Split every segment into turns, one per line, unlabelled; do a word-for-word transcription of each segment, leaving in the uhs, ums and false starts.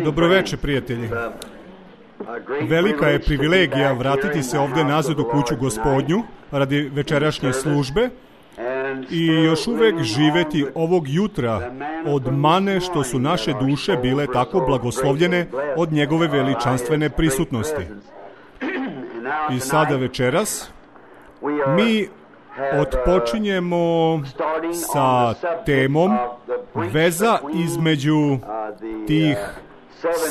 Dobroveče, prijatelji. Velika je privilegija vratiti se ovde nazad u kuću Gospodnju radi večerašnje službe i još uvek živeti ovog jutra od mane što su naše duše bile tako blagoslovljene od njegove veličanstvene prisutnosti. I sada večeras mi otpočinjemo sa temom veza između tih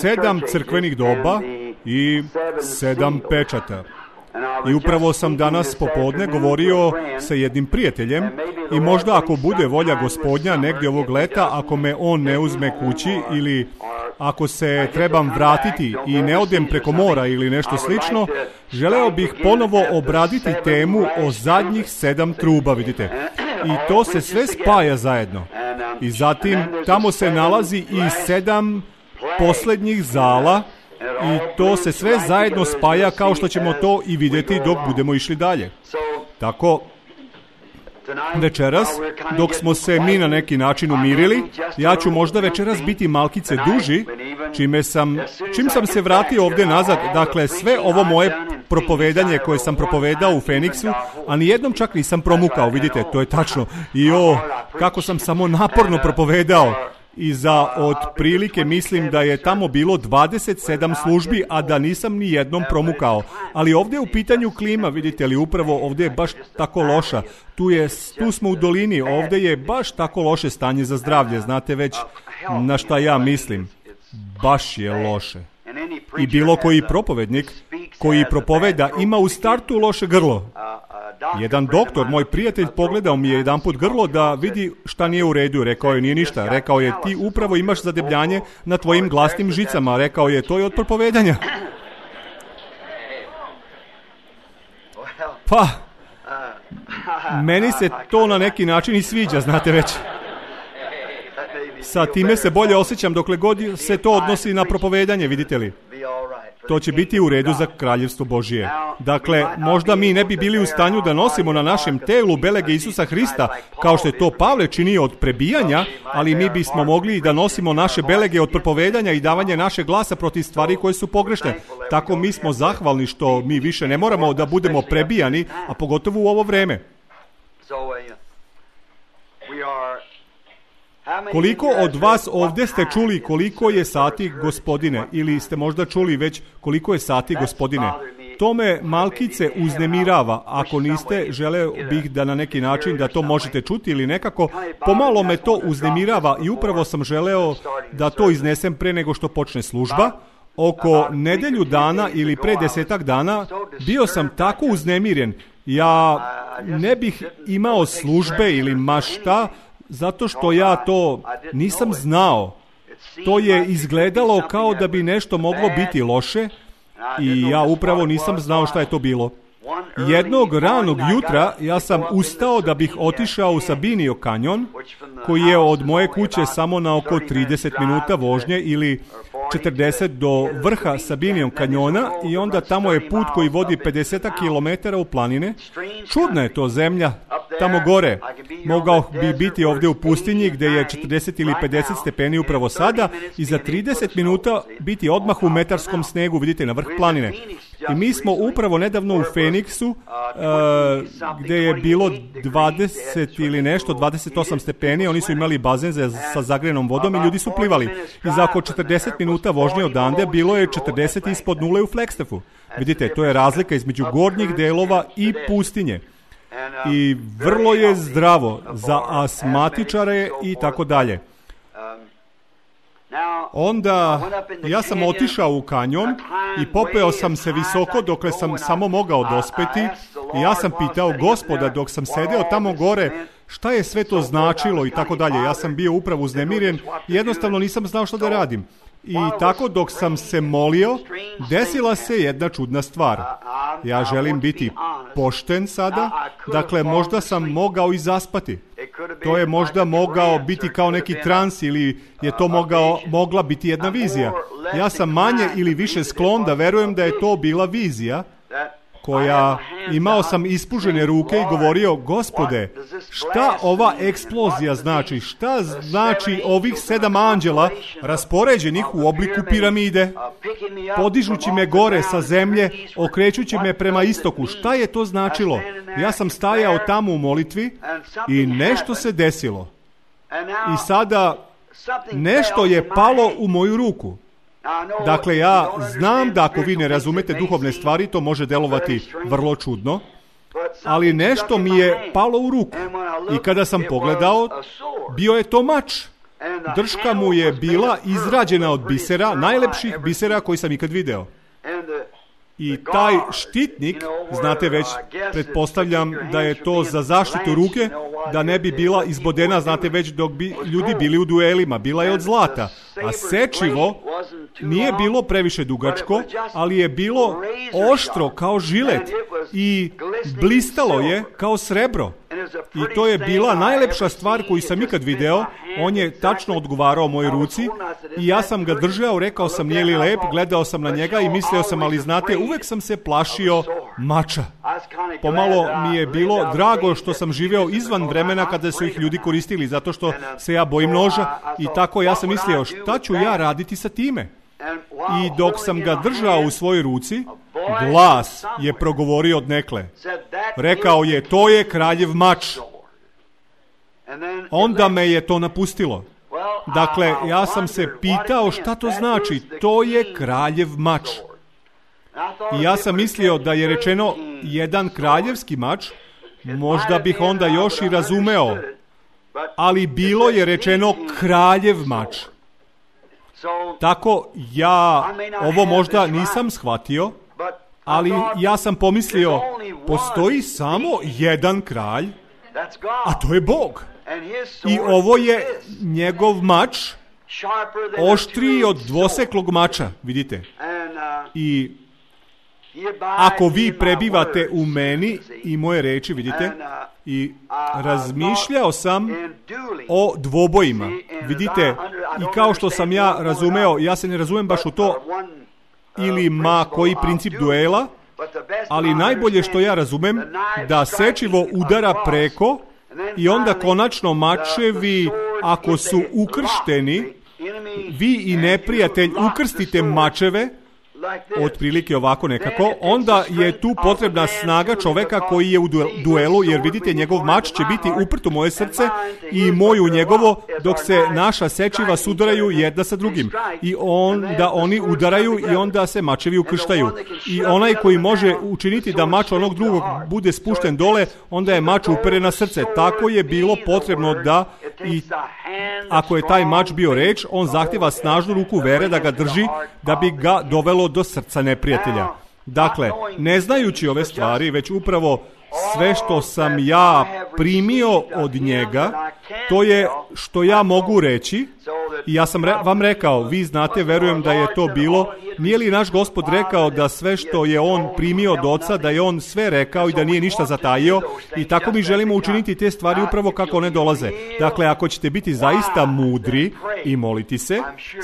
sedam crkvenih doba i sedam pečata. I upravo sam danas popodne govorio sa jednim prijateljem i možda ako bude volja Gospodnja negdje ovog leta, ako me on ne uzme kući ili ako se trebam vratiti i ne odem preko mora ili nešto slično, želeo bih ponovo obraditi temu o zadnjih sedam truba, vidite. I to se sve spaja zajedno. I zatim tamo se nalazi i sedam posljednjih zala i to se sve zajedno spaja kao što ćemo to i vidjeti dok budemo išli dalje. Tako, večeras, dok smo se mi na neki način umirili, ja ću možda večeras biti malkice duži, čime sam, čim sam se vratio ovdje nazad, dakle sve ovo moje propovedanje koje sam propovedao u Feniksu, a nijednom čak nisam promukao, vidite, to je tačno. I o, kako sam samo naporno propovedao. I za otprilike mislim da je tamo bilo dvadeset sedam službi, a da nisam ni jednom promukao. Ali ovdje je u pitanju klima, vidite li, upravo ovdje je baš tako loša. Tu, je, tu smo u dolini, ovdje je baš tako loše stanje za zdravlje, znate već na šta ja mislim. Baš je loše. I bilo koji propovednik koji propoveda ima u startu loše grlo. Jedan doktor, moj prijatelj, pogledao mi je jedanput grlo da vidi šta nije u redu. Rekao je, nije ništa. Rekao je, ti upravo imaš zadebljanje na tvojim glasnim žicama. Rekao je, to je od propovedanja. Pa, meni se to na neki način i sviđa, znate već. Sa time se bolje osjećam dokle god se to odnosi na propovedanje, vidite li. To će biti u redu za kraljevstvo Božije. Dakle, možda mi ne bi bili u stanju da nosimo na našem telu belege Isusa Hrista, kao što je to Pavle činio od prebijanja, ali mi bismo mogli da nosimo naše belege od propovedanja i davanja naše glasa protiv stvari koje su pogrešne. Tako mi smo zahvalni što mi više ne moramo da budemo prebijani, a pogotovo u ovo vreme. Koliko od vas ovdje ste čuli koliko je sati, Gospodine, ili ste možda čuli već koliko je sati, Gospodine? To me malkice uznemirava. Ako niste, želeo bih da na neki način da to možete čuti ili nekako, pomalo me to uznemirava i upravo sam želeo da to iznesem pre nego što počne služba. Oko nedelju dana ili pre desetak dana bio sam tako uznemiren. Ja ne bih imao službe ili ma šta, zato što ja to nisam znao. To je izgledalo kao da bi nešto moglo biti loše i ja upravo nisam znao šta je to bilo. Jednog ranog jutra ja sam ustao da bih otišao u Sabinio kanjon, koji je od moje kuće samo na oko trideset minuta vožnje ili četrdeset do vrha Sabinijom kanjona i onda tamo je put koji vodi pedeset kilometara u planine. Čudna je to zemlja, tamo gore. Mogao bi biti ovdje u pustinji gdje je četrdeset ili pedeset stepeni upravo sada i za trideset minuta biti odmah u metarskom snegu, vidite, na vrh planine. I mi smo upravo nedavno u Feniksu, uh, gdje je bilo dvadeset ili nešto, dvadeset osam stepeni, oni su imali bazen za, sa zagrejanom vodom i ljudi su plivali. I za oko četrdeset minuta vožnje odande bilo je četrdeset ispod nule u Flagstaffu. Vidite, to je razlika između gornjih delova i pustinje. I vrlo je zdravo za asmatičare i tako dalje. Onda ja sam otišao u kanjon i popeo sam se visoko dokle sam samo mogao dospeti i ja sam pitao Gospoda dok sam sedeo tamo gore šta je sve to značilo i tako dalje. Ja sam bio upravo uznemiren i jednostavno nisam znao što da radim. I tako dok sam se molio, desila se jedna čudna stvar. Ja želim biti pošten sada, dakle možda sam mogao i zaspati. To je možda mogao biti kao neki trans ili je to mogao, mogla biti jedna vizija. Ja sam manje ili više sklon da verujem da je to bila vizija koja imao sam ispužene ruke i govorio, Gospode, šta ova eksplozija znači? Šta znači ovih sedam anđela raspoređenih u obliku piramide, podižući me gore sa zemlje, okrećući me prema istoku? Šta je to značilo? Ja sam stajao tamo u molitvi i nešto se desilo. I sada nešto je palo u moju ruku. Dakle, ja znam da ako vi ne razumete duhovne stvari, to može delovati vrlo čudno, ali nešto mi je palo u ruku. I kada sam pogledao, bio je to mač. Drška mu je bila izrađena od bisera, najlepših bisera koji sam ikad video. I taj štitnik, znate već, pretpostavljam da je to za zaštitu ruke, da ne bi bila izbodena, znate već, dok bi ljudi bili u duelima. Bila je od zlata. A sečivo nije bilo previše dugačko, ali je bilo oštro kao žilet i blistalo je kao srebro. I to je bila najlepša stvar koju sam ikad video. On je tačno odgovarao mojoj ruci i ja sam ga držao, rekao sam nije li lep, gledao sam na njega i mislio sam, ali znate, uvek sam se plašio mača. Pomalo mi je bilo drago što sam živeo izvan vremena kada su ih ljudi koristili, zato što se ja bojim noža i tako ja sam mislio, šta ću ja raditi sa time? I dok sam ga držao u svojoj ruci, glas je progovorio odnekle. Rekao je, to je kraljev mač. Onda me je to napustilo. Dakle, ja sam se pitao šta to znači. To je kraljev mač. I ja sam mislio da je rečeno jedan kraljevski mač, možda bih onda još i razumeo. Ali bilo je rečeno kraljev mač. Tako ja ovo možda nisam shvatio, ali ja sam pomislio, postoji samo jedan kralj, a to je Bog. I ovo je njegov mač, oštriji od dvoseklog mača, vidite. I ako vi prebivate u meni i moje reči, vidite, i razmišljao sam o dvobojima, vidite, i kao što sam ja razumeo, ja se ne razumem baš u to ili ma koji princip duela, ali najbolje što ja razumem, da sečivo udara preko i onda konačno mačevi, ako su ukršteni, vi i neprijatelj ukrstite mačeve, otprilike ovako nekako, onda je tu potrebna snaga čoveka koji je u duelu, jer vidite, njegov mač će biti uprt u moje srce i moju njegovo, dok se naša sečiva sudaraju jedna sa drugim. I onda oni udaraju i onda se mačevi ukrštaju. I onaj koji može učiniti da mač onog drugog bude spušten dole, onda je mač uperen na srce. Tako je bilo potrebno da, i ako je taj mač bio reč, on zahtjeva snažnu ruku vere da ga drži, da bi ga dovelo do srca neprijatelja. Dakle, ne znajući ove stvari, već upravo sve što sam ja primio od njega, to je što ja mogu reći. I ja sam re, vam rekao, vi znate, verujem da je to bilo, nije li naš Gospod rekao da sve što je on primio od Oca, da je on sve rekao i da nije ništa zatajio, i tako mi želimo učiniti te stvari upravo kako one dolaze. Dakle, ako ćete biti zaista mudri i moliti se,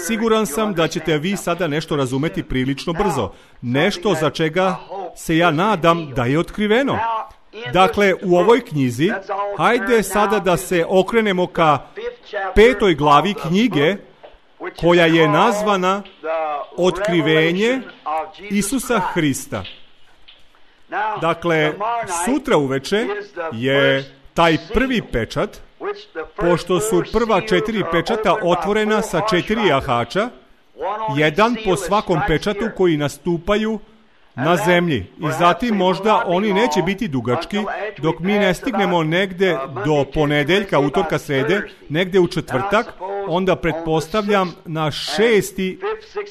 siguran sam da ćete vi sada nešto razumeti prilično brzo. Nešto za čega se ja nadam da je otkriveno. Dakle, u ovoj knjizi, hajde sada da se okrenemo ka petoj glavi knjige, koja je nazvana Otkrivenje Isusa Hrista. Dakle, sutra uveče je taj prvi pečat, pošto su prva četiri pečata otvorena sa četiri jahača, jedan po svakom pečatu koji nastupaju na zemlji. I zatim možda oni neće biti dugački dok mi ne stignemo negde do ponedeljka, utorka, srede, negde u četvrtak, onda pretpostavljam na šesti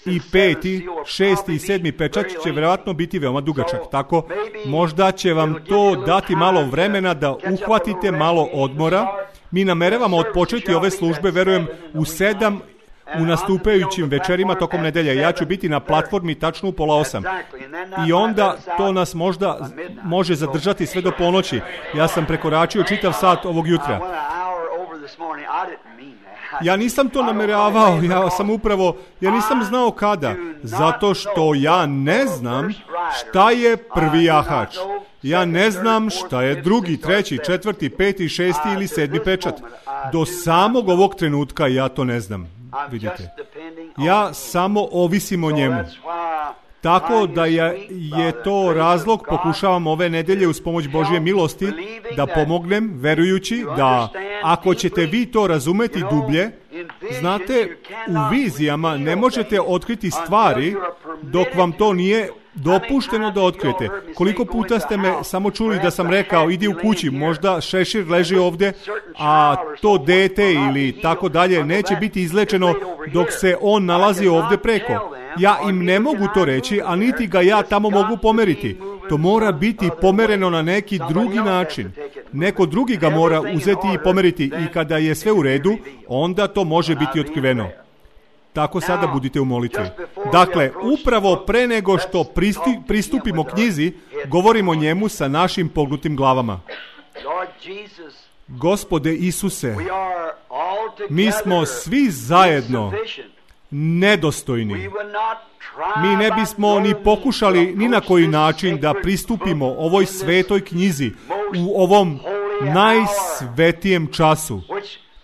i peti, šesti i sedmi pečat će vjerojatno biti veoma dugačak. Tako, možda će vam to dati malo vremena da uhvatite malo odmora. Mi nameravamo odpočeti ove službe, verujem, u sedam u nastupajućim večerima tokom nedelja. Ja ću biti na platformi tačno u pola osam. I onda to nas možda može zadržati sve do ponoći. Ja sam prekoračio čitav sat ovog jutra. Ja nisam to nameravao, ja sam upravo, ja nisam znao kada, zato što ja ne znam šta je prvi jahač. Ja ne znam šta je drugi, treći, četvrti, peti, šesti ili sedmi pečat. Do samog ovog trenutka ja to ne znam, vidite. Ja samo ovisim o njemu. Tako da je, je to razlog, pokušavam ove nedelje uz pomoć Božje milosti da pomognem, verujući da ako ćete vi to razumeti dublje, znate, u vizijama ne možete otkriti stvari dok vam to nije dopušteno da otkrijete. Koliko puta ste me samo čuli da sam rekao, idi u kući, možda šešir leži ovdje, a to dete ili tako dalje neće biti izlečeno dok se on nalazi ovdje preko. Ja im ne mogu to reći, a niti ga ja tamo mogu pomeriti. To mora biti pomereno na neki drugi način. Neko drugi ga mora uzeti i pomeriti i kada je sve u redu, onda to može biti otkriveno. Tako sada budite u molitvi. Dakle, upravo pre nego što pristi, pristupimo knjizi, govorimo o njemu sa našim pognutim glavama. Gospode Isuse, mi smo svi zajedno nedostojni. Mi ne bismo ni pokušali ni na koji način da pristupimo ovoj svetoj knjizi u ovom najsvetijem času,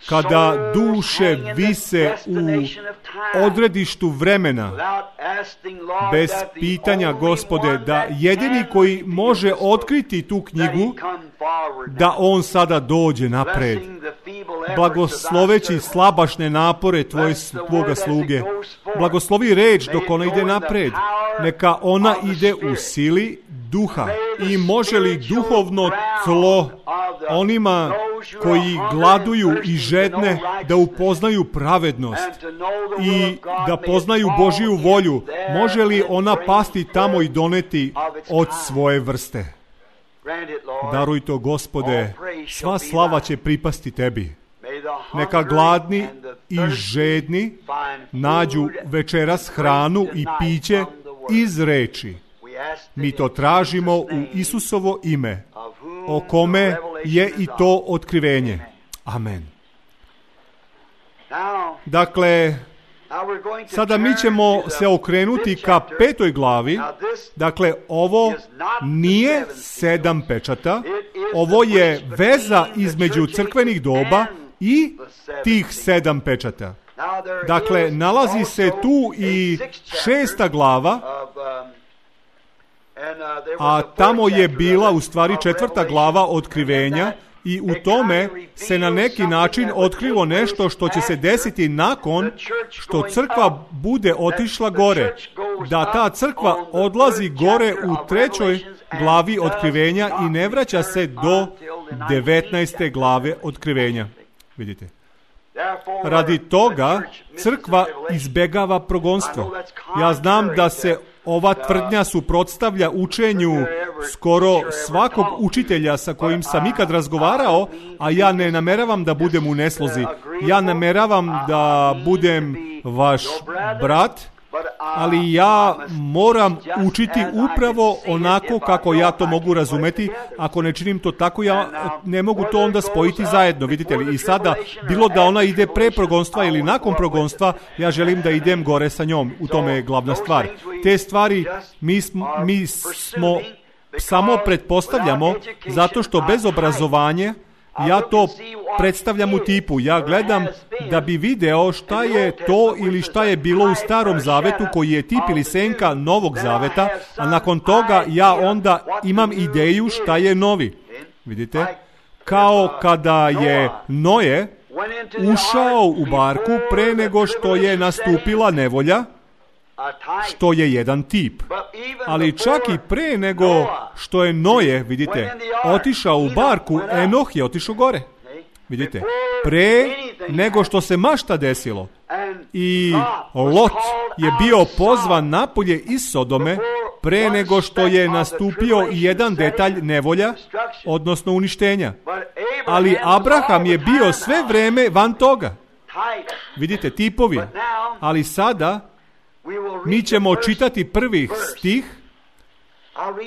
kada duše vise u odredištu vremena, bez pitanja, Gospode, da jedini koji može otkriti tu knjigu, da on sada dođe napred, blagosloveći slabašne napore tvoje, tvoga sluge. Blagoslovi reč dok ona ide napred. Neka ona ide u sili duha. I može li duhovno tlo onima koji gladuju i žedne da upoznaju pravednost i da poznaju Božiju volju, može li ona pasti tamo i doneti od svoje vrste? Daruj to, Gospode, sva slava će pripasti tebi. Neka gladni i žedni nađu večeras hranu i piće iz reči. Mi to tražimo u Isusovo ime, o kome je i to otkrivenje. Amen. Dakle, sada mi ćemo se okrenuti ka petoj glavi. Dakle, ovo nije sedam pečata, ovo je veza između crkvenih doba i tih sedam pečata. Dakle, nalazi se tu i šesta glava, a tamo je bila u stvari četvrta glava otkrivenja i u tome se na neki način otkrilo nešto što će se desiti nakon što crkva bude otišla gore. Da ta crkva odlazi gore u trećoj glavi otkrivenja i ne vraća se do devetnaeste glave otkrivenja. Vidite. Radi toga crkva izbegava progonstvo. Ja znam da se ova tvrdnja suprotstavlja učenju skoro svakog učitelja sa kojim sam ikad razgovarao, a ja ne nameravam da budem u neslozi. Ja nameravam da budem vaš brat, ali ja moram učiti upravo onako kako ja to mogu razumeti. Ako ne činim to tako, ja ne mogu to onda spojiti zajedno, vidite li. I sada, bilo da ona ide pre progonstva ili nakon progonstva, ja želim da idem gore sa njom. U tome je glavna stvar. Te stvari mi smo, mi smo samo pretpostavljamo zato što bez obrazovanja ja to predstavljam u tipu. Ja gledam da bi video šta je to ili šta je bilo u Starom Zavetu koji je tip ili senka Novog Zaveta, a nakon toga ja onda imam ideju šta je novi. Vidite? Kao kada je Noje ušao u barku pre nego što je nastupila nevolja, što je jedan tip. Ali čak i pre nego što je Noje, vidite, otišao u barku, Enoh je otišao gore. Vidite, pre nego što se mašta desilo. I Lot je bio pozvan napolje iz Sodome pre nego što je nastupio jedan detalj nevolja, odnosno uništenja. Ali Abraham je bio sve vreme van toga. Vidite, tipovi. Ali sada mi ćemo čitati prvih stih.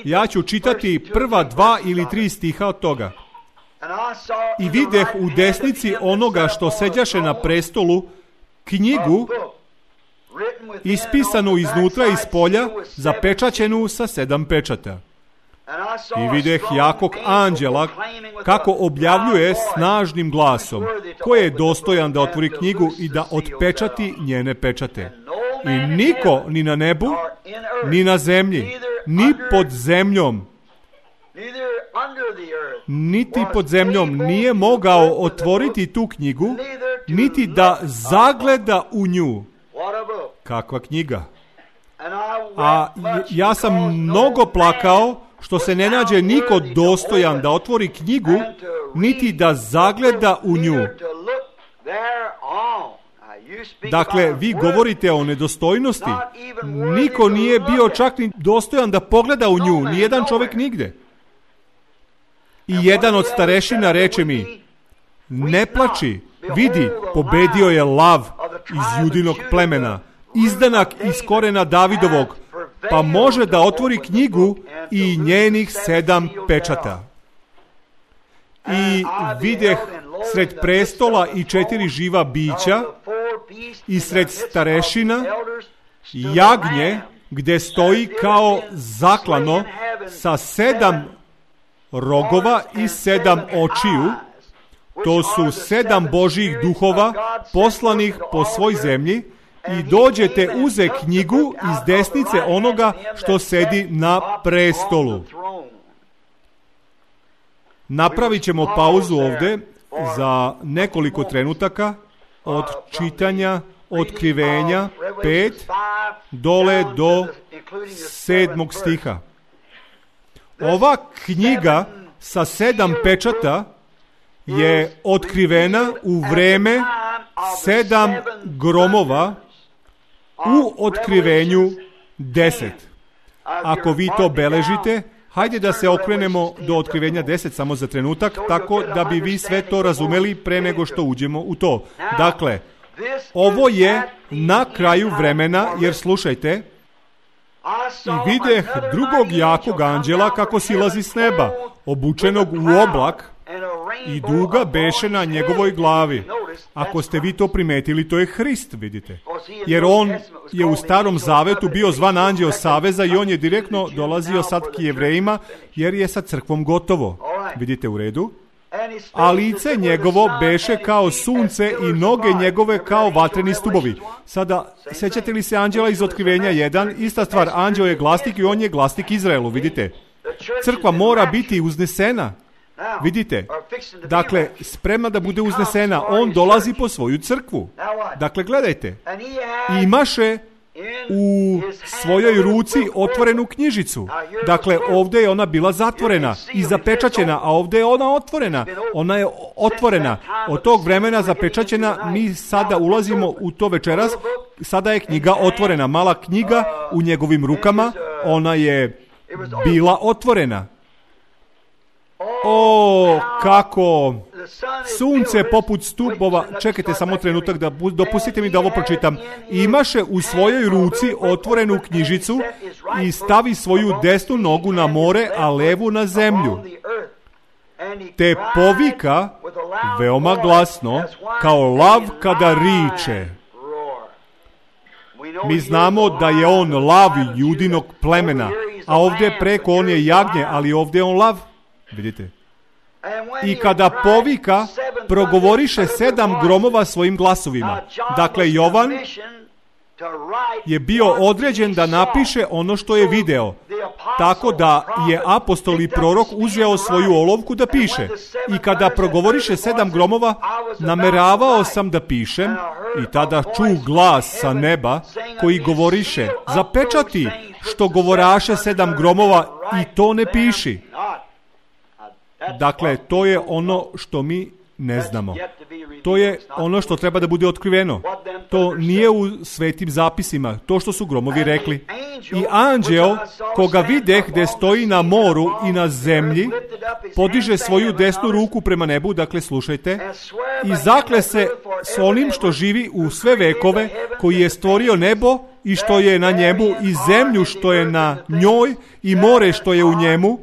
Ja ću čitati prva dva ili tri stiha od toga. I videh u desnici onoga što seđaše na prestolu knjigu ispisanu iznutra iz polja, zapečaćenu sa sedam pečata. I videh jakog anđela kako objavljuje snažnim glasom ko je dostojan da otvori knjigu i da otpečati njene pečate. I niko ni na nebu, ni na zemlji, ni pod zemljom, niti pod zemljom nije mogao otvoriti tu knjigu, niti da zagleda u nju. Kakva knjiga! A ja sam mnogo plakao što se ne nađe niko dostojan da otvori knjigu, niti da zagleda u nju. Dakle, vi govorite o nedostojnosti. Niko nije bio čak ni dostojan da pogleda u nju, ni jedan čovjek nigde. I jedan od starešina reče mi, ne plači, vidi, pobedio je lav iz Judinog plemena, izdanak iz korena Davidovog, pa može da otvori knjigu i njenih sedam pečata. I videh sred prestola i četiri živa bića i sred starešina jagnje gde stoji kao zaklano sa sedam rogova i sedam očiju. To su sedam Božjih duhova poslanih po svoj zemlji i dođete uze knjigu iz desnice onoga što sedi na prestolu. Napravit ćemo pauzu ovde za nekoliko trenutaka od čitanja Otkrivenja pet dole do sedmog stiha. Ova knjiga sa sedam pečata je otkrivena u vreme sedam gromova u Otkrivenju deset. Ako vi to beležite, hajde da se okrenemo do Otkrivenja deset samo za trenutak, tako da bi vi sve to razumeli pre nego što uđemo u to. Dakle, ovo je na kraju vremena, jer slušajte, i videh drugog jakog anđela kako silazi s neba, obučenog u oblak, i duga beše na njegovoj glavi. Ako ste vi to primetili, to je Hrist, vidite. Jer on je u Starom Zavetu bio zvan anđeo saveza i on je direktno dolazio sad k Jevrejima, jer je sa crkvom gotovo. Vidite u redu? A lice njegovo beše kao sunce i noge njegove kao vatreni stubovi. Sada, sećate li se anđela iz Otkrivenja jedan? Ista stvar, anđeo je glasnik i on je glasnik Izraelu, vidite. Crkva mora biti uznesena. Vidite, dakle, spremna da bude uznesena, on dolazi po svoju crkvu. Dakle, gledajte, imaše u svojoj ruci otvorenu knjižicu. Dakle, ovdje je ona bila zatvorena i zapečaćena, a ovdje je ona otvorena. Ona je otvorena. Od tog vremena zapečaćena, mi sada ulazimo u to večeras, sada je knjiga otvorena. Mala knjiga u njegovim rukama, ona je bila otvorena. O, kako sunce poput stubova, čekajte samo trenutak, da dopustite mi da ovo pročitam. Imaše u svojoj ruci otvorenu knjižicu i stavi svoju desnu nogu na more, a levu na zemlju. Te povika veoma glasno, kao lav kada riče. Mi znamo da je on lav Judinog plemena, a ovdje preko on je jagnje, ali ovdje je on lav. Vidite. I kada povika, progovoriše sedam gromova svojim glasovima. Dakle, Jovan je bio određen da napiše ono što je video. Tako da je apostol i prorok uzeo svoju olovku da piše. I kada progovoriše sedam gromova, nameravao sam da pišem i tada ču glas sa neba koji govoriše, zapečati što govoraše sedam gromova i to ne piši. Dakle, to je ono što mi ne znamo. To je ono što treba da bude otkriveno. To nije u svetim zapisima, to što su gromovi rekli. I anđeo, koga videh gde stoji na moru i na zemlji, podiže svoju desnu ruku prema nebu, dakle slušajte, i zakle se s onim što živi u sve vekove, koji je stvorio nebo i što je na njemu, i zemlju što je na njoj, i more što je u njemu.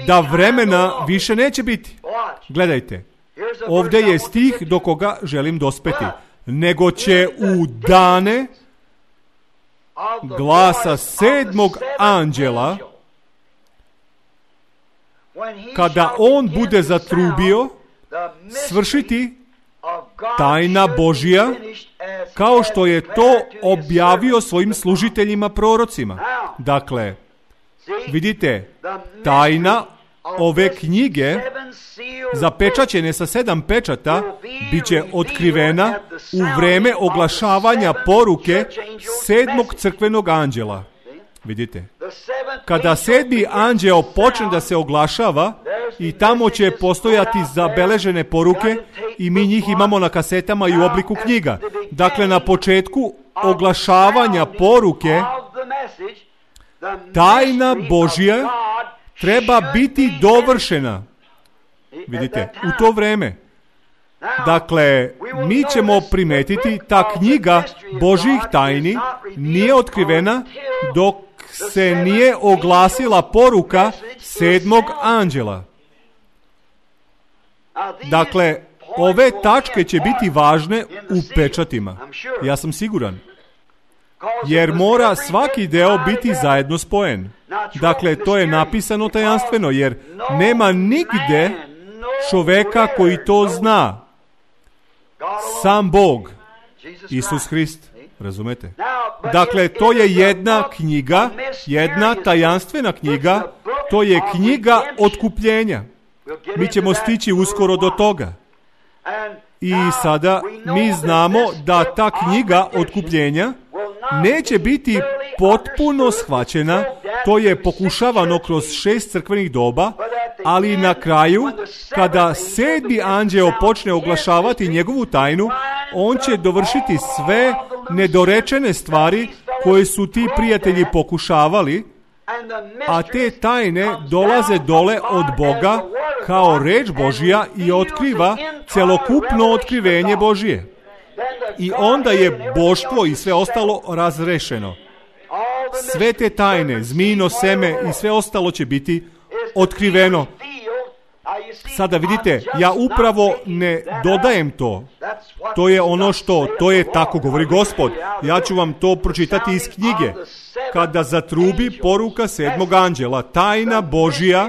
da vremena više neće biti. Gledajte, ovdje je stih do koga želim dospeti. Nego će u dane glasa sedmog anđela, kada on bude zatrubio, svršiti tajna Božja, kao što je to objavio svojim služiteljima prorocima. Dakle, vidite, tajna ove knjige, zapečaćene sa sedam pečata, bit će otkrivena u vreme oglašavanja poruke sedmog crkvenog anđela. Vidite, kada sedmi anđeo počne da se oglašava, i tamo će postojati zabeležene poruke i mi njih imamo na kasetama i u obliku knjiga. Dakle, na početku oglašavanja poruke, tajna Božja treba biti dovršena. Vidite, u to vreme. Dakle, mi ćemo primetiti, ta knjiga Božjih tajni nije otkrivena dok se nije oglasila poruka sedmog anđela. Dakle, ove tačke će biti važne u pečatima. Ja sam siguran. Jer mora svaki deo biti zajedno spojen. Dakle, to je napisano tajanstveno, jer nema nigde čoveka koji to zna. Sam Bog, Isus Hrist. Razumete? Dakle, to je jedna knjiga, jedna tajanstvena knjiga, to je knjiga otkupljenja. Mi ćemo stići uskoro do toga. I sada mi znamo da ta knjiga otkupljenja neće biti potpuno shvaćena, to je pokušavano kroz šest crkvenih doba, ali na kraju, kada sedmi anđeo počne oglašavati njegovu tajnu, on će dovršiti sve nedorečene stvari koje su ti prijatelji pokušavali, a te tajne dolaze dole od Boga kao reč Božja i otkriva celokupno otkrivenje Božje. I onda je boštvo i sve ostalo razrešeno. Sve te tajne, zmijino seme i sve ostalo će biti otkriveno. Sada vidite, ja upravo ne dodajem to. To je ono što, to je tako govori Gospod. Ja ću vam to pročitati iz knjige. Kada zatrubi poruka sedmog anđela, tajna Božja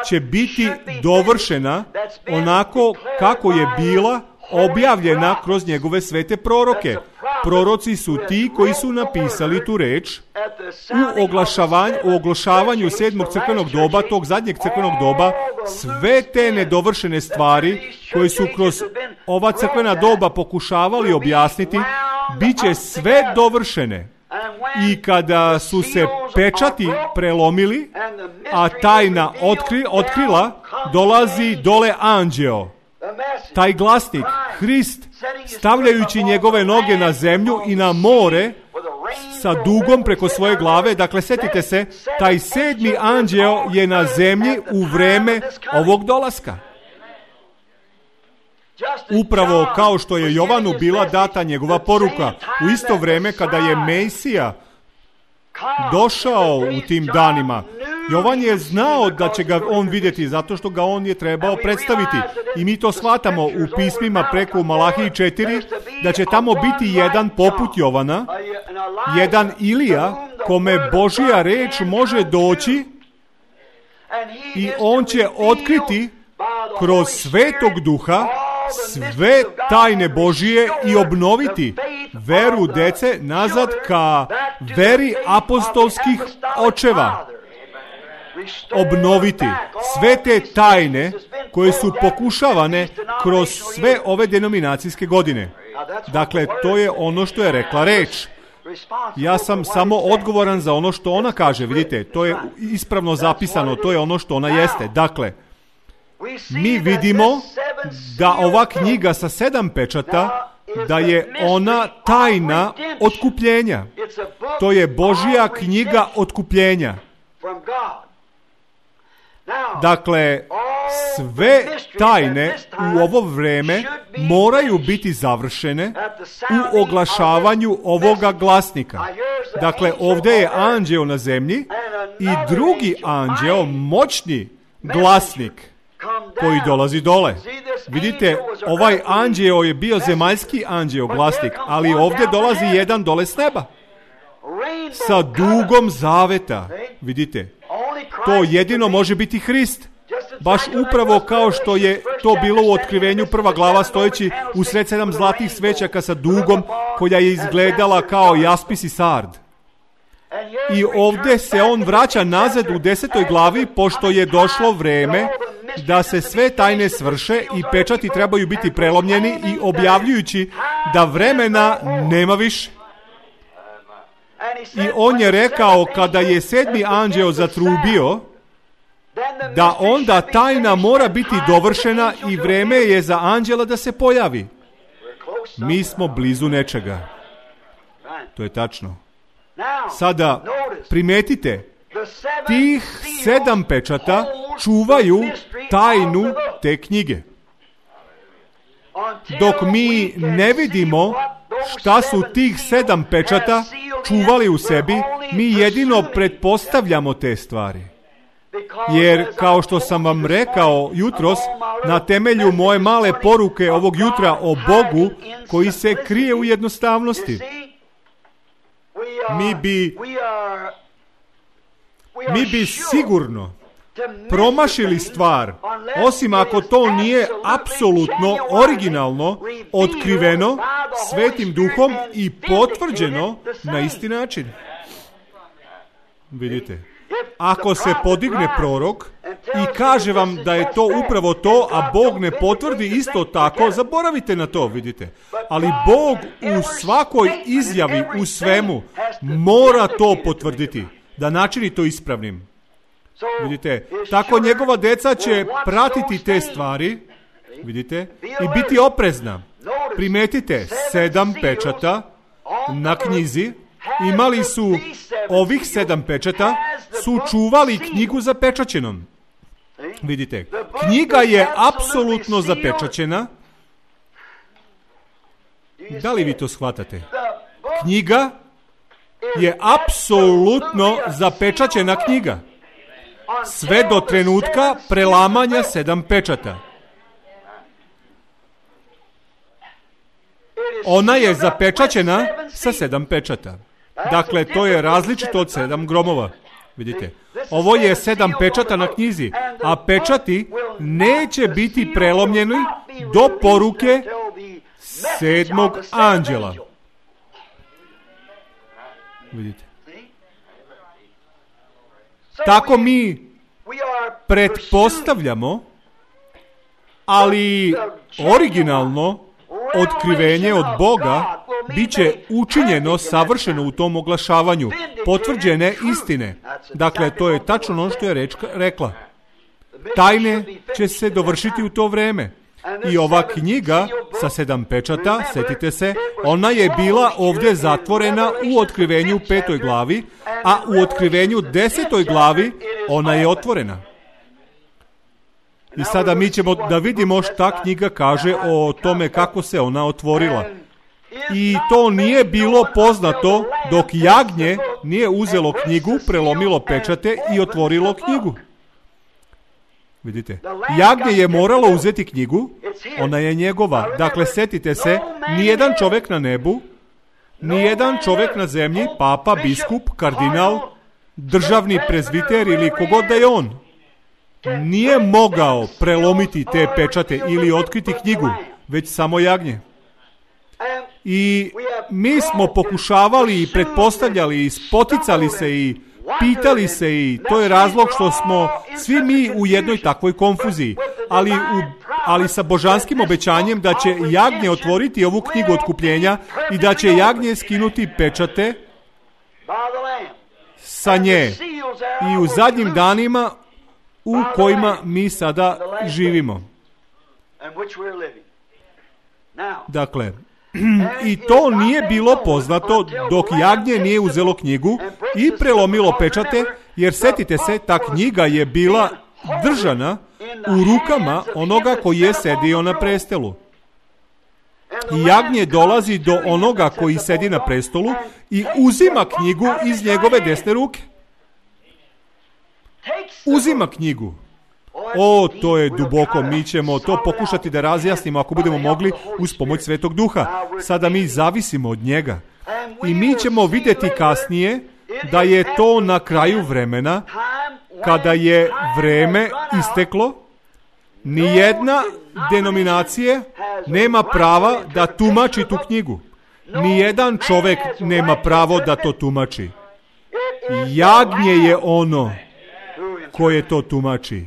će biti dovršena onako kako je bila objavljena kroz njegove svete proroke. Proroci su ti koji su napisali tu reč u oglašavanju, u oglašavanju sedmog crkvenog doba, tog zadnjeg crkvenog doba, sve te nedovršene stvari koje su kroz ova crkvena doba pokušavali objasniti, bit će sve dovršene. I kada su se pečati prelomili, a tajna otkri, otkrila, dolazi dole anđeo. Taj glasnik, Hrist, stavljajući njegove noge na zemlju i na more sa dugom preko svoje glave. Dakle, setite se, taj sedmi anđeo je na zemlji u vreme ovog dolaska. Upravo kao što je Jovanu bila data njegova poruka, u isto vreme kada je Mesija došao u tim danima, Jovan je znao da će ga on vidjeti zato što ga on je trebao predstaviti. I mi to shvatamo u pismima preko Malahiji četiri, da će tamo biti jedan poput Jovana, jedan Ilija, kome Božja reč može doći i on će otkriti kroz Svetog Duha sve tajne Božije i obnoviti veru dece nazad ka veri apostolskih očeva. Obnoviti sve te tajne koje su pokušavane kroz sve ove denominacijske godine. Dakle, to je ono što je rekla reč. Ja sam samo odgovoran za ono što ona kaže. Vidite, to je ispravno zapisano, to je ono što ona jeste. Dakle, mi vidimo da ova knjiga sa sedam pečata, da je ona tajna otkupljenja. To je Božja knjiga otkupljenja. Dakle, sve tajne u ovo vreme moraju biti završene u oglašavanju ovoga glasnika. Dakle, ovdje je anđeo na zemlji i drugi anđeo, moćni, glasnik koji dolazi dole. Vidite, ovaj anđeo je bio zemaljski anđeo, glasnik, ali ovdje dolazi jedan dole s neba. Sa dugom zaveta. Vidite, to jedino može biti Hrist. Baš upravo kao što je to bilo u Otkrivenju prva glava, stojeći usred sedam zlatih svećaka sa dugom koja je izgledala kao jaspis i sard. I ovdje se on vraća nazad u desetoj glavi, pošto je došlo vreme da se sve tajne svrše i pečati trebaju biti prelomljeni, i objavljujući da vremena nema više. I on je rekao, kada je sedmi anđeo zatrubio, da onda tajna mora biti dovršena i vreme je za anđela da se pojavi. Mi smo blizu nečega. To je tačno. Sada primetite, tih sedam pečata čuvaju tajnu te knjige. Dok mi ne vidimo šta su tih sedam pečata čuvali u sebi, mi jedino pretpostavljamo te stvari. Jer, kao što sam vam rekao jutros, na temelju moje male poruke ovog jutra o Bogu koji se krije u jednostavnosti, mi bi, mi bi sigurno promašili stvar, osim ako to nije apsolutno, originalno, otkriveno Svetim Duhom i potvrđeno na isti način. Vidite, ako se podigne prorok i kaže vam da je to upravo to, a Bog ne potvrdi isto tako, zaboravite na to, vidite. Ali Bog u svakoj izjavi, u svemu, mora to potvrditi, da načini to ispravnim. Vidite, tako njegova deca će pratiti te stvari, vidite, i biti oprezna. Primetite, sedam pečata na knjizi, imali su ovih sedam pečata, su čuvali knjigu zapečaćenom. Vidite, knjiga je apsolutno zapečaćena. Da li vi to shvatate? Knjiga je apsolutno zapečaćena knjiga. Sve do trenutka prelamanja sedam pečata. Ona je zapečaćena sa sedam pečata. Dakle, to je različito od sedam gromova. Vidite, ovo je sedam pečata na knjizi, a pečati neće biti prelomljeni do poruke sedmog anđela. Vidite. Tako mi pretpostavljamo, ali originalno otkrivenje od Boga biće učinjeno savršeno u tom oglašavanju potvrđene istine. Dakle, to je tačno ono što je reč rekla. Tajne će se dovršiti u to vreme. I ova knjiga sa sedam pečata, setite se, ona je bila ovdje zatvorena u Otkrivenju petoj glavi, a u Otkrivenju desetoj glavi ona je otvorena. I sada mi ćemo da vidimo šta knjiga kaže o tome kako se ona otvorila. I to nije bilo poznato dok jagnje nije uzelo knjigu, prelomilo pečate i otvorilo knjigu. Vidite, jagnje je moralo uzeti knjigu, ona je njegova. Dakle, setite se, nijedan čovjek na nebu, nijedan čovjek na zemlji, papa, biskup, kardinal, državni prezbiter ili kogod da je on, nije mogao prelomiti te pečate ili otkriti knjigu, već samo jagnje. I mi smo pokušavali i pretpostavljali i spoticali se i pitali se, i to je razlog što smo svi mi u jednoj takvoj konfuziji, ali, u, ali sa božanskim obećanjem da će jagnje otvoriti ovu knjigu otkupljenja i da će jagnje skinuti pečate sa nje i u zadnjim danima u kojima mi sada živimo. Dakle, i to nije bilo poznato dok jagnje nije uzelo knjigu i prelomilo pečate, jer setite se, ta knjiga je bila držana u rukama onoga koji je sedio na prestolu. I jagnje dolazi do onoga koji sedi na prestolu i uzima knjigu iz njegove desne ruke. Uzima knjigu. O, to je duboko, mi ćemo to pokušati da razjasnimo ako budemo mogli uz pomoć Svetog Duha. Sada mi zavisimo od njega. I mi ćemo vidjeti kasnije da je to na kraju vremena, kada je vreme isteklo, nijedna denominacija nema prava da tumači tu knjigu. Nijedan čovjek nema pravo da to tumači. Jagnje je ono koje to tumači.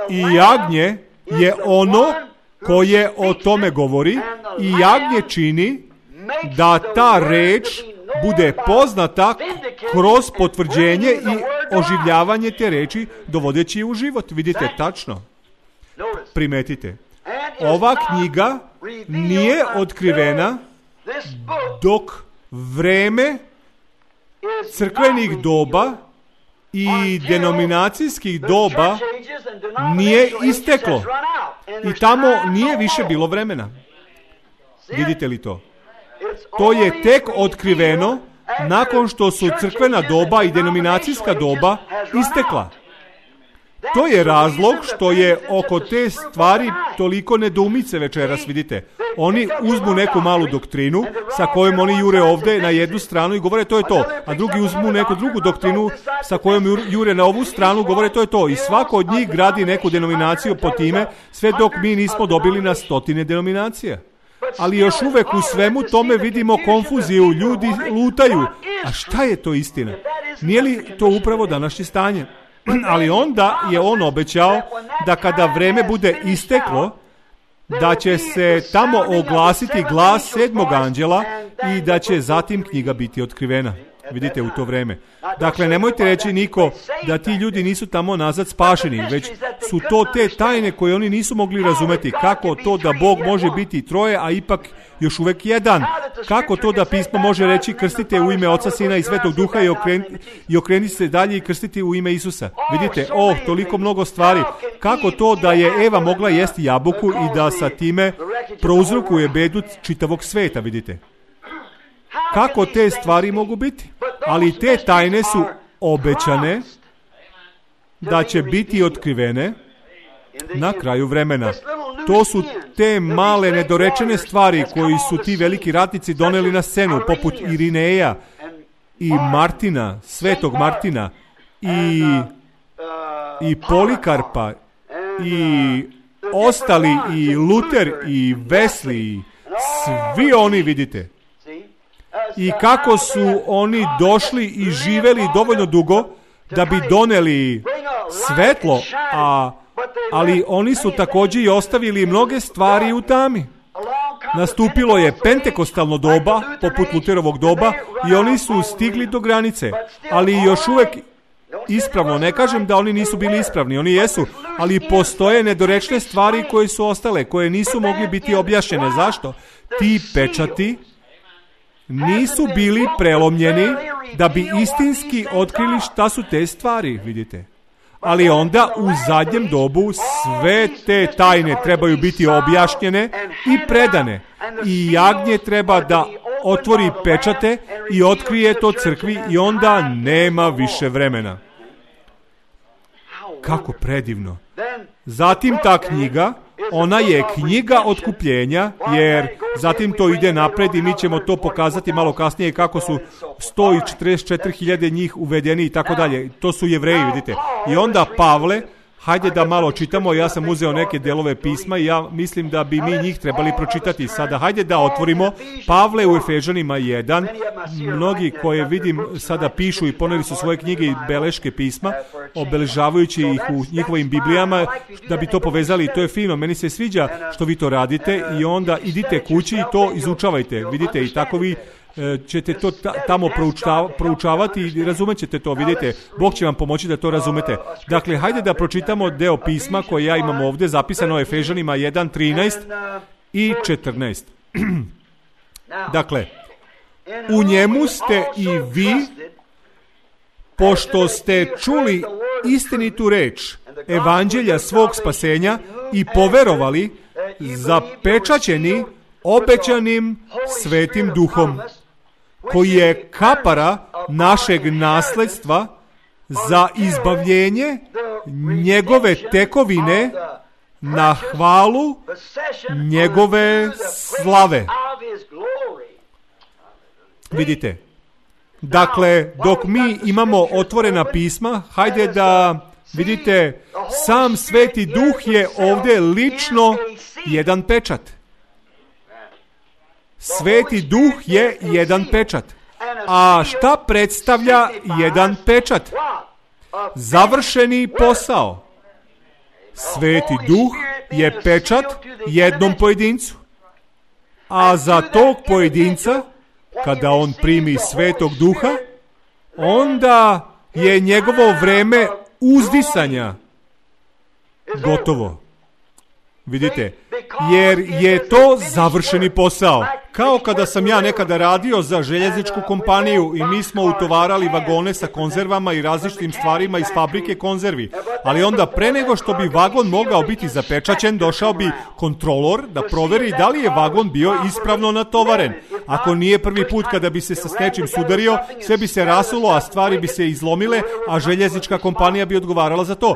I jagnje je ono koje o tome govori i jagnje čini da ta reč bude poznata kroz potvrđenje i oživljavanje te reči dovodeći je u život. Vidite tačno. Primetite. Ova knjiga nije otkrivena dok vreme crkvenih doba i denominacijskih doba nije isteklo. I tamo nije više bilo vremena. Vidite li to? To je tek otkriveno nakon što su crkvena doba i denominacijska doba istekla. To je razlog što je oko te stvari toliko nedoumice večeras, vidite. Oni uzmu neku malu doktrinu sa kojom oni jure ovdje na jednu stranu i govore to je to, a drugi uzmu neku drugu doktrinu sa kojom jure na ovu stranu, govore to je to. I svako od njih gradi neku denominaciju po time, sve dok mi nismo dobili na stotine denominacija. Ali još uvek u svemu tome vidimo konfuziju, ljudi lutaju. A šta je to istina? Nije li to upravo današnje stanje? Ali onda je on obećao da kada vreme bude isteklo, da će se tamo oglasiti glas sedmog anđela i da će zatim knjiga biti otkrivena. Vidite u to vreme. Dakle, nemojte reći niko da ti ljudi nisu tamo nazad spašeni, već su to te tajne koje oni nisu mogli razumeti. Kako to da Bog može biti troje, a ipak još uvek jedan? Kako to da pismo može reći krstite u ime Oca, Sina i Svetog Duha i, okren, i okreniti se dalje i krstiti u ime Isusa? Vidite, o, toliko mnogo stvari. Kako to da je Eva mogla jesti jabuku i da sa time prouzrokuje bedu čitavog sveta, vidite? Kako te stvari mogu biti? Ali te tajne su obećane da će biti otkrivene na kraju vremena. To su te male nedorečene stvari koji su ti veliki ratnici doneli na scenu, poput Irineja i Martina, Svetog Martina i, i Polikarpa i ostali i Luter i Wesley, svi oni, vidite. I kako su oni došli i živeli dovoljno dugo da bi doneli svetlo, a, ali oni su također i ostavili mnoge stvari u tami. Nastupilo je pentekostalno doba, poput Luterovog doba, i oni su stigli do granice, ali još uvek ispravno. Ne kažem da oni nisu bili ispravni, oni jesu, ali postoje nedorečne stvari koje su ostale, koje nisu mogli biti objašnjene. Zašto? Ti pečati nisu bili prelomljeni da bi istinski otkrili šta su te stvari, vidite. Ali onda u zadnjem dobu sve te tajne trebaju biti objašnjene i predane. I jagnje treba da otvori pečate i otkrije to crkvi i onda nema više vremena. Kako predivno. Zatim ta knjiga, ona je knjiga otkupljenja, jer zatim to ide napred i mi ćemo to pokazati malo kasnije kako su sto četrdeset četiri hiljade njih uvedeni i tako dalje. To su Jevreji, vidite. I onda Pavle, hajde da malo čitamo, ja sam uzeo neke delove pisma i ja mislim da bi mi njih trebali pročitati sada. Hajde da otvorimo Pavle u Efežanima jedan. Mnogi koje vidim sada pišu i poneli su svoje knjige i beleške pisma, obeležavajući ih u njihovim Biblijama, da bi to povezali. To je fino, meni se sviđa što vi to radite i onda idite kući i to izučavajte. Vidite, i tako vi ćete to tamo proučavati i razumjet ćete to, vidite, Bog će vam pomoći da to razumete. Dakle, hajde da pročitamo deo pisma koje ja imam ovdje, zapisano Efežanima jedan, trinaest i četrnaest. Dakle, u njemu ste i vi, pošto ste čuli istinitu reč evanđelja svog spasenja i poverovali, zapečaćeni obećanim Svetim Duhom, koji je kapara našeg nasledstva za izbavljenje njegove tekovine na hvalu njegove slave. Vidite, dakle, dok mi imamo otvorena pisma, hajde da vidite, sam Sveti Duh je ovdje lično jedan pečat. Sveti Duh je jedan pečat. A šta predstavlja jedan pečat? Završeni posao. Sveti Duh je pečat jednom pojedincu. A za tog pojedinca, kada on primi Svetog Duha, onda je njegovo vreme uzdisanja gotovo. Vidite, jer je to završeni posao. Kao kada sam ja nekada radio za željezničku kompaniju i mi smo utovarali vagone sa konzervama i različitim stvarima iz fabrike konzervi. Ali onda pre nego što bi vagon mogao biti zapečaćen, došao bi kontrolor da proveri da li je vagon bio ispravno natovaren. Ako nije prvi put kada bi se sa nečim sudario, sve bi se rasulo, a stvari bi se izlomile, a željeznička kompanija bi odgovarala za to.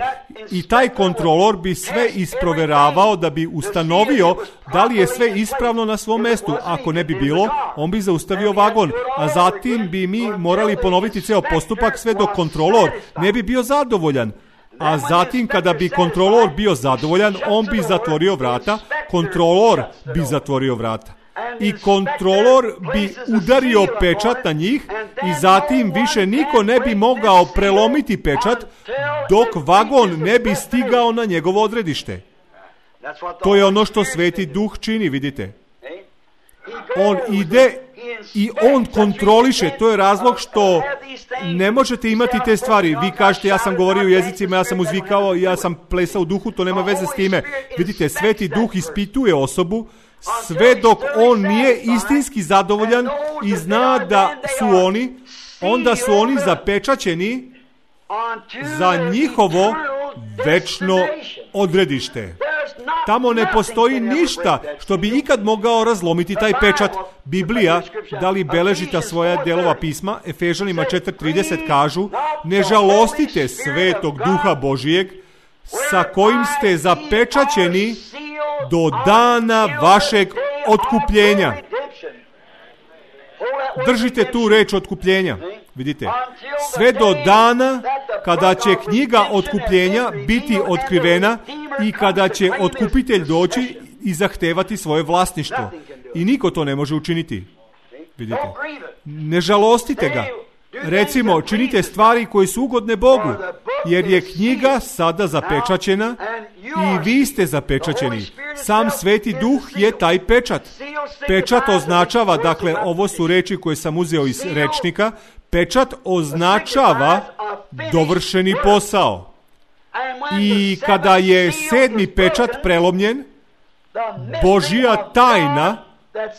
I taj kontrolor bi sve isproveravao da bi ustanovio da li je sve ispravno na svom mestu. Ako ne bi bilo, on bi zaustavio vagon, a zatim bi mi morali ponoviti ceo postupak sve dok kontrolor ne bi bio zadovoljan. A zatim kada bi kontrolor bio zadovoljan, on bi zatvorio vrata, kontrolor bi zatvorio vrata. I kontrolor bi udario pečat na njih i zatim više niko ne bi mogao prelomiti pečat dok vagon ne bi stigao na njegovo odredište. To je ono što Sveti Duh čini, vidite. On ide i on kontroliše. To je razlog što ne možete imati te stvari. Vi kažete, ja sam govorio u jezicima, ja sam uzvikao, ja sam plesao u duhu, to nema veze s time. Vidite, Sveti Duh ispituje osobu sve dok on nije istinski zadovoljan i zna da su oni, onda su oni zapečaćeni za njihovo večno odredište. Tamo ne postoji ništa što bi ikad mogao razlomiti taj pečat. Biblija, da li beleži ta svoja delova pisma, Efežanima četiri trideset kažu, ne žalostite Svetog Duha Božijeg, sa kojim ste zapečaćeni do dana vašeg otkupljenja. Držite tu reč otkupljenja. Vidite, sve do dana kada će knjiga otkupljenja biti otkrivena i kada će otkupitelj doći i zahtevati svoje vlasništvo. I niko to ne može učiniti. Vidite, ne žalostite ga. Recimo, činite stvari koje su ugodne Bogu, jer je knjiga sada zapečaćena i vi ste zapečaćeni. Sam Sveti Duh je taj pečat. Pečat označava, dakle, ovo su reči koje sam uzeo iz rečnika, pečat označava dovršeni posao. I kada je sedmi pečat prelomljen, Božja tajna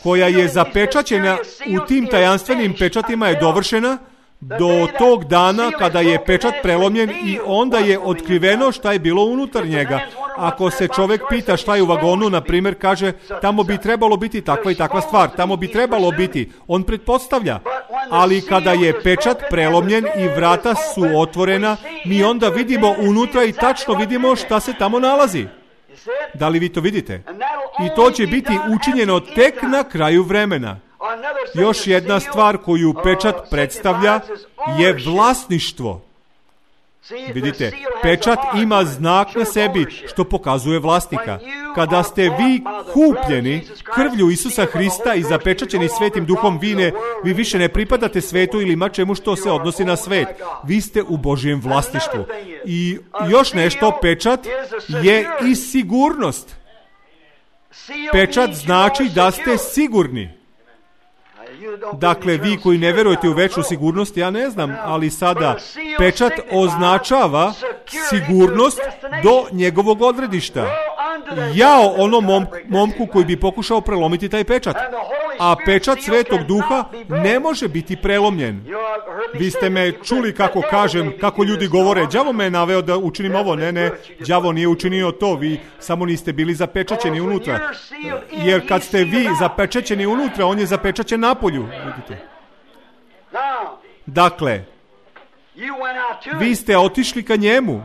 koja je zapečaćena u tim tajanstvenim pečatima je dovršena do tog dana kada je pečat prelomljen i onda je otkriveno šta je bilo unutar njega. Ako se čovjek pita šta je u vagonu, na primjer, kaže tamo bi trebalo biti takva i takva stvar, tamo bi trebalo biti, on pretpostavlja. Ali kada je pečat prelomljen i vrata su otvorena, mi onda vidimo unutra i tačno vidimo šta se tamo nalazi. Da li vi to vidite? I to će biti učinjeno tek na kraju vremena. Još jedna stvar koju pečat predstavlja je vlasništvo. Vidite, pečat ima znak na sebi što pokazuje vlasnika. Kada ste vi kupljeni krvlju Isusa Hrista i zapečaćeni Svetim Duhom, vi, ne, vi više ne pripadate svetu ili ima čemu što se odnosi na svet. Vi ste u Božjem vlasništvu. I još nešto, pečat je i sigurnost. Pečat znači da ste sigurni. Dakle, vi koji ne verujete u večnu sigurnost, ja ne znam, ali sada pečat označava sigurnost do njegovog odredišta. Jao onom mom, momku koji bi pokušao prelomiti taj pečat. A pečat Svetog Duha ne može biti prelomljen. Vi ste me čuli kako kažem, kako ljudi govore, đavo me je naveo da učinim ovo. Ne, ne, đavo nije učinio to, vi samo niste bili zapečaćeni unutra. Jer kad ste vi zapečaćeni unutra, on je zapečaćen napolju. Vidite. Dakle, vi ste otišli ka njemu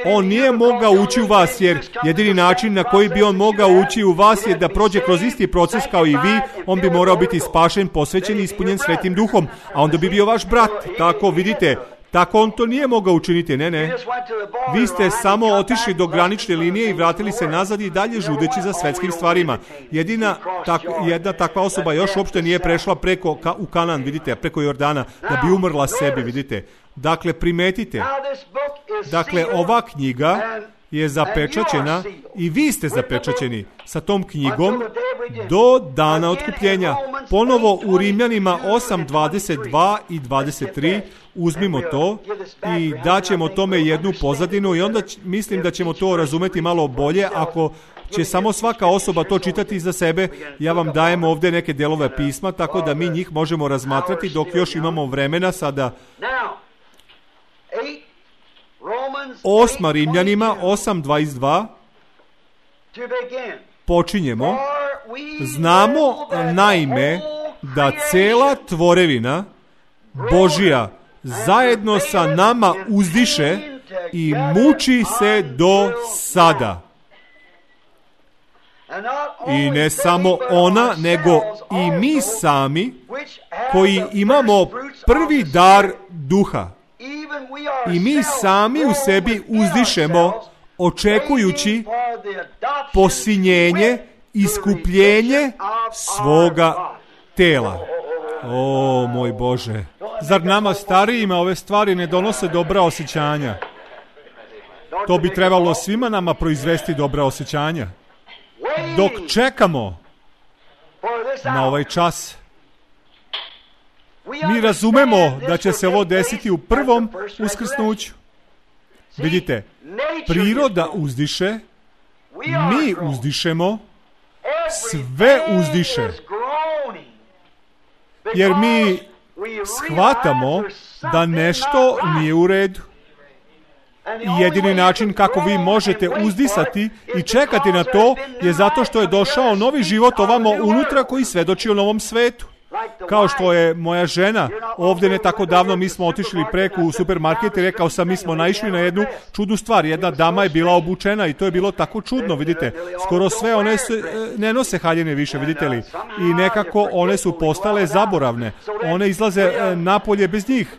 On nije mogao ući u vas, jer jedini način na koji bi on mogao ući u vas je da prođe kroz isti proces kao i vi. On bi morao biti spašen, posvećen i ispunjen Svetim Duhom, a onda bi bio vaš brat. Tako, vidite, tako on to nije mogao učiniti, ne, ne. Vi ste samo otišli do granične linije i vratili se nazad i dalje žudeći za svetskim stvarima. Jedina, tak, jedna takva osoba još uopšte nije prešla preko, ka, u Kanan, vidite, preko Jordana, da bi umrla sebi, vidite. Dakle, primetite, dakle, ova knjiga je zapečaćena i vi ste zapečaćeni sa tom knjigom do dana otkupljenja. Ponovo u Rimljanima osam, dvadeset dva i dvadeset tri uzmimo to i daćemo tome jednu pozadinu i onda mislim da ćemo to razumeti malo bolje ako će samo svaka osoba to čitati za sebe. Ja vam dajem ovdje neke delove pisma, tako da mi njih možemo razmatrati dok još imamo vremena sada. Osma Rimljanima, osam dvadeset dva. Počinjemo. Znamo naime da cela tvorevina Božija zajedno sa nama uzdiše i muči se do sada. I ne samo ona, nego i mi sami koji imamo prvi dar duha. I mi sami u sebi uzdišemo očekujući posinjenje, iskupljenje svoga tela. O, moj Bože. Zar nama starijima ove stvari ne donose dobra osjećanja? To bi trebalo svima nama proizvesti dobra osjećanja. Dok čekamo na ovaj čas, mi razumemo da će se ovo desiti u prvom uskrsnuću. Vidite, priroda uzdiše, mi uzdišemo, sve uzdiše. Jer mi shvatamo da nešto nije u redu. I jedini način kako vi možete uzdisati i čekati na to je zato što je došao novi život ovamo unutra koji svedoči o novom svetu. Kao što je moja žena, ovdje ne tako davno mi smo otišli preko u supermarket i rekao sam, mi smo naišli na jednu čudnu stvar. Jedna dama je bila obučena i to je bilo tako čudno, vidite. Skoro sve one su, ne nose haljine više, vidite li. I nekako one su postale zaboravne. One izlaze napolje bez njih.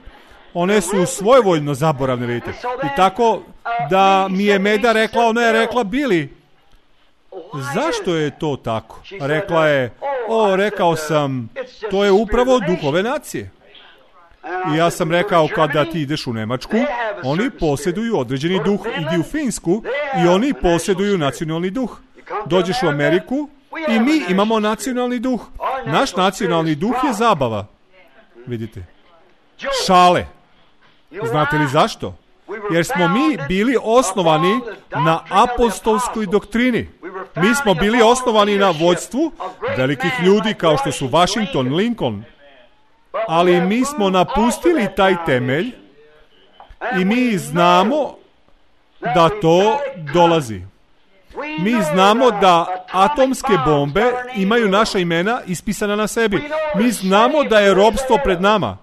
One su svojevoljno zaboravne, vidite. I tako da mi je Meda rekla, ona je rekla, Bili, zašto je to tako? Rekla je, o, rekao sam, to je upravo duhove nacije. I ja sam rekao, kada ti ideš u Nemačku, oni posjeduju određeni duh. Idi u Finsku i oni posjeduju nacionalni duh. Dođeš u Ameriku i mi imamo nacionalni duh. Naš nacionalni duh je zabava. Vidite. Šale. Znate li zašto? Jer smo mi bili osnovani na apostolskoj doktrini. Mi smo bili osnovani na vođstvu velikih ljudi kao što su Washington, Lincoln. Ali mi smo napustili taj temelj i mi znamo da to dolazi. Mi znamo da atomske bombe imaju naša imena ispisana na sebi. Mi znamo da je ropstvo pred nama.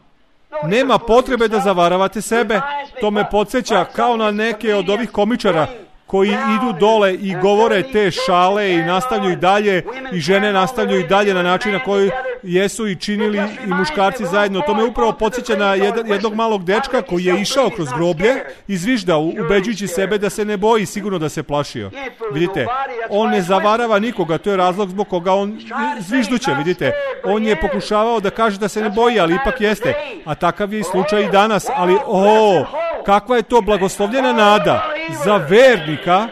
Nema potrebe da zavaravate sebe. To me podsjeća kao na neke od ovih komičara koji idu dole i govore te šale i nastavljaju dalje i žene nastavljaju dalje na način na koji jesu i činili i muškarci zajedno. To me upravo podsjeća na jedan, jednog malog dečka koji je išao kroz groblje i zviždao, ubeđujući sebe da se ne boji, sigurno da se plašio. Vidite, on ne zavarava nikoga, to je razlog zbog koga on zvižduće, vidite. On je pokušavao da kaže da se ne boji, ali ipak jeste. A takav je i slučaj i danas, ali o, kakva je to blagoslovljena nada za vernika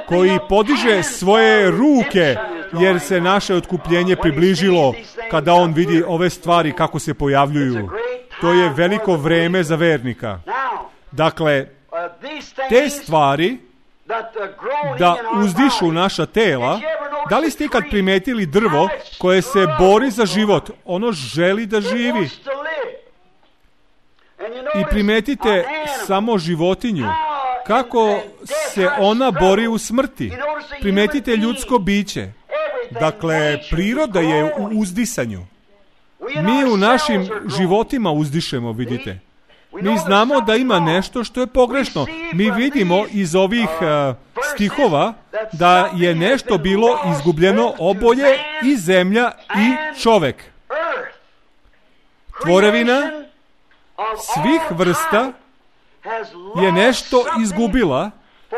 koji podiže svoje ruke, jer se naše otkupljenje približilo kada on vidi ove stvari kako se pojavljuju. To je veliko vreme za vernika. Dakle, te stvari da uzdišu naša tela, da li ste ikad primetili drvo koje se bori za život? Ono želi da živi. I primetite samo životinju, kako se ona bori u smrti. Primetite ljudsko biće. Dakle, priroda je u uzdisanju. Mi u našim životima uzdišemo, vidite. Mi znamo da ima nešto što je pogrešno. Mi vidimo iz ovih uh, stihova da je nešto bilo izgubljeno, oboje, i zemlja i čovek. Tvorevina svih vrsta je nešto izgubila,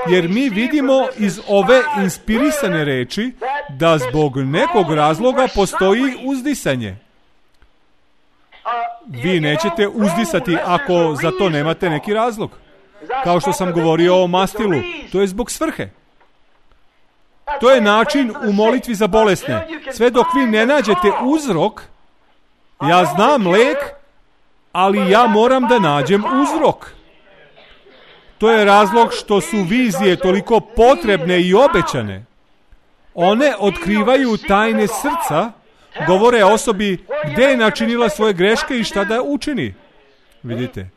jer mi vidimo iz ove inspirisane reči da zbog nekog razloga postoji uzdisanje. Vi nećete uzdisati ako za to nemate neki razlog. Kao što sam govorio o mastilu, to je zbog svrhe. To je način u molitvi za bolesne. Sve dok vi ne nađete uzrok, ja znam lek, ali ja moram da nađem uzrok. To je razlog što su vizije toliko potrebne i obećane. One otkrivaju tajne srca, govore osobi gdje je načinila svoje greške i šta da učini. Vidite,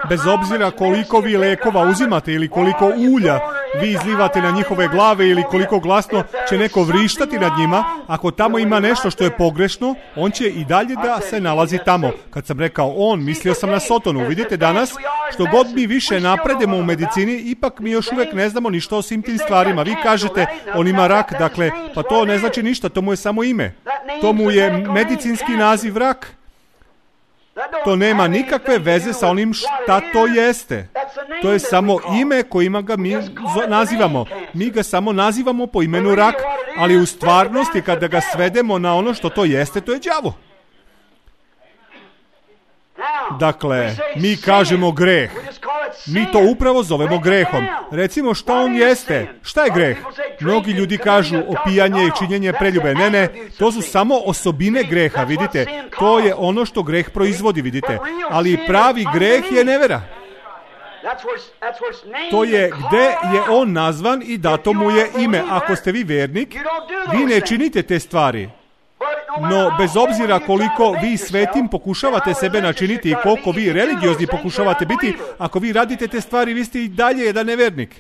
bez obzira koliko vi lekova uzimate ili koliko ulja vi izlivate na njihove glave ili koliko glasno će neko vrištati nad njima, ako tamo ima nešto što je pogrešno, on će i dalje da se nalazi tamo. Kad sam rekao on, mislio sam na Sotonu. Vidite, danas, što god mi više napredemo u medicini, ipak mi još uvijek ne znamo ništa o svim tim stvarima. Vi kažete, on ima rak, dakle, pa to ne znači ništa, to mu je samo ime. To mu je medicinski naziv rak. To nema nikakve veze sa onim šta to jeste. To je samo ime kojima ga mi nazivamo. Mi ga samo nazivamo po imenu rak, ali u stvarnosti kada ga svedemo na ono što to jeste, to je đavo. Dakle, mi kažemo greh. Mi to upravo zovemo grehom. Recimo, šta on jeste? Šta je greh? Mnogi ljudi kažu opijanje i činjenje preljube. Ne, ne, to su samo osobine greha, vidite. To je ono što greh proizvodi, vidite. Ali pravi greh je nevera. To je gde je on nazvan i dato mu je ime. Ako ste vi vernik, vi ne činite te stvari. No, bez obzira koliko vi svetim pokušavate sebe načiniti i koliko vi religiozni pokušavate biti, ako vi radite te stvari, vi ste i dalje jedan nevernik.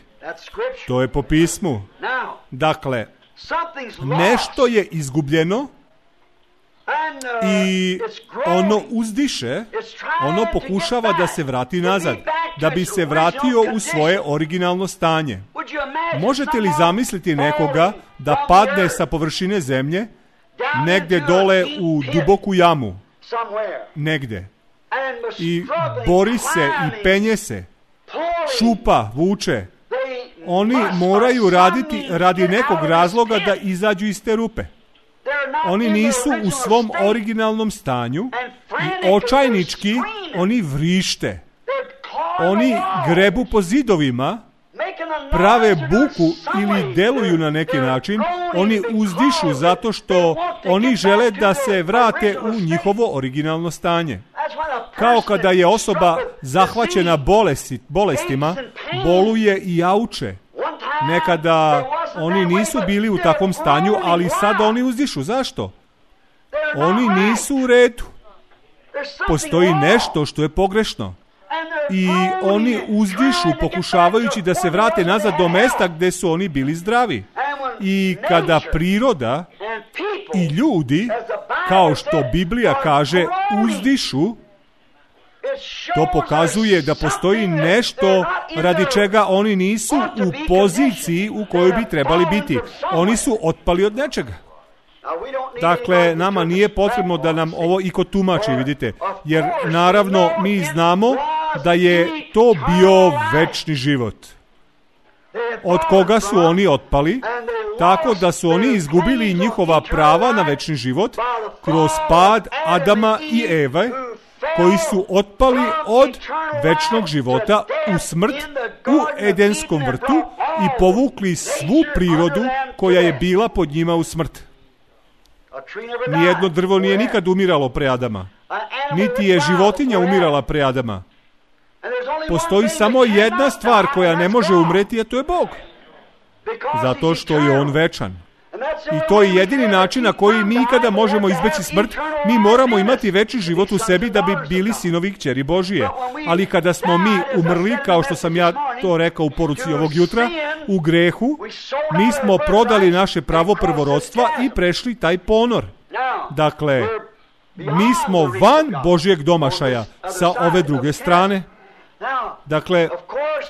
To je po pismu. Dakle, nešto je izgubljeno i ono uzdiše, ono pokušava da se vrati nazad, da bi se vratio u svoje originalno stanje. Možete li zamisliti nekoga da padne sa površine zemlje negdje dole u duboku jamu, negdje, i bori se i penje se, šupa, vuče? Oni moraju raditi radi nekog razloga da izađu iz te rupe. Oni nisu u svom originalnom stanju i očajnički oni vrište. Oni grebu po zidovima, prave buku ili deluju na neki način. Oni uzdišu zato što oni žele da se vrate u njihovo originalno stanje. Kao kada je osoba zahvaćena bolesti, bolestima, boluje i jauče. Nekada oni nisu bili u takvom stanju, ali sada oni uzdišu. Zašto? Oni nisu u redu. Postoji nešto što je pogrešno. I oni uzdišu pokušavajući da se vrate nazad do mesta gdje su oni bili zdravi. I kada priroda i ljudi, kao što Biblija kaže, uzdišu, to pokazuje da postoji nešto radi čega oni nisu u poziciji u kojoj bi trebali biti. Oni su otpali od nečega. Dakle, nama nije potrebno da nam ovo iko tumači, vidite, jer naravno mi znamo da je to bio večni život. Od koga su oni otpali, tako da su oni izgubili njihova prava na večni život kroz pad Adama i Eve, koji su otpali od večnog života u smrt u Edenskom vrtu i povukli svu prirodu koja je bila pod njima u smrt. Nijedno drvo nije nikad umiralo pre Adama, niti je životinja umirala pre Adama. Postoji samo jedna stvar koja ne može umreti, a to je Bog. Zato što je On večan. I to je jedini način na koji mi ikada možemo izbeći smrt. Mi moramo imati veći život u sebi da bi bili sinovi i kćeri Božije. Ali kada smo mi umrli, kao što sam ja to rekao u poruci ovog jutra, u grehu, mi smo prodali naše pravo prvorodstva i prešli taj ponor. Dakle, mi smo van Božjeg domašaja sa ove druge strane. Dakle,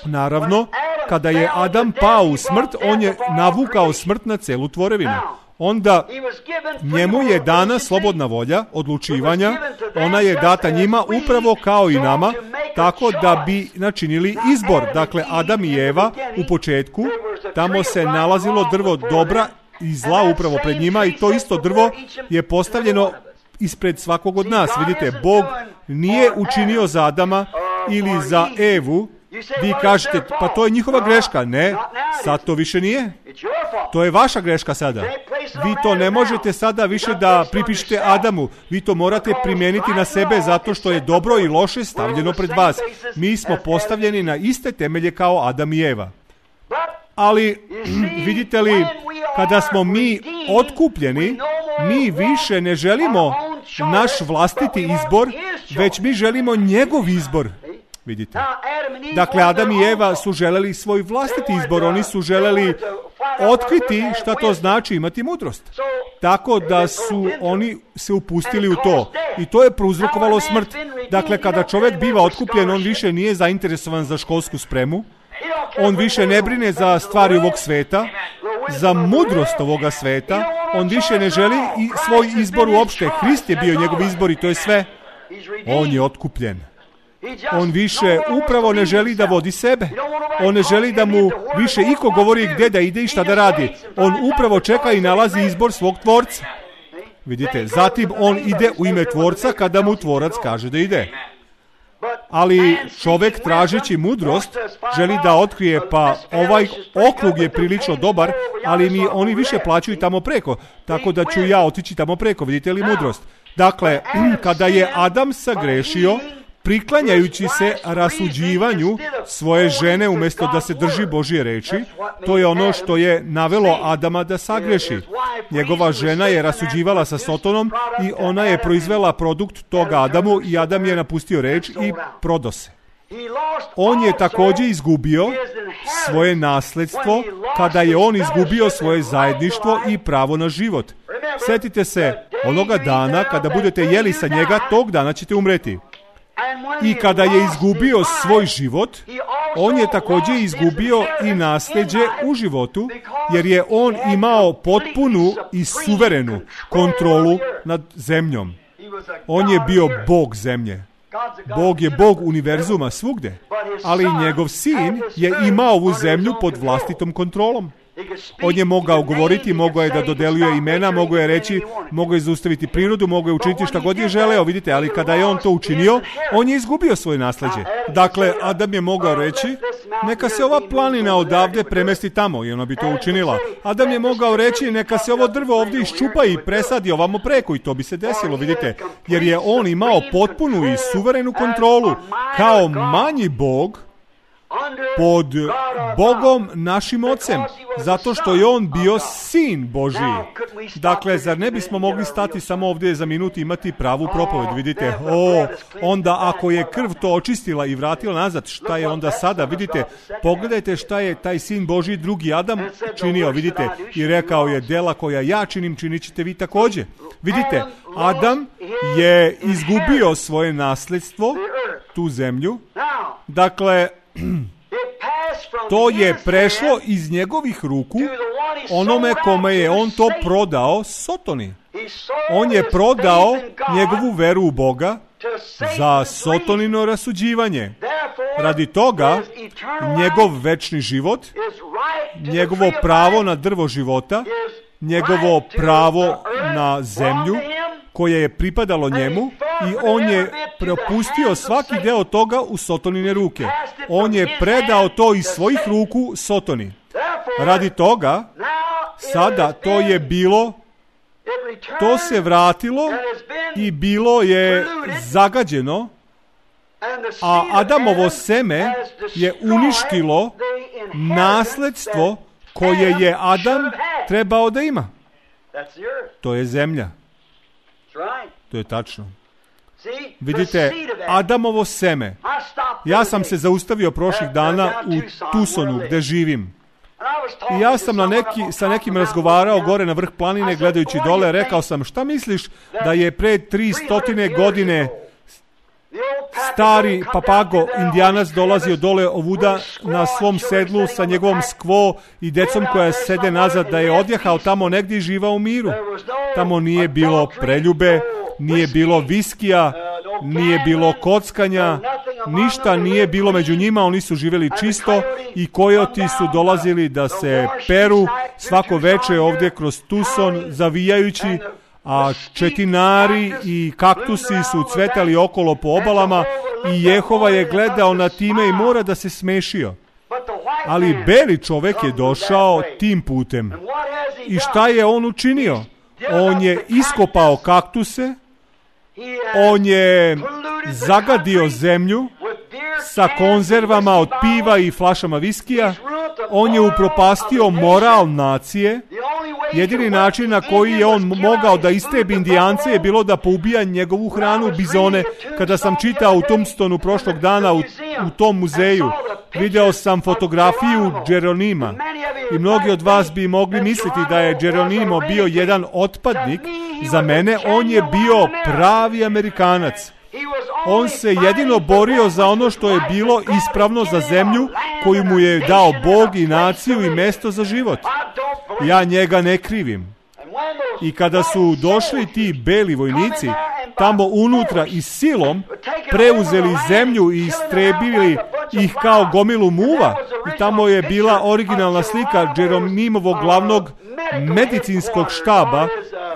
naravno, kada je Adam pao u smrt, on je navukao smrt na celu tvorevinu. Onda njemu je dana slobodna volja odlučivanja, ona je data njima upravo kao i nama, tako da bi načinili izbor. Dakle, Adam i Eva u početku, tamo se nalazilo drvo dobra i zla upravo pred njima i to isto drvo je postavljeno ispred svakog od nas. Vidite, Bog nije učinio za Adama ili za Evu. Vi kažete, pa to je njihova greška. Ne, sad to više nije. To je vaša greška sada. Vi to ne možete sada više da pripišete Adamu. Vi to morate primijeniti na sebe zato što je dobro i loše stavljeno pred vas. Mi smo postavljeni na iste temelje kao Adam i Eva. Ali, vidite li, kada smo mi otkupljeni, mi više ne želimo naš vlastiti izbor, već mi želimo njegov izbor. Vidite. Dakle, Adam i Eva su želeli svoj vlastiti izbor, oni su želeli otkriti šta to znači imati mudrost. Tako da su oni se upustili u to. I to je prouzrokovalo smrt. Dakle, kada čovjek biva otkupljen, on više nije zainteresovan za školsku spremu. On više ne brine za stvari ovog sveta, za mudrost ovoga sveta. On više ne želi i svoj izbor uopšte. Hrist je bio njegov izbor i to je sve. On je otkupljen. On više upravo ne želi da vodi sebe. On ne želi da mu više iko govori gdje da ide i šta da radi. On upravo čeka i nalazi izbor svog tvorca. Vidite, zatim on ide u ime tvorca kada mu tvorac kaže da ide. Ali čovjek tražeći mudrost želi da otkrije, pa ovaj okrug je prilično dobar, ali mi oni više plaćaju tamo preko, tako da ću ja otići tamo preko. Vidite li mudrost? Dakle, kada je Adam sagrešio, priklanjajući se rasuđivanju svoje žene umjesto da se drži Božje reči, to je ono što je navelo Adama da sagreši. Njegova žena je rasuđivala sa Sotonom i ona je proizvela produkt toga Adamu i Adam je napustio reč i prodo se. On je također izgubio svoje nasledstvo kada je on izgubio svoje zajedništvo i pravo na život. Sjetite se onoga dana kada budete jeli sa njega, tog dana ćete umreti. I kada je izgubio svoj život, on je također izgubio i nasljeđe u životu, jer je on imao potpunu i suverenu kontrolu nad zemljom. On je bio Bog zemlje. Bog je Bog univerzuma svugde, ali njegov sin je imao ovu zemlju pod vlastitom kontrolom. On je mogao govoriti, mogao je da dodeljuje imena, mogao je reći, mogao je zaustaviti prirodu, mogao je učiniti šta god je želeo, vidite, ali kada je on to učinio, on je izgubio svoje nasljeđe. Dakle, Adam je mogao reći, neka se ova planina odavde premesti tamo, i ona bi to učinila. Adam je mogao reći, neka se ovo drvo ovdje iščupa i presadi ovamo preko, i to bi se desilo, vidite, jer je on imao potpunu i suverenu kontrolu, kao manji Bog, pod Bogom našim ocem, zato što je on bio sin Božiji. Dakle, zar ne bismo mogli stati samo ovdje za minut i imati pravu propoved? Vidite, o, onda ako je krv to očistila i vratila nazad, šta je onda sada? Vidite, pogledajte šta je taj sin Božiji, drugi Adam, činio, vidite, i rekao je, dela koja ja činim, činit ćete vi također. Vidite, Adam je izgubio svoje nasljedstvo, tu zemlju. Dakle, to je prešlo iz njegovih ruku onome kome je on to prodao, Sotoni. On je prodao njegovu veru u Boga za Sotonino rasuđivanje. Radi toga, njegov večni život, njegovo pravo na drvo života, njegovo pravo na zemlju, koje je pripadalo njemu, i on je propustio svaki deo toga u Sotonine ruke. On je predao to iz svojih ruku Sotoni. Radi toga, sada to je bilo, to se vratilo i bilo je zagađeno, a Adamovo seme je uništilo nasledstvo koje je Adam trebao da ima. To je zemlja. To je tačno. Vidite, Adamovo seme. Ja sam se zaustavio prošlih dana u Tucsonu, gdje živim. I ja sam na neki, sa nekim razgovarao gore na vrh planine, gledajući dole, rekao sam, šta misliš da je pre tri stotine godine stari papago indijanac dolazio dole ovuda na svom sedlu sa njegovom skvo i decom koja sede nazad, da je odjehao tamo negdje i živao u miru. Tamo nije bilo preljube, nije bilo viskija, nije bilo kockanja, ništa nije bilo među njima, oni su živjeli čisto i kojoti su dolazili da se peru svako veče ovdje kroz Tucson zavijajući, a četinari i kaktusi su cvetali okolo po obalama i Jehova je gledao na time i mora da se smešio. Ali beli čovjek je došao tim putem. I šta je on učinio? On je iskopao kaktuse, on je zagadio zemlju sa konzervama od piva i flašama viskija, on je upropastio moral nacije. Jedini način na koji je on mogao da istrebi Indijance je bilo da poubija njegovu hranu, bizone. Kada sam čitao u Tombstonu prošlog dana u, u tom muzeju, video sam fotografiju Geronima i mnogi od vas bi mogli misliti da je Geronimo bio jedan otpadnik. Za mene on je bio pravi Amerikanac. On se jedino borio za ono što je bilo ispravno za zemlju koju mu je dao Bog i naciju i mesto za život. Ja njega ne krivim. I kada su došli ti beli vojnici tamo unutra i silom preuzeli zemlju i istrebili ih kao gomilu muva, i tamo je bila originalna slika Jeronimovog glavnog medicinskog štaba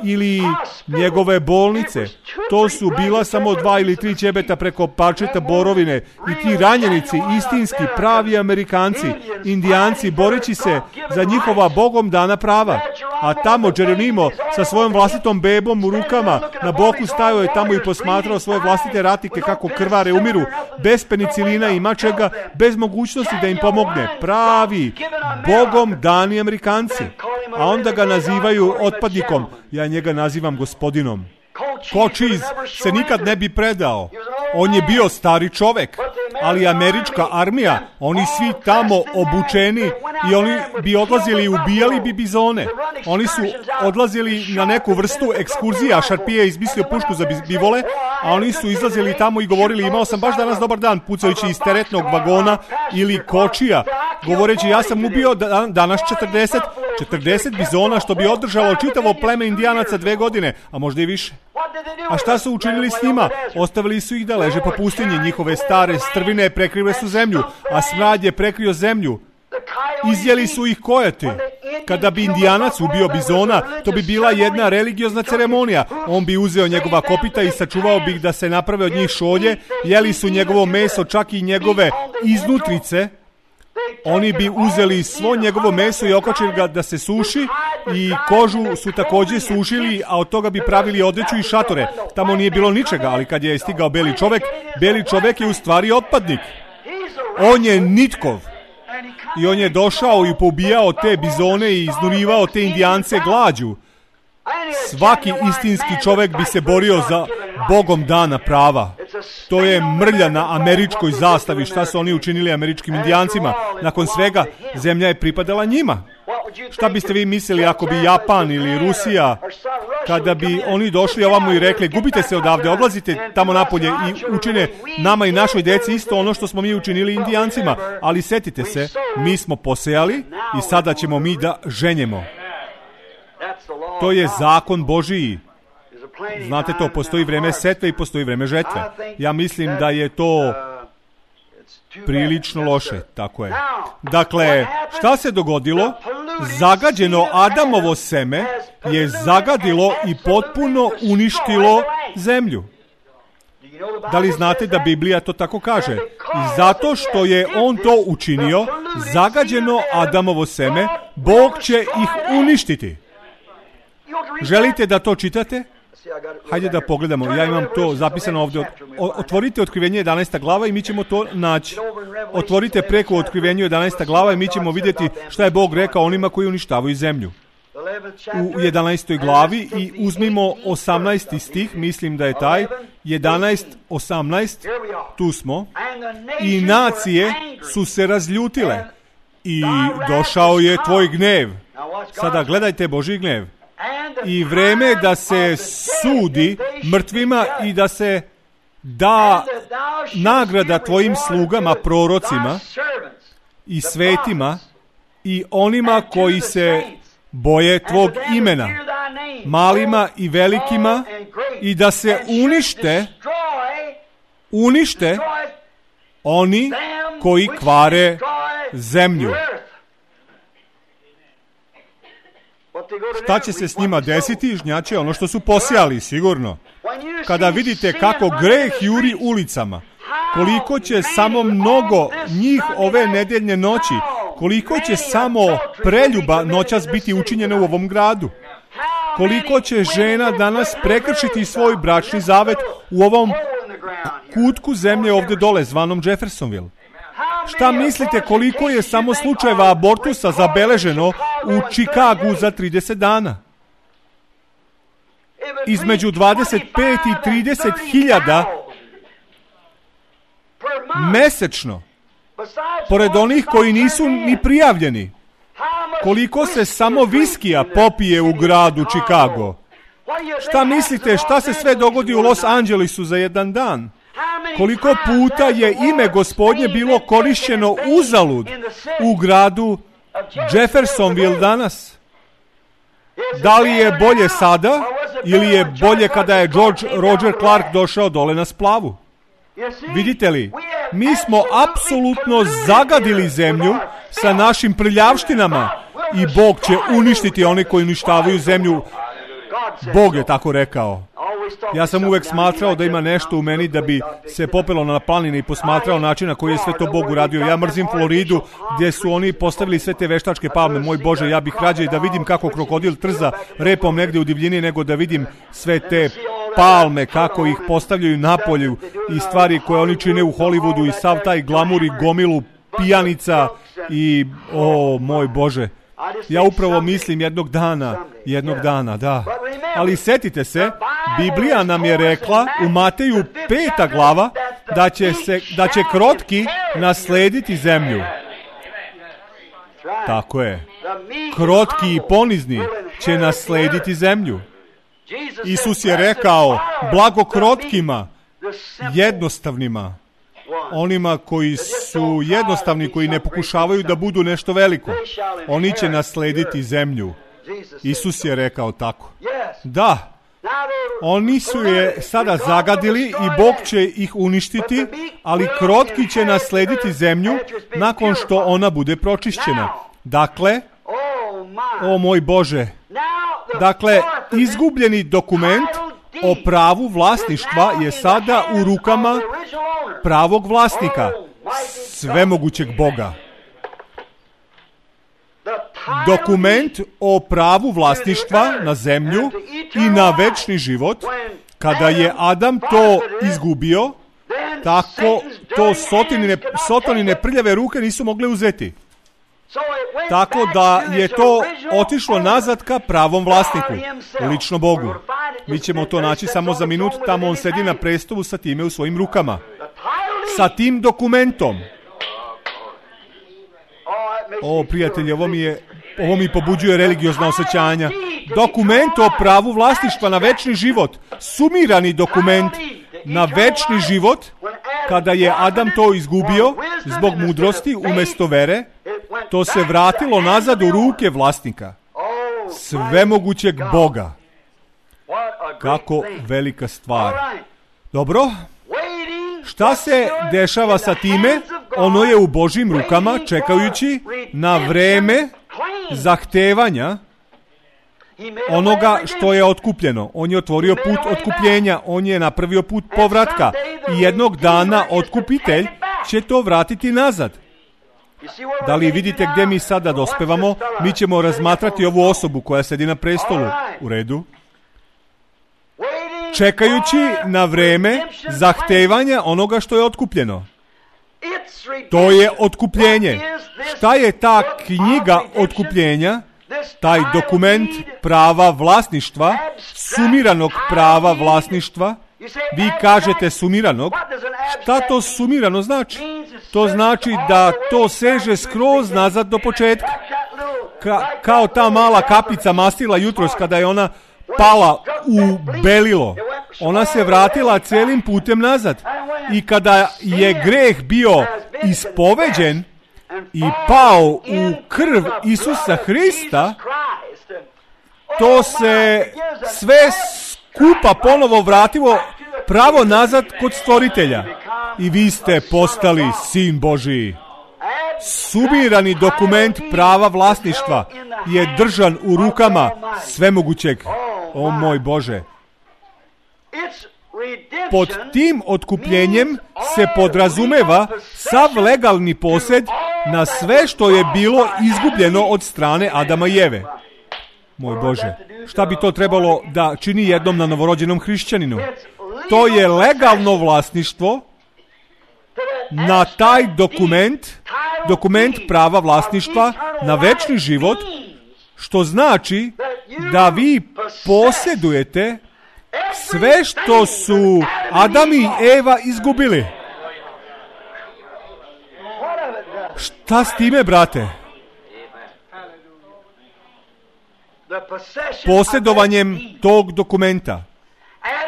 ili njegove bolnice. To su bila samo dva ili tri ćebeta preko parčeta borovine i ti ranjenici, istinski pravi Amerikanci, Indijanci, boreći se za njihova Bogom dana prava. A tamo Geronimo sa svojom vlastitom bebom u rukama na boku stajao je tamo i posmatrao svoje vlastite ratnike kako krvare umiru, bez penicilina i mačega, bez mogućnosti da im pomogne. Pravi, Bogom dani Amerikanci. A onda ga nazivaju otpadnikom. Ja njega nazivam gospodinom. Cochise se nikad ne bi predao. On je bio stari čovek, ali američka armija, oni svi tamo obučeni i oni bi odlazili i ubijali bi bizone. Oni su odlazili na neku vrstu ekskurzija, Šarpije je izmislio pušku za bivole, a oni su izlazili tamo i govorili, imao sam baš danas dobar dan, pucajući iz teretnog vagona ili kočija, govoreći ja sam ubio danas četrdeset, četrdeset bizona, što bi održalo čitavo pleme Indijanaca dve godine, a možda i više. A šta su učinili s njima? Ostavili su ih da leže po pustinji, njihove stare strvine prekrile su zemlju, a smrad je prekrio zemlju. Izjeli su ih kojoti. Kada bi Indijanac ubio bizona, to bi bila jedna religiozna ceremonija. On bi uzeo njegova kopita i sačuvao bi ih da se naprave od njih šolje, jeli su njegovo meso, čak i njegove iznutrice. Oni bi uzeli svo njegovo meso i okačili ga da se suši i kožu su također sušili, a od toga bi pravili odeću i šatore. Tamo nije bilo ničega, ali kad je stigao beli čovek, beli čovek je u stvari otpadnik. On je nitkov. I on je došao i poubijao te bizone i iznurivao te Indijance glađu. Svaki istinski čovjek bi se borio za Bogom dana prava. To je mrlja na američkoj zastavi, šta su oni učinili američkim Indijancima. Nakon svega, zemlja je pripadala njima. Šta biste vi mislili ako bi Japan ili Rusija, kada bi oni došli ovamo i rekli, gubite se odavde, odlazite tamo napolje i učine nama i našoj deci isto ono što smo mi učinili Indijancima. Ali setite se, mi smo posejali i sada ćemo mi da ženjemo. To je zakon Božiji. Znate to, postoji vreme setve i postoji vreme žetve. Ja mislim da je to prilično loše, tako je. Dakle, šta se dogodilo? Zagađeno Adamovo seme je zagadilo i potpuno uništilo zemlju. Da li znate da Biblija to tako kaže? I zato što je on to učinio, zagađeno Adamovo seme, Bog će ih uništiti. Želite da to čitate? Hajde da pogledamo, ja imam to zapisano ovdje. Otvorite Otkrivenje jedanaesta glava i mi ćemo to naći. Otvorite preko Otkrivenju jedanaesta glava i mi ćemo vidjeti šta je Bog rekao onima koji uništavaju zemlju. U jedanaestoj glavi i uzmimo osamnaesti stih, mislim da je taj, jedanaest, osamnaest, tu smo. I nacije su se razljutile I došao je tvoj gnev. Sada gledajte Božji gnev. I vreme je da se sudi mrtvima i da se da nagrada tvojim slugama, prorocima i svetima i onima koji se boje tvog imena, malima i velikima, i da se unište, unište oni koji kvare zemlju. Šta će se s njima desiti? Žnjaće ono što su posijali, sigurno. Kada vidite kako greh juri ulicama, koliko će samo mnogo njih ove nedeljne noći, koliko će samo preljuba noćas biti učinjeno u ovom gradu, koliko će žena danas prekršiti svoj bračni zavet u ovom kutku zemlje ovdje dole, zvanom Jeffersonville. Šta mislite koliko je samo slučajeva abortusa zabeleženo u Čikagu za trideset dana? Između dvadeset pet i trideset hiljada mesečno, pored onih koji nisu ni prijavljeni. Koliko se samo viskija popije u gradu Čikago? Šta mislite šta se sve dogodi u Los Angelesu za jedan dan? Koliko puta je ime Gospodnje bilo korišćeno uzalud u gradu Jeffersonville danas? Da li je bolje sada ili je bolje kada je George Roger Clark došao dole na splavu? Vidite li, mi smo apsolutno zagadili zemlju sa našim prljavštinama i Bog će uništiti one koji uništavaju zemlju. Bog je tako rekao. Ja sam uvek smatrao da ima nešto u meni da bi se popelo na planine i posmatrao način na koji je sve to Bog uradio. Ja mrzim Floridu gdje su oni postavili sve te veštačke palme. Moj Bože, ja bih rađe da vidim kako krokodil trza repom negdje u divljini nego da vidim sve te palme, kako ih postavljaju na polju i stvari koje oni čine u Hollywoodu i sav taj glamur i gomilu pijanica i, o moj Bože, ja upravo mislim jednog dana, jednog dana, da. Ali setite se, Biblija nam je rekla u Mateju peta glava da će, se, da će krotki naslediti zemlju. Tako je. Krotki i ponizni će naslediti zemlju. Isus je rekao, blago krotkima, jednostavnima, onima koji su jednostavni, koji ne pokušavaju da budu nešto veliko, oni će naslediti zemlju. Isus je rekao tako. Da, oni su je sada zagadili i Bog će ih uništiti, ali krotki će naslediti zemlju nakon što ona bude pročišćena. Dakle, o moj Bože, dakle, izgubljeni dokument o pravu vlasništva je sada u rukama pravog vlasnika, svemogućeg Boga. Dokument o pravu vlasništva na zemlju i na večni život, kada je Adam to izgubio, tako to sotonine, sotonine prljave ruke nisu mogle uzeti. Tako da je to otišlo nazad ka pravom vlasniku, lično Bogu. Mi ćemo to naći samo za minut, tamo on sedi na prestolu sa time u svojim rukama. Sa tim dokumentom. O, prijatelji, ovo mi je, ovo mi pobuđuje religiozna osjećanja. Dokument o pravu vlasništva na večni život. Sumirani dokument na večni život, kada je Adam to izgubio zbog mudrosti umjesto vere, to se vratilo nazad u ruke vlasnika, svemogućeg Boga. Kako velika stvar. Dobro, šta se dešava sa time? Ono je u Božjim rukama, čekajući na vreme zahtevanja onoga što je otkupljeno. On je otvorio put otkupljenja, on je napravio put povratka i jednog dana otkupitelj će to vratiti nazad. Da li vidite gdje mi sada dospevamo? Mi ćemo razmatrati ovu osobu koja sedi na prestolu. U redu. Čekajući na vreme zahtevanja onoga što je otkupljeno. To je otkupljenje. Šta je ta knjiga otkupljenja? Taj dokument prava vlasništva, sumiranog prava vlasništva. Vi kažete sumiranog. Šta to sumirano znači? to znači da to seže skroz nazad do početka. Ka, kao ta mala kapica mastila jutros kada je ona pala u belilo. Ona se vratila celim putem nazad. I kada je greh bio ispoveđen i pao u krv Isusa Hrista, to se sve skupa ponovo vratilo pravo nazad kod stvoritelja. I vi ste postali sin Božiji. Sumirani dokument prava vlasništva je držan u rukama svemogućeg. O moj Bože. Pod tim otkupljenjem se podrazumeva sav legalni posjed na sve što je bilo izgubljeno od strane Adama i Eve. Moj Bože, šta bi to trebalo da čini jednom na novorođenom hrišćaninu? To je legalno vlasništvo na taj dokument, dokument prava vlasništva na večni život, što znači da vi posjedujete sve što su Adam i Eva izgubili. Šta s time, brate? Posjedovanjem tog dokumenta.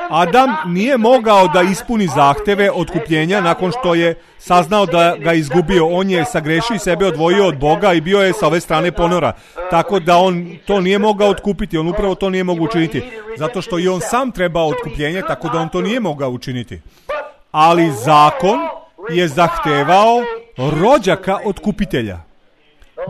Adam nije mogao da ispuni zahteve otkupljenja nakon što je saznao da ga izgubio. On je sagrešio i sebe odvojio od Boga i bio je sa ove strane ponora. Tako da on to nije mogao otkupiti. On upravo to nije mogao učiniti. Zato što i on sam trebao otkupljenje, tako da on to nije mogao učiniti. Ali zakon je zahtevao rođaka otkupitelja.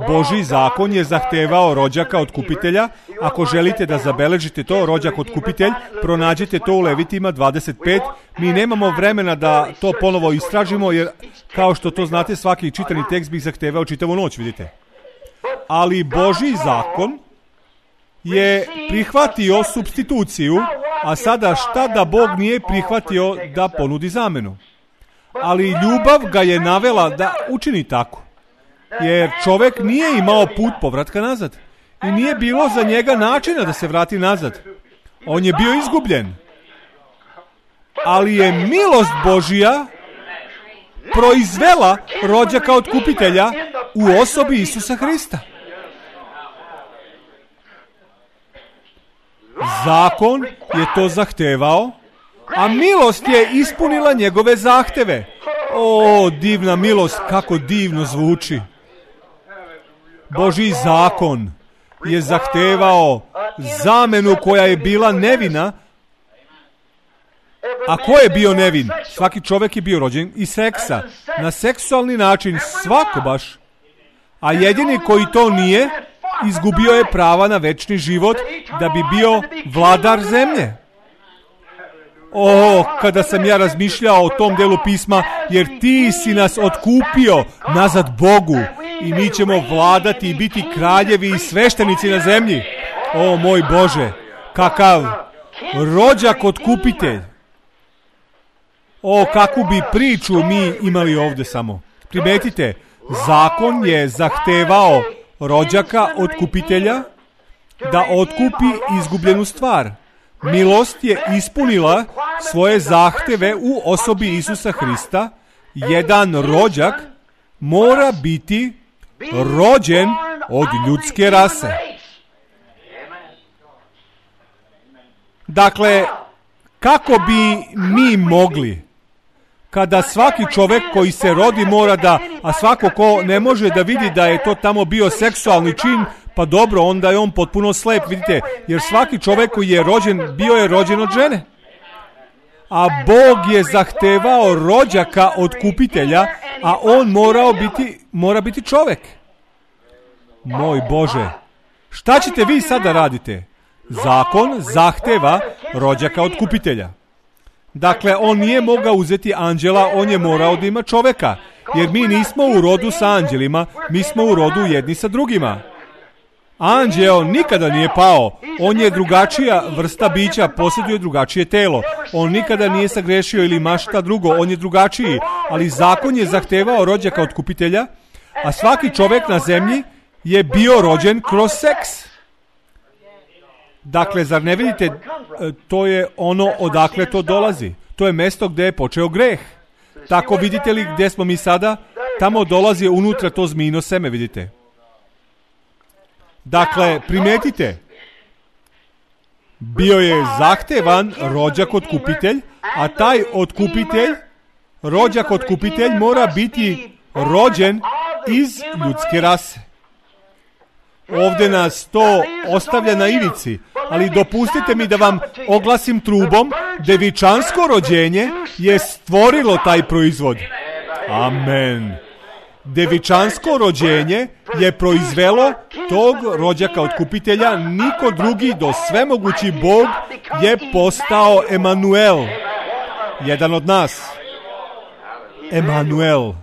Božji zakon je zahtevao rođaka otkupitelja. Ako želite da zabeležite to, rođak otkupitelj, pronađite to u Levitima dvadeset pet. Mi nemamo vremena da to ponovo istražimo, jer kao što to znate, svaki čitani tekst bih zahtevao čitavu noć, vidite. Ali Božji zakon je prihvatio supstituciju, a sada šta da Bog nije prihvatio da ponudi zamenu? Ali ljubav ga je navela da učini tako. Jer čovjek nije imao put povratka nazad. I nije bilo za njega načina da se vrati nazad. On je bio izgubljen. Ali je milost Božja proizvela rođaka otkupitelja u osobi Isusa Hrista. Zakon je to zahtevao, a milost je ispunila njegove zahteve. O, divna milost, kako divno zvuči. Božji zakon je zahtevao zamenu koja je bila nevina. A ko je bio nevin? Svaki čovjek je bio rođen iz seksa. Na seksualni način, svako baš. A jedini koji to nije, izgubio je prava na večni život da bi bio vladar zemlje. O, kada sam ja razmišljao o tom delu pisma, jer ti si nas otkupio nazad Bogu i mi ćemo vladati i biti kraljevi i sveštenici na zemlji. O, moj Bože, kakav rođak otkupitelj. O, kakvu bi priču mi imali ovdje samo. Primetite, zakon je zahtevao rođaka otkupitelja da otkupi izgubljenu stvar. Milost je ispunila svoje zahteve u osobi Isusa Hrista. Jedan rođak mora biti rođen od ljudske rase. Dakle, kako bi mi mogli, kada svaki čovjek koji se rodi mora da, a svako ko ne može da vidi da je to tamo bio seksualni čin, pa dobro, onda je on potpuno slep, vidite, jer svaki čovjek koji je rođen, bio je rođen od žene. A Bog je zahtevao rođaka otkupitelja, a on morao biti, mora biti čovjek. Moj Bože, šta ćete vi sada radite? Zakon zahteva rođaka otkupitelja. Dakle, on nije mogao uzeti anđela, on je morao da ima čovjeka. Jer mi nismo u rodu sa anđelima, mi smo u rodu jedni sa drugima. Anđeo nikada nije pao, on je drugačija vrsta bića, posjeduje drugačije telo. On nikada nije sagrešio ili ima šta drugo, on je drugačiji. Ali zakon je zahtevao rođaka otkupitelja, a svaki čovjek na zemlji je bio rođen kroz seks. Dakle, zar ne vidite, to je ono odakle to dolazi. To je mjesto gdje je počeo greh. Tako vidite li gdje smo mi sada? tamo dolazi unutra to zmijino seme, vidite. Dakle, primetite, bio je zahtevan rođak otkupitelj, a taj otkupitelj, rođak otkupitelj mora biti rođen iz ljudske rase. Ovdje nas to ostavlja na ivici, ali dopustite mi da vam oglasim trubom, devičansko rođenje je stvorilo taj proizvod. Amen. Devičansko rođenje je proizvelo tog rođaka otkupitelja, niko drugi do svemogući Bog je postao Emanuel, jedan od nas. Emanuel.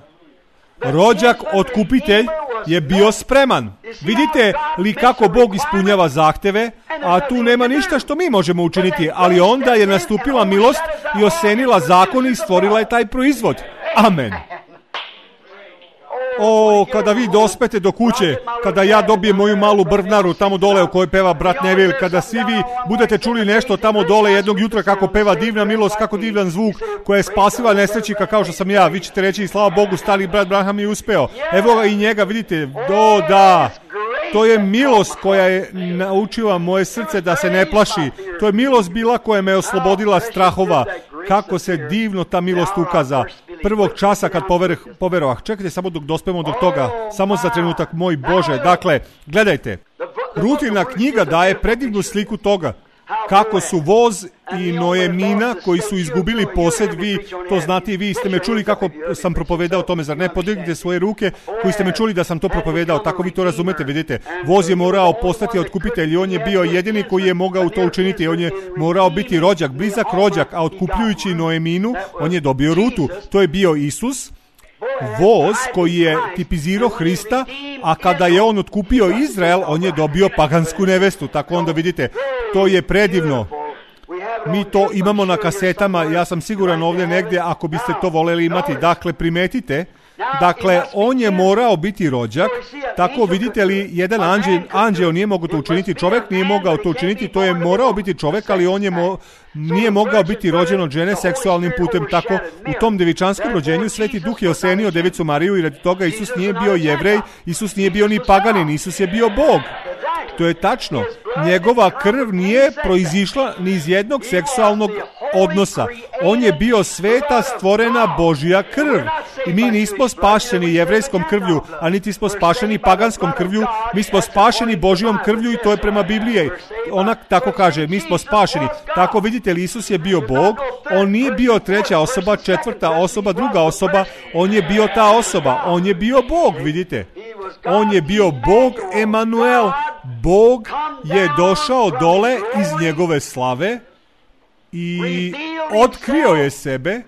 Rođak otkupitelj je bio spreman. Vidite li kako Bog ispunjava zahteve, a tu nema ništa što mi možemo učiniti, ali onda je nastupila milost i osenila zakon i stvorila je taj proizvod. Amen. O, kada vi dospete do kuće, kada ja dobijem moju malu brvnaru tamo dole u kojoj peva brat Neville, kada svi vi budete čuli nešto tamo dole jednog jutra kako peva divna milost, kako divan zvuk koja je spasiva nesrećnika kao što sam ja, vi ćete reći slava Bogu, stari brat Branham je uspeo. Evo ga i njega, vidite, do da. To je milost koja je naučila moje srce da se ne plaši. To je milost bila koja me oslobodila strahova. Kako se divno ta milost ukaza. Prvog časa kad poverovah. Čekajte samo dok dospemo do toga. Samo za trenutak, moj Bože. Dakle, gledajte. Rutina knjiga daje predivnu sliku toga. Kako su voz i Noemina koji su izgubili posjed, vi to znate i vi ste me čuli kako sam propovedao o tome, zar ne? Podignite svoje ruke koji ste me čuli da sam to propovedao, tako vi to razumete, vidite. Voz je morao postati otkupitelj i on je bio jedini koji je mogao to učiniti, on je morao biti rođak, blizak rođak, a otkupljujući Noeminu, on je dobio rutu, to je bio Isus. Voz koji je tipizirao Hrista, a kada je on otkupio Izrael, on je dobio pagansku nevestu. Tako onda vidite, to je predivno. Mi to imamo na kasetama, ja sam siguran ovdje negdje ako biste to voljeli imati. Dakle, primetite, dakle, on je morao biti rođak, tako vidite li, jedan anđel, anđeo nije mogao to učiniti, čovjek nije mogao to učiniti, to je morao biti čovjek, ali on je mo, nije mogao biti rođen od žene seksualnim putem, tako u tom devičanskom rođenju Sveti Duh je osenio Devicu Mariju i radi toga Isus nije bio Jevrej, Isus nije bio ni paganin, Isus je bio Bog. To je tačno. Njegova krv nije proizišla ni iz jednog seksualnog odnosa. On je bio sveta stvorena Božja krv. I mi nismo spašeni jevrejskom krvlju, a niti smo spašeni paganskom krvlju. Mi smo spašeni Božjom krvlju i to je prema Bibliji. Ona tako kaže, mi smo spašeni. Tako vidite li, Isus je bio Bog. On nije bio treća osoba, četvrta osoba, druga osoba. On je bio ta osoba. On je bio Bog, vidite. On je bio Bog Emanuel. Bog je došao dole iz njegove slave i otkrio je sebe.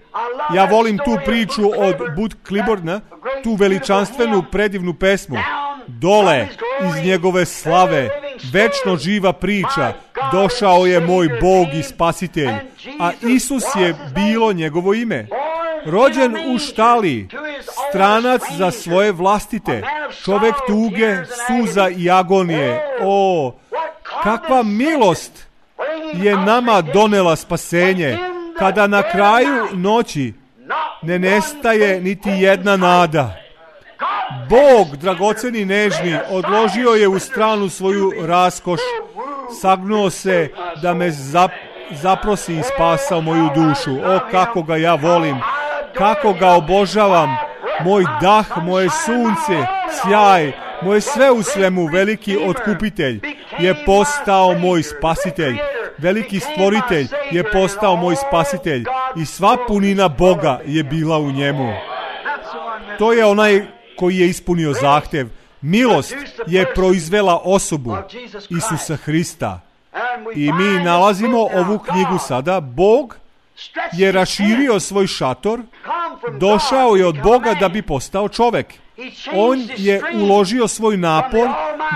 Ja volim tu priču od Bud Clibborna, tu veličanstvenu predivnu pesmu. Dole iz njegove slave, večno živa priča, došao je moj Bog i Spasitelj, a Isus je bilo njegovo ime. Rođen u štali, stranac za svoje vlastite, čovjek tuge, suza i agonije. O, kakva milost je nama donela spasenje, kada na kraju noći ne nestaje niti jedna nada. Bog, dragoceni nežni, odložio je u stranu svoju raskoš, sagnuo se da me zap, zaprosi i spasao moju dušu. O, kako ga ja volim, kako ga obožavam, moj dah, moje sunce, sjaj, moje sve u svemu, veliki otkupitelj je postao moj spasitelj. Veliki stvoritelj je postao moj spasitelj i sva punina Boga je bila u njemu. To je onaj koji je ispunio zahtev. Milost je proizvela osobu Isusa Hrista. I mi nalazimo ovu knjigu sada. Bog je raširio svoj šator, došao je od Boga da bi postao čovjek. On je uložio svoj napor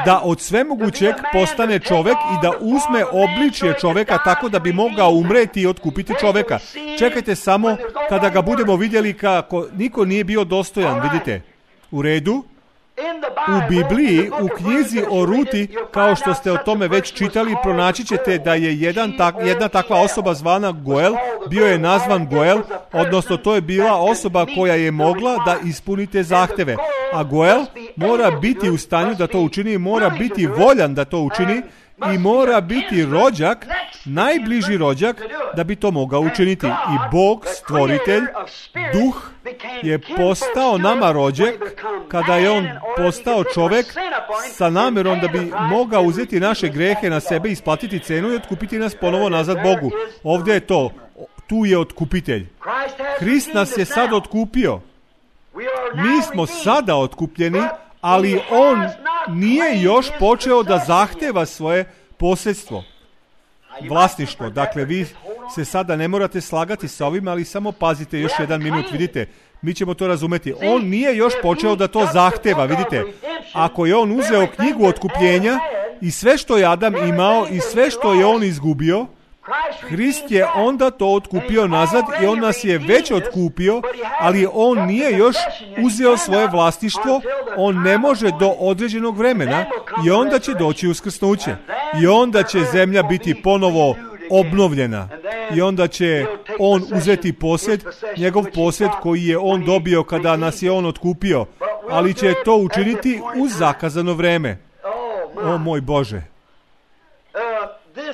da od svemogućeg postane čovjek i da uzme obličje čovjeka tako da bi mogao umreti i otkupiti čovjeka. Čekajte samo kada ga budemo vidjeli kako niko nije bio dostojan, vidite. U redu? U Bibliji, u knjizi o Ruti, kao što ste o tome već čitali, pronaći ćete da je jedan tak, jedna takva osoba zvana Goel, bio je nazvan Goel, odnosno to je bila osoba koja je mogla da ispuni te zahteve. A Goel mora biti u stanju da to učini, mora biti voljan da to učini i mora biti rođak, najbliži rođak, da bi to mogao učiniti. I Bog, stvoritelj, duh, je postao nama rođak kada je on postao čovek sa namjerom da bi mogao uzeti naše grehe na sebe, isplatiti cenu i otkupiti nas ponovo nazad Bogu. Ovdje je to, tu je otkupitelj. Hrist nas je sad otkupio. Mi smo sada otkupljeni, ali on nije još počeo da zahteva svoje posjedstvo, vlasništvo. Dakle, vi se sada ne morate slagati sa ovim, ali samo pazite još jedan minut, vidite, mi ćemo to razumeti. On nije još počeo da to zahteva, vidite. Ako je on uzeo knjigu otkupljenja i sve što je Adam imao i sve što je on izgubio, Hrist je onda to otkupio nazad i on nas je već otkupio, ali on nije još uzeo svoje vlasništvo, on ne može do određenog vremena i onda će doći uskrsnuće. I onda će zemlja biti ponovo obnovljena i onda će on uzeti posjed, njegov posjed koji je on dobio kada nas je on otkupio, ali će to učiniti u zakazano vreme. O moj Bože!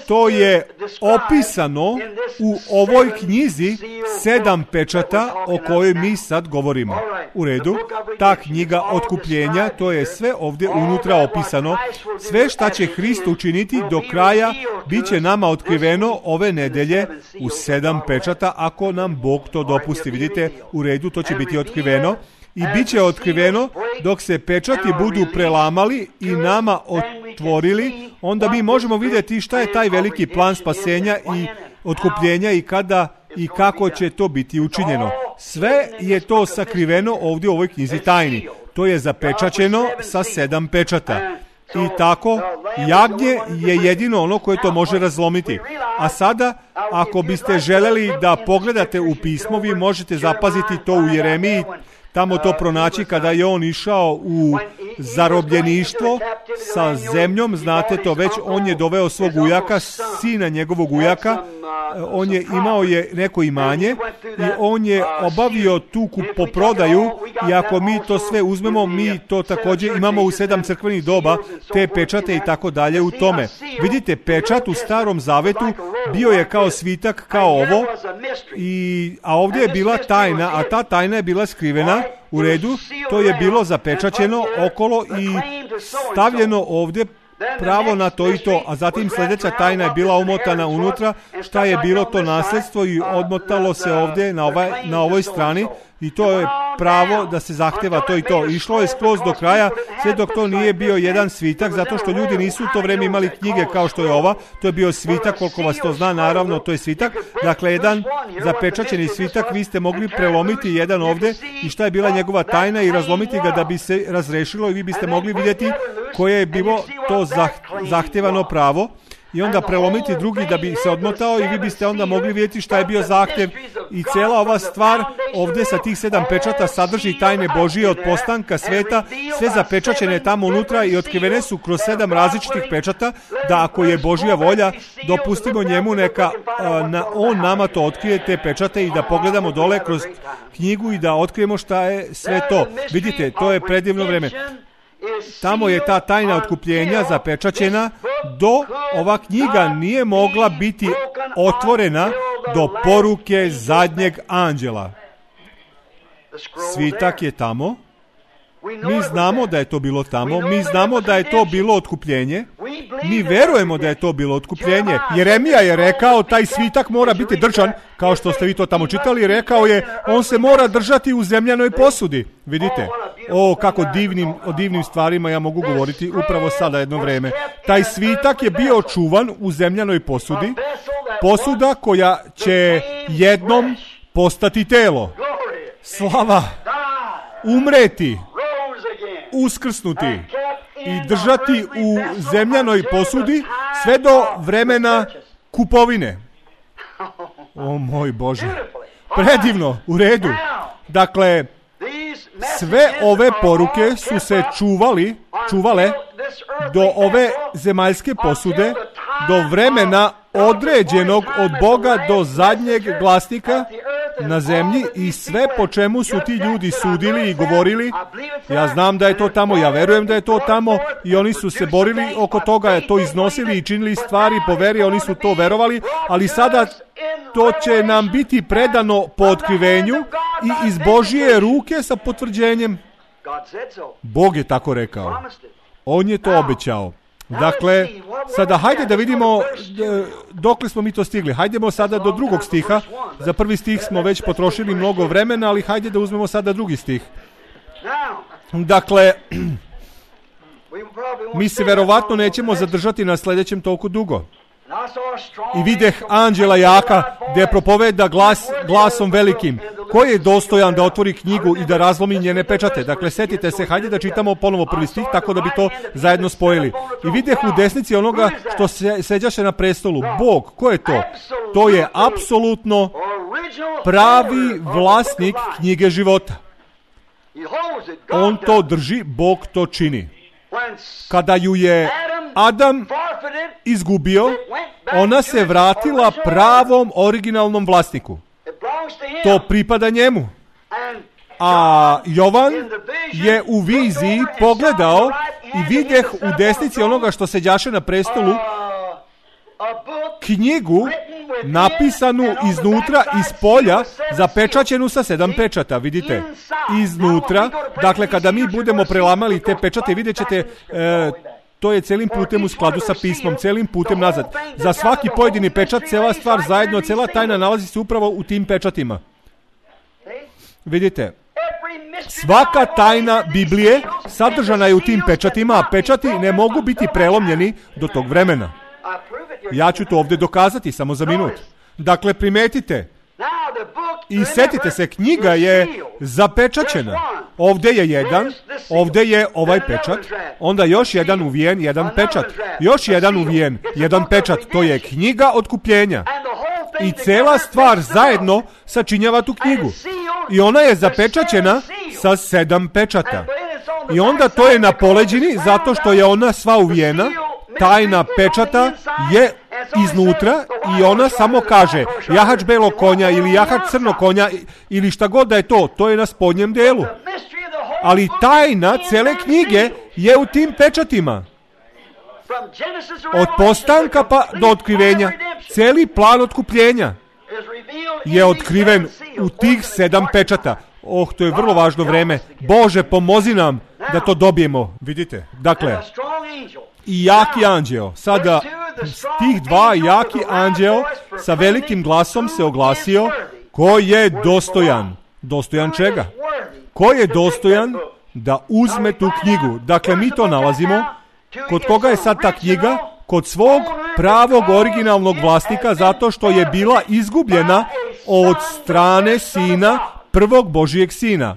To je opisano u ovoj knjizi sedam pečata o kojoj mi sad govorimo. U redu, ta knjiga otkupljenja, to je sve ovdje unutra opisano. Sve šta će Hrist učiniti do kraja bit će nama otkriveno ove nedelje u sedam pečata, ako nam Bog to dopusti. Vidite, u redu, to će biti otkriveno. I bit će otkriveno dok se pečati budu prelamali i nama otvorili, onda mi možemo vidjeti šta je taj veliki plan spasenja i otkupljenja i kada i kako će to biti učinjeno. Sve je to sakriveno ovdje u ovoj knjizi tajni. To je zapečaćeno sa sedam pečata. I tako, jagnje je jedino ono koje to može razlomiti. A sada, ako biste želeli da pogledate u pismo, vi možete zapaziti to u Jeremiji, tamo to pronaći kada je on išao u zarobljeništvo sa zemljom, znate to već, on je doveo svog ujaka, sina njegovog ujaka, on je imao je neko imanje i on je obavio tu kupoprodaju i ako mi to sve uzmemo, mi to također imamo u sedam crkvenih doba, te pečate i tako dalje u tome. Vidite, pečat u Starom Zavetu bio je kao svitak, kao ovo, i, a ovdje je bila tajna, a ta tajna je bila skrivena. U redu, to je bilo zapečaćeno okolo i stavljeno ovdje pravo na to i to, a zatim sljedeća tajna je bila umotana unutra, šta je bilo to nasljedstvo i odmotalo se ovdje na, ovaj, na ovoj strani i to je pravo da se zahteva to i to. Išlo je skroz do kraja, sve dok to nije bio jedan svitak, zato što ljudi nisu u to vrijeme imali knjige kao što je ova, to je bio svitak, koliko vas to zna, naravno, to je svitak. Dakle, jedan zapečaćeni svitak, vi ste mogli prelomiti jedan ovdje i šta je bila njegova tajna i razlomiti ga da bi se razrešilo i vi biste mogli vidjeti koje je bilo to zahtevano pravo. I onda prelomiti drugi da bi se odmotao i vi biste onda mogli vidjeti šta je bio zahtjev. I cijela ova stvar ovdje sa tih sedam pečata sadrži tajne Božije od postanka sveta, sve zapečaćene tamo unutra i otkrivene su kroz sedam različitih pečata, da ako je Božja volja, dopustimo njemu neka a, na, on nama to otkrije, te pečate, i da pogledamo dole kroz knjigu i da otkrijemo šta je sve to. Vidite, to je predivno vreme. Tamo je ta tajna otkupljenja zapečaćena, do ova knjiga nije mogla biti otvorena do poruke zadnjeg anđela. Svitak je tamo. Mi znamo da je to bilo tamo, mi znamo da je to bilo otkupljenje, mi verujemo da je to bilo otkupljenje. Jeremija je rekao, taj svitak mora biti držan, kao što ste vi to tamo čitali, rekao je, on se mora držati u zemljanoj posudi. Vidite, o, kako divnim, o divnim stvarima ja mogu govoriti upravo sada jedno vreme. Taj svitak je bio čuvan u zemljanoj posudi, posuda koja će jednom postati telo. Slava, umreti, uskrsnuti i držati u zemljanoj posudi sve do vremena kupovine. O moj Bože, predivno, u redu. Dakle, sve ove poruke su se čuvali, čuvale do ove zemaljske posude, do vremena određenog od Boga do zadnjeg glasnika na zemlji i sve po čemu su ti ljudi sudili i govorili. Ja znam da je to tamo, ja verujem da je to tamo i oni su se borili oko toga, to iznosili i činili stvari po veri, oni su to verovali, ali sada to će nam biti predano po otkrivenju i iz Božje ruke sa potvrđenjem. Bog je tako rekao. On je to obećao. Dakle, sada hajde da vidimo dokle smo mi to stigli. Hajdemo sada do drugog stiha. Za prvi stih smo već potrošili mnogo vremena, ali hajde da uzmemo sada drugi stih. Dakle, mi se verovatno nećemo zadržati na sljedećem toliko dugo. I videh anđela jaka, gdje propoveda glas, glasom velikim, koji je dostojan da otvori knjigu i da razlomi njene pečate. Dakle, setite se, hajde da čitamo ponovo prvi stih, tako da bi to zajedno spojili. I videh u desnici onoga što se seđaše na prestolu. Bog, ko je to? To je apsolutno pravi vlasnik knjige života. On to drži, Bog to čini. Kada ju je Adam izgubio, ona se vratila pravom originalnom vlasniku. To pripada njemu. A Jovan je u viziji pogledao i videh u desnici onoga što seđaše na prestolu knjigu napisanu iznutra, iz polja, zapečaćenu sa sedam pečata, vidite, iznutra. Dakle, kada mi budemo prelamali te pečate, vidjet ćete, e, to je celim putem u skladu sa pismom, celim putem nazad. Za svaki pojedini pečat, cela stvar zajedno, cela tajna nalazi se upravo u tim pečatima. Vidite, svaka tajna Biblije sadržana je u tim pečatima, a pečati ne mogu biti prelomljeni do tog vremena. Ja ću to ovdje dokazati samo za minut. Dakle, primetite i setite se, knjiga je zapečaćena. Ovdje je jedan, ovdje je ovaj pečat, onda još jedan uvijen, jedan pečat, još jedan uvijen, jedan pečat, to je knjiga otkupljenja. I cela stvar zajedno sačinjava tu knjigu. I ona je zapečaćena sa sedam pečata. I onda to je na poleđini, zato što je ona sva uvijena, tajna pečata je iznutra i ona samo kaže jahač belog konja ili jahač crnog konja ili šta god da je to, to je na spodnjem delu. Ali tajna cele knjige je u tim pečatima. Od postanka pa do otkrivenja, celi plan otkupljenja je otkriven u tih sedam pečata. Oh, to je vrlo važno vreme. Bože, pomozi nam da to dobijemo. Vidite, dakle, i jaki anđeo. Sada, tih dva jaki anđeo sa velikim glasom se oglasio, ko je dostojan. Dostojan čega? Ko je dostojan da uzme tu knjigu? Dakle, mi to nalazimo. Kod koga je sad ta knjiga? Kod svog pravog originalnog vlasnika, zato što je bila izgubljena od strane sina, prvog Božijeg sina,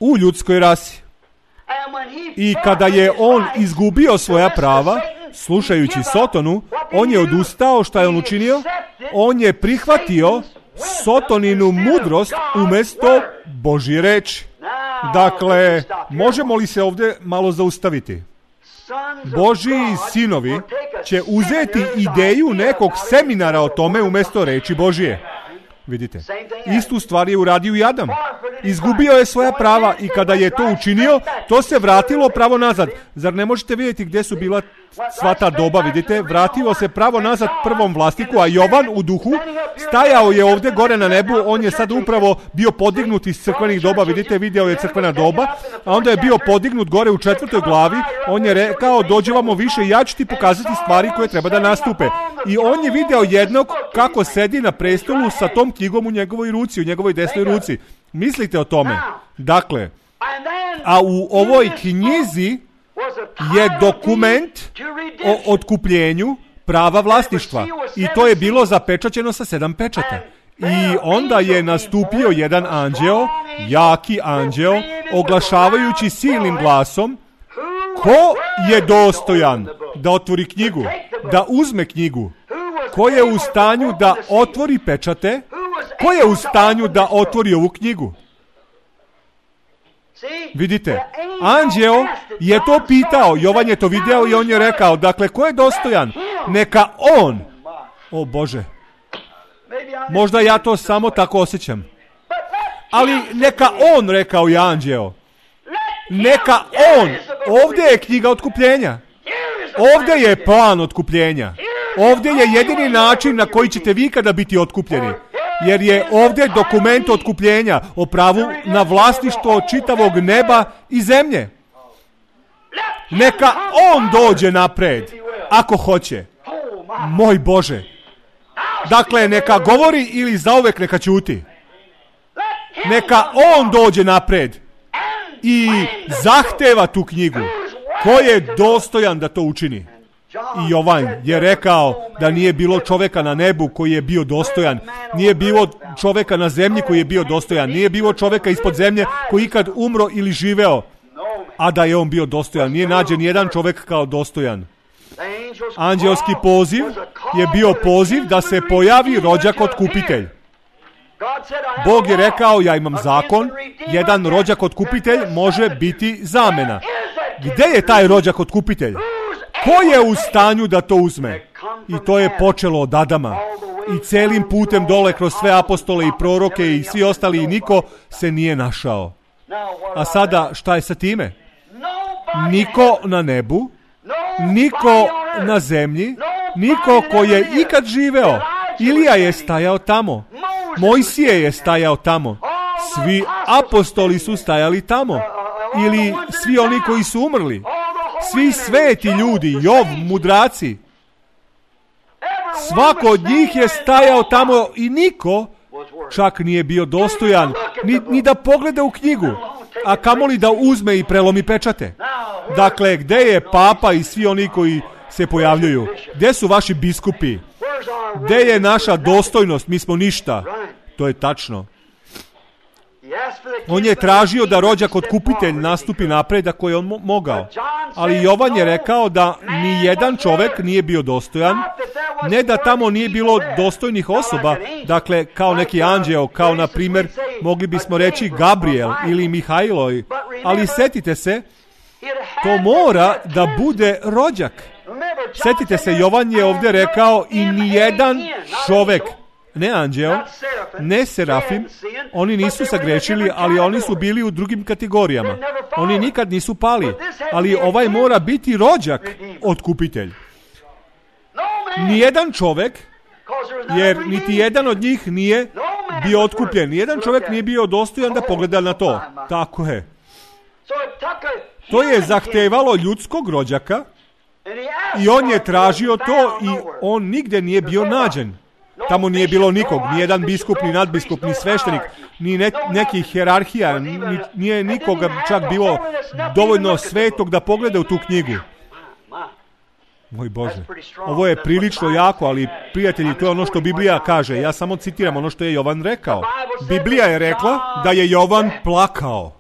u ljudskoj rasi. I kada je on izgubio svoja prava, slušajući Sotonu, on je odustao. Šta je on učinio? On je prihvatio Sotoninu mudrost umjesto Božje reči. Dakle, možemo li se ovdje malo zaustaviti? Božji sinovi će uzeti ideju nekog seminara o tome umjesto reči Božije. Vidite, istu stvar je uradio i Adam. Izgubio je svoja prava i kada je to učinio, to se vratilo pravo nazad. Zar ne možete vidjeti gdje su bila sva ta doba, vidite? Vratilo se pravo nazad prvom vlasniku, a Jovan u duhu stajao je ovdje gore na nebu. On je sad upravo bio podignut iz crkvenih doba, vidite, video je crkvena doba, a onda je bio podignut gore u četvrtoj glavi. On je rekao, dođe vamo više i ja ću ti pokazati stvari koje treba da nastupe. I on je video jednog kako sedi na prestolu sa tom knjigom u njegovoj ruci, u njegovoj desnoj ruci. Mislite o tome. Dakle, a u ovoj knjizi je dokument o otkupljenju prava vlasništva. I to je bilo zapečaćeno sa sedam pečata. I onda je nastupio jedan anđeo, jaki anđeo, oglašavajući silnim glasom, ko je dostojan da otvori knjigu, da uzme knjigu, ko je u stanju da otvori pečate, ko je u stanju da otvori ovu knjigu. Vidite, anđeo je to pitao, Jovan je to video i on je rekao, dakle, ko je dostojan? Neka on. O Bože, možda ja to samo tako osjećam. Ali neka on, rekao je anđeo. Neka on. Ovdje je knjiga otkupljenja. Ovdje je plan otkupljenja. Ovdje je jedini način na koji ćete vi kada biti otkupljeni. Jer je ovdje dokument otkupljenja o pravu na vlasništvo čitavog neba i zemlje. Neka on dođe napred, ako hoće. Moj Bože. Dakle, neka govori ili zauvek neka ćuti. Neka on dođe napred i zahteva tu knjigu. Ko je dostojan da to učini? I Jovan je rekao da nije bilo čovjeka na nebu koji je bio dostojan, nije bilo čovjeka na zemlji koji je bio dostojan, nije bilo čovjeka ispod zemlje koji ikad umro ili živeo, a da je on bio dostojan. Nije nađen jedan čovjek kao dostojan. Anđelski poziv je bio poziv da se pojavi rođak otkupitelj. Bog je rekao, ja imam zakon, jedan rođak otkupitelj može biti zamena. Gdje je taj rođak otkupitelj? Ko je u stanju da to uzme? I to je počelo od Adama. I celim putem dole kroz sve apostole i proroke i svi ostali i niko se nije našao. A sada šta je sa time? Niko na nebu, niko na zemlji, niko ko je ikad živeo. Ilija je stajao tamo. Mojsije je stajao tamo. Svi apostoli su stajali tamo. Ili svi oni koji su umrli. Svi sveti ljudi, Jov, mudraci. Svako od njih je stajao tamo i niko čak nije bio dostojan ni, ni da pogleda u knjigu, a kamoli da uzme i prelomi pečate. Dakle, gdje je papa i svi oni koji se pojavljuju? Gdje su vaši biskupi? Gdje je naša dostojnost? Mi smo ništa. To je tačno. On je tražio da rođak otkupitelj nastupi napred ako je on mo- mogao. Ali Jovan je rekao da ni jedan čovjek nije bio dostojan, ne da tamo nije bilo dostojnih osoba, dakle kao neki anđeo, kao na primjer mogli bismo reći Gabriel ili Mihajlo, ali setite se, to mora da bude rođak. Setite se, Jovan je ovdje rekao i nijedan čovjek, ne anđeo, ne serafim, oni nisu sagrešili, ali oni su bili u drugim kategorijama. Oni nikad nisu pali, ali ovaj mora biti rođak otkupitelj. Nijedan čovjek, jer niti jedan od njih nije bio otkupljen. Nijedan čovjek nije bio dostojan da pogleda na to. Tako je. To je zahtevalo ljudskog rođaka i on je tražio to i on nigdje nije bio nađen. Tamo nije bilo nikog, ni jedan biskup, ni nadbiskup, ni sveštenik, ni ne, nekih hijerarhija, ni, nije nikoga čak bilo dovoljno svetog da pogleda u tu knjigu. Moj Bože, ovo je prilično jako, ali prijatelji, to je ono što Biblija kaže. Ja samo citiram ono što je Jovan rekao. Biblija je rekla da je Jovan plakao.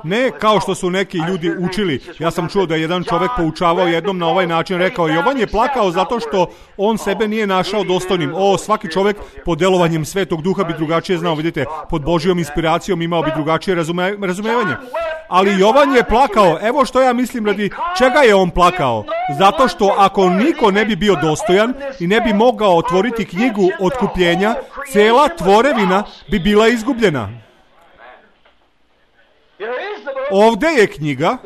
Ne kao što su neki ljudi učili. Ja sam čuo da je jedan čovjek poučavao jednom na ovaj način, rekao Jovan je plakao zato što on sebe nije našao dostojnim. O, svaki čovjek pod delovanjem Svetog Duha bi drugačije znao, vidite, pod Božjom inspiracijom imao bi drugačije razume, razumevanje. Ali Jovan je plakao. Evo što ja mislim, radi čega je on plakao? Zato što ako niko ne bi bio dostojan i ne bi mogao otvoriti knjigu otkupljenja, cela tvorevina bi bila izgubljena. Ovdje je knjiga,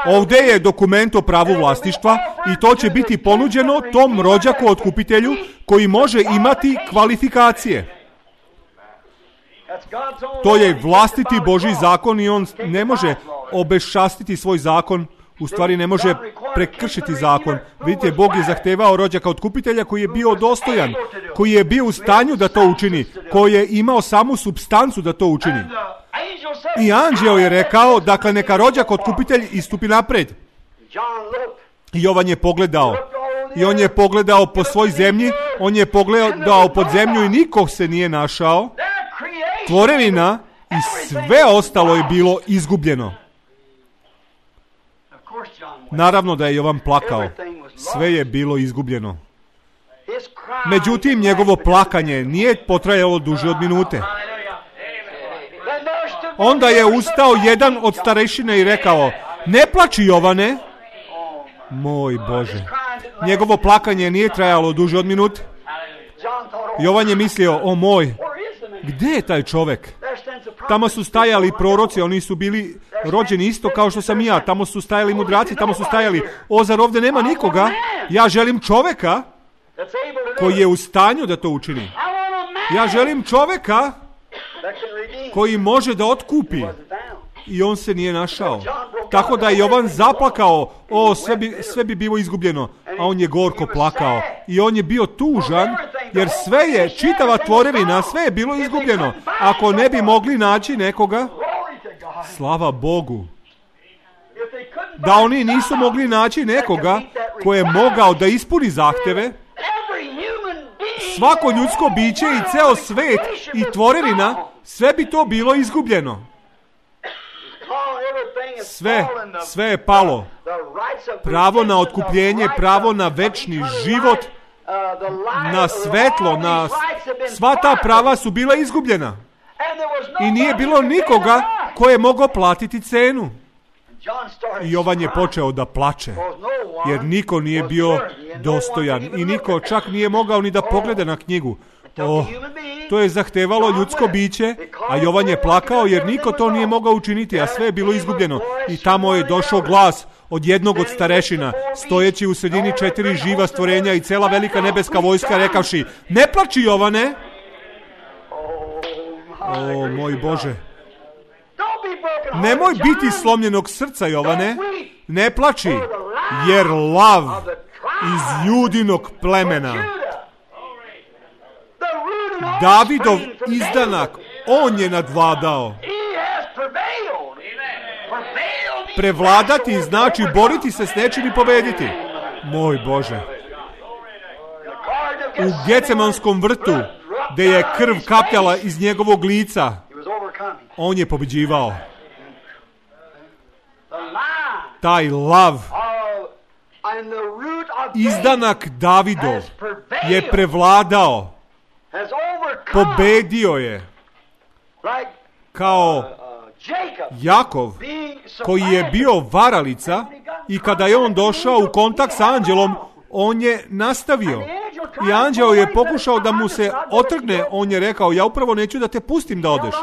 ovdje je dokument o pravu vlasništva i to će biti ponuđeno tom rođaku otkupitelju koji može imati kvalifikacije. To je vlastiti Božji zakon i on ne može obeščastiti svoj zakon, u stvari ne može prekršiti zakon. Vidite, Bog je zahtevao rođaka otkupitelja koji je bio dostojan, koji je bio u stanju da to učini, koji je imao samu supstancu da to učini. I anđeo je rekao, dakle neka rođak otkupitelj istupi napred. I Jovan je pogledao. I on je pogledao po svoj zemlji, on je pogledao pod zemlju i nikog se nije našao. Tvorevina i sve ostalo je bilo izgubljeno. Naravno da je Jovan plakao. Sve je bilo izgubljeno. Međutim, njegovo plakanje nije potrajalo duže od minute. Onda je ustao jedan od starešine i rekao, ne plači Jovane. Moj Bože. Njegovo plakanje nije trajalo duže od minute. Jovan je mislio, o moj, gdje je taj čovjek? Tamo su stajali proroci, oni su bili rođeni isto kao što sam i ja. Tamo su stajali mudraci, tamo su stajali, o, zar ovdje nema nikoga? Ja želim čovjeka koji je u stanju da to učini. Ja želim čovjeka koji može da otkupi. I on se nije našao. Tako da je Jovan zaplakao, o, sve bi, sve bi bilo izgubljeno. A on je gorko plakao. I on je bio tužan, jer sve je, čitava tvorevina, sve je bilo izgubljeno. Ako ne bi mogli naći nekoga, slava Bogu. Da oni nisu mogli naći nekoga koji je mogao da ispuni zahteve, svako ljudsko biće i ceo svet i tvorevina, sve bi to bilo izgubljeno. Sve, sve je palo. Pravo na otkupljenje, pravo na večni život, na svetlo, na sva ta prava su bila izgubljena. I nije bilo nikoga ko je mogao platiti cenu. I Jovan je počeo da plače, jer niko nije bio dostojan i niko čak nije mogao ni da pogleda na knjigu. Oh, to je zahtevalo ljudsko biće, a Jovan je plakao jer niko to nije mogao učiniti, a sve je bilo izgubljeno. I tamo je došao glas od jednog od starešina, stojeći u sredini četiri živa stvorenja i cela velika nebeska vojska, rekavši, ne plači Jovane. O, moj Bože. Nemoj biti slomljenog srca, Jovane. Ne plači, jer lav iz Judinog plemena, Davidov izdanak, on je nadvladao. Prevladati znači boriti se s nečim i pobediti. Moj Bože. U Gecemanskom vrtu, gdje je krv kapljala iz njegovog lica, on je pobeđivao. Taj lav, izdanak Davidov, je prevladao. Pobedio je. Kao Jakov, koji je bio varalica, i kada je on došao u kontakt s anđelom, on je nastavio. I anđeo je pokušao da mu se otrgne, on je rekao, ja upravo neću da te pustim da odeš.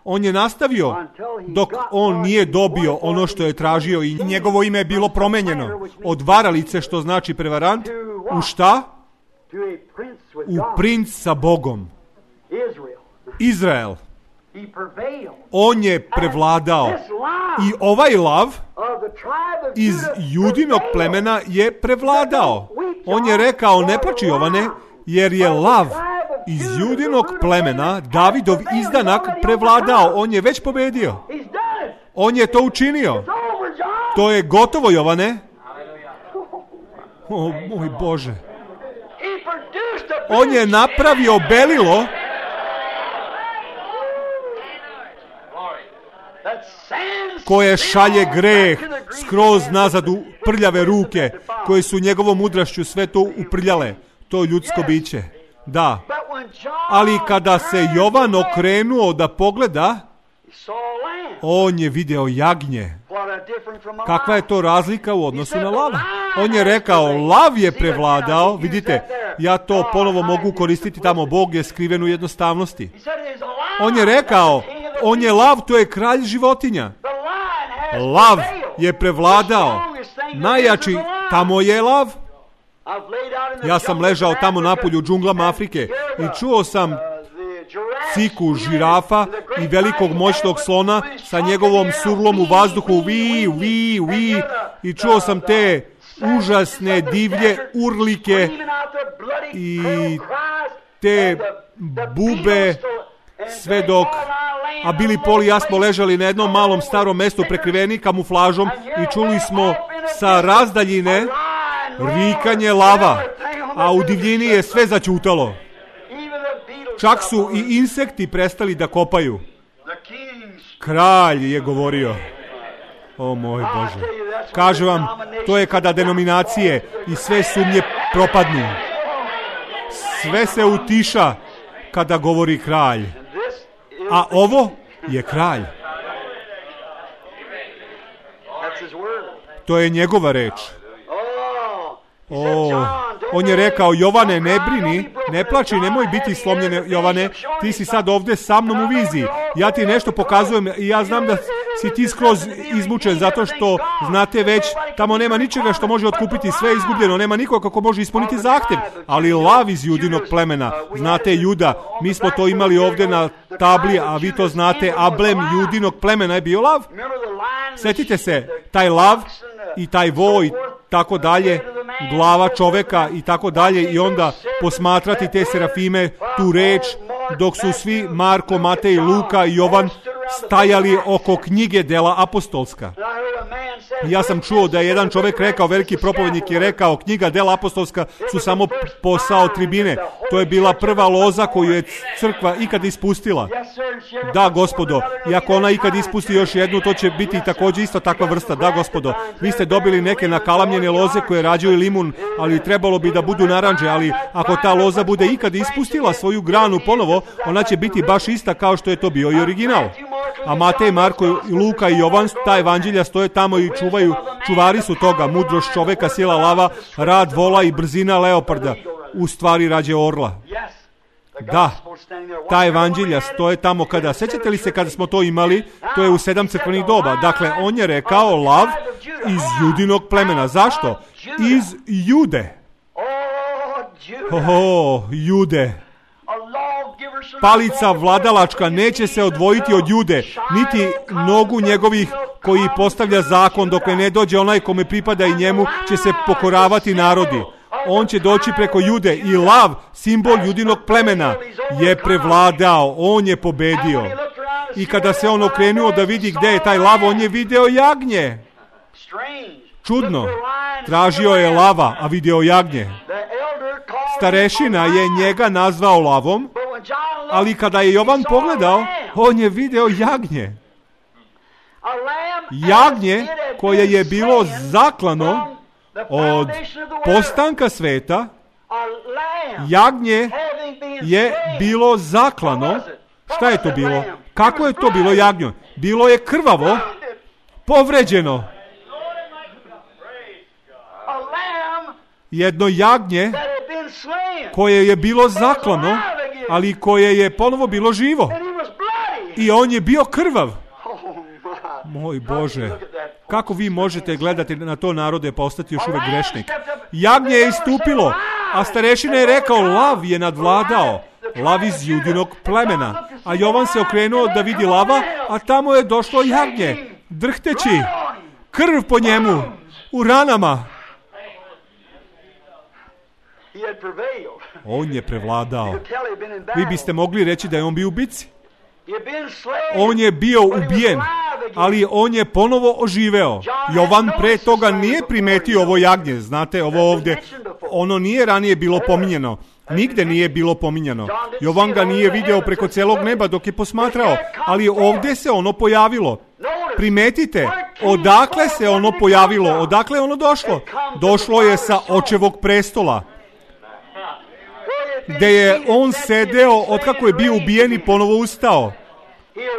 On je nastavio dok on nije dobio ono što je tražio i njegovo ime je bilo promenjeno. Od varalice, što znači prevarant, u šta? U princ sa Bogom. Izrael. On je prevladao. I ovaj lav iz Judinog plemena je prevladao. On je rekao, ne plači Jovane, jer je lav iz Judinog plemena, Davidov izdanak, prevladao. On je već pobedio. On je to učinio. To je gotovo, Jovane. O, moj Bože. On je napravio belilo koje šalje greh skroz nazad u prljave ruke, koje su njegovom mudrašću sve to uprljale. To ljudsko biće. Da. Ali kada se Jovan okrenuo da pogleda, on je video jagnje. Kakva je to razlika u odnosu na lava? On je rekao, lav je prevladao. Vidite, ja to ponovo mogu koristiti tamo. Bog je skriven u jednostavnosti. On je rekao, on je lav, to je kralj životinja. Lav je prevladao. Najjači, tamo je lav. Ja sam ležao tamo napolju u džunglama Afrike i čuo sam ciku žirafa i velikog moćnog slona sa njegovom surlom u vazduhu, vi, vi, vi, i čuo sam te užasne divlje urlike i te bube, sve dok, a Billy i Paul i ja smo ležali na jednom malom starom mestu prekriveni kamuflažom i čuli smo sa razdaljine rikanje lava, a u divljini je sve začutalo. Čak su i insekti prestali da kopaju. Kralj je govorio. O moj Bože. Kažem vam, to je kada denominacije i sve sumnje propadnu. Sve se utiša kada govori kralj. A ovo je kralj. To je njegova reč. O, on je rekao, Jovane, ne brini, ne plači, nemoj biti slomljene, Jovane, ti si sad ovdje sa mnom u viziji. Ja ti nešto pokazujem i ja znam da si ti skroz izmučen zato što, znate već, tamo nema ničega što može otkupiti, sve je izgubljeno, nema nikoga kako može ispuniti zahtjev, ali lav iz Judinog plemena, znate Juda, mi smo to imali ovdje na tabli, a vi to znate, ablem Judinog plemena je bio lav. Sjetite se, taj lav i taj vo i tako dalje, glava čoveka i tako dalje, i onda posmatrati te serafime, tu reč, dok su svi Marko, Matej, Luka i Jovan stajali oko knjige dela apostolska. Ja sam čuo da je jedan čovjek rekao, veliki propovednik je rekao, knjiga dela apostolska su samo posao tribine. To je bila prva loza koju je crkva ikad ispustila. Da, gospodo, i ako ona ikad ispusti još jednu, to će biti također isto takva vrsta. Da, gospodo, vi ste dobili neke nakalamljene loze koje rađaju limun, ali trebalo bi da budu naranđe, ali ako ta loza bude ikad ispustila svoju granu ponovo, ona će biti baš ista kao što je to bio i original. A Matej, Marko, Luka i Jovan, ta evanđelja stoje tamo i čuvaju, čuvari su toga, mudrost čoveka, sila lava, rad vola i brzina leoparda, u stvari rađe orla. Da, ta evanđelja stoje tamo kada, sećate li se kada smo to imali, to je u sedam crkvenih doba, dakle on je rekao lav iz Judinog plemena. Zašto? Iz Jude. Oho, Jude. Palica vladalačka neće se odvojiti od Jude, niti nogu njegovih koji postavlja zakon, dok ne dođe onaj kome pripada i njemu će se pokoravati narodi. On će doći preko Jude i lav, simbol Judinog plemena, je prevladao, on je pobedio. I kada se on okrenuo da vidi gdje je taj lav, on je video jagnje. Čudno, tražio je lava, a video jagnje. Starešina je njega nazvao lavom, ali kada je Jovan pogledao, on je video jagnje. Jagnje koje je bilo zaklano od postanka sveta, jagnje je bilo zaklano. Šta je to bilo? Kako je to bilo jagnje? Bilo je krvavo, povređeno. Jedno jagnje koje je bilo zaklano, ali koje je ponovo bilo živo. I on je bio krvav. Moj Bože, kako vi možete gledati na to narode pa ostati još uvek grešnik? Jagnje je istupilo, a starešina je rekao, lav je nadvladao, lav iz Judinog plemena. A Jovan se okrenuo da vidi lava, a tamo je došlo jagnje, drhteći, krv po njemu, u ranama. On je prevladao. Vi biste mogli reći da je on bio u bici. On je bio ubijen, ali on je ponovo oživeo. Jovan pre toga nije primetio ovo jagnje, znate, ovo ovdje, ono nije ranije bilo pominjeno. Nigde nije bilo pominjano. Jovan ga nije video preko celog neba dok je posmatrao, ali ovdje se ono pojavilo. Primetite, odakle se ono pojavilo, odakle je ono došlo? Došlo je sa očevog prestola, gde je on sedeo otkako je bio ubijen i ponovo ustao.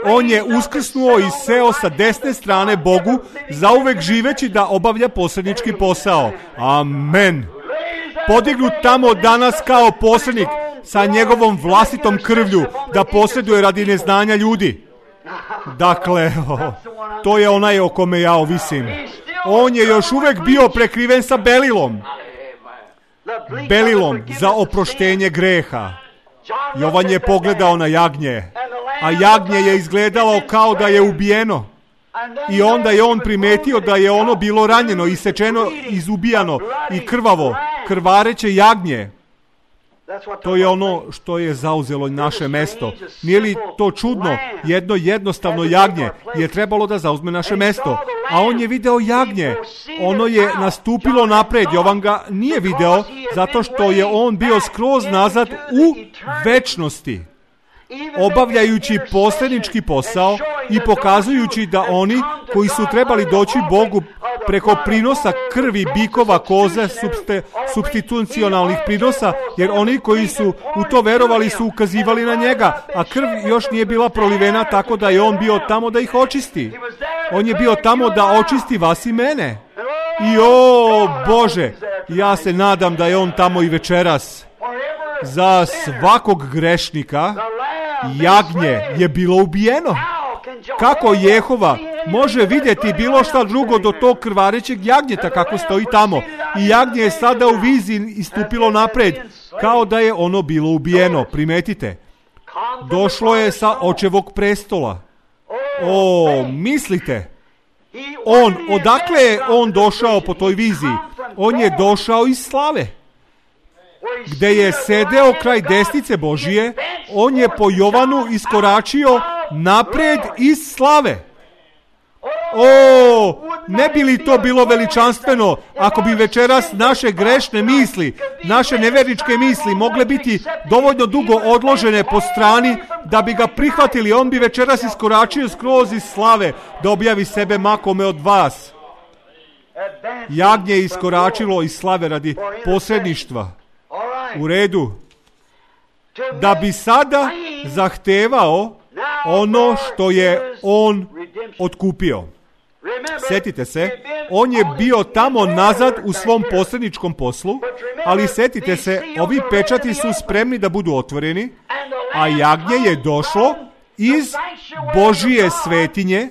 On je uskrsnuo i seo sa desne strane Bogu, zauvek živeći da obavlja posrednički posao. Amen. Podignut tamo danas kao posrednik sa njegovom vlastitom krvlju, da posreduje radi neznanja ljudi. Dakle, oh, to je onaj o kome ja ovisim. On je još uvek bio prekriven sa belilom. Belilom za oproštenje greha. Jovan je pogledao na jagnje, a jagnje je izgledalo kao da je ubijeno. I onda je on primetio da je ono bilo ranjeno, isečeno, izubijano i krvavo, krvareće jagnje. To je ono što je zauzelo naše mesto. Nije li to čudno? Jedno jednostavno jagnje je trebalo da zauzme naše mesto. A on je video jagnje. Ono je nastupilo napred. Jovan ga nije video zato što je on bio skroz nazad u večnosti, obavljajući posrednički posao i pokazujući da oni koji su trebali doći Bogu preko prinosa krvi bikova, koze, subste, substitucionalnih prinosa, jer oni koji su u to verovali su ukazivali na njega, a krv još nije bila prolivena, tako da je on bio tamo da ih očisti. On je bio tamo da očisti vas i mene. I o Bože, ja se nadam da je on tamo i večeras. Za svakog grešnika jagnje je bilo ubijeno. Kako Jehova može vidjeti bilo šta drugo do tog krvarećeg jagnjeta kako stoji tamo? I jagnje je sada u viziji istupilo napred, kao da je ono bilo ubijeno. Primetite, došlo je sa očevog prestola. O, mislite, on, odakle je on došao po toj viziji? On je došao iz slave. Gde je sedeo kraj desnice Božije, on je po Jovanu iskoračio napred iz slave. O, ne bi li to bilo veličanstveno ako bi večeras naše grešne misli, naše nevjerničke misli mogle biti dovoljno dugo odložene po strani da bi ga prihvatili. On bi večeras iskoračio skroz iz slave da objavi sebe makome od vas. Jagnje je iskoračilo iz slave radi posredništva. U redu. Da bi sada zahtevao ono što je on otkupio. Setite se, on je bio tamo nazad u svom posredničkom poslu, ali setite se, ovi pečati su spremni da budu otvoreni, a jagnje je došlo iz Božije svetinje,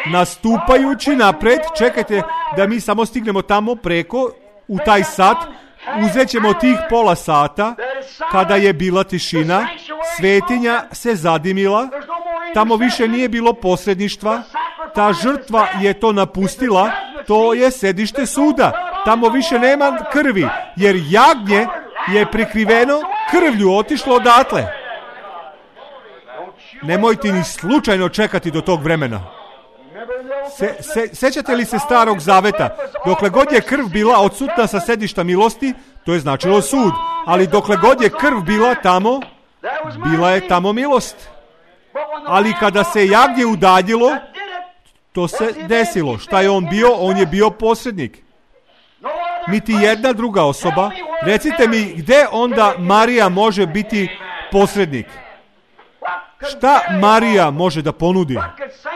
nastupajući napred. Čekajte da mi samo stignemo tamo preko, u taj sat. Uzet ćemo tih pola sata, kada je bila tišina, svetinja se zadimila, tamo više nije bilo posredništva, ta žrtva je to napustila, to je sedište suda, tamo više nema krvi, jer jagnje je prikriveno krvlju otišlo odatle. Nemojte ni slučajno čekati do tog vremena. Se, se, sećate li se Starog Zaveta? Dokle god je krv bila odsutna sa sedišta milosti, to je značilo sud. Ali dokle god je krv bila tamo, bila je tamo milost. Ali kada se jagnje udaljilo, to se desilo. Šta je on bio? On je bio posrednik. Niti jedna druga osoba. Recite mi, gde onda Marija može biti posrednik? Šta Marija može da ponudi?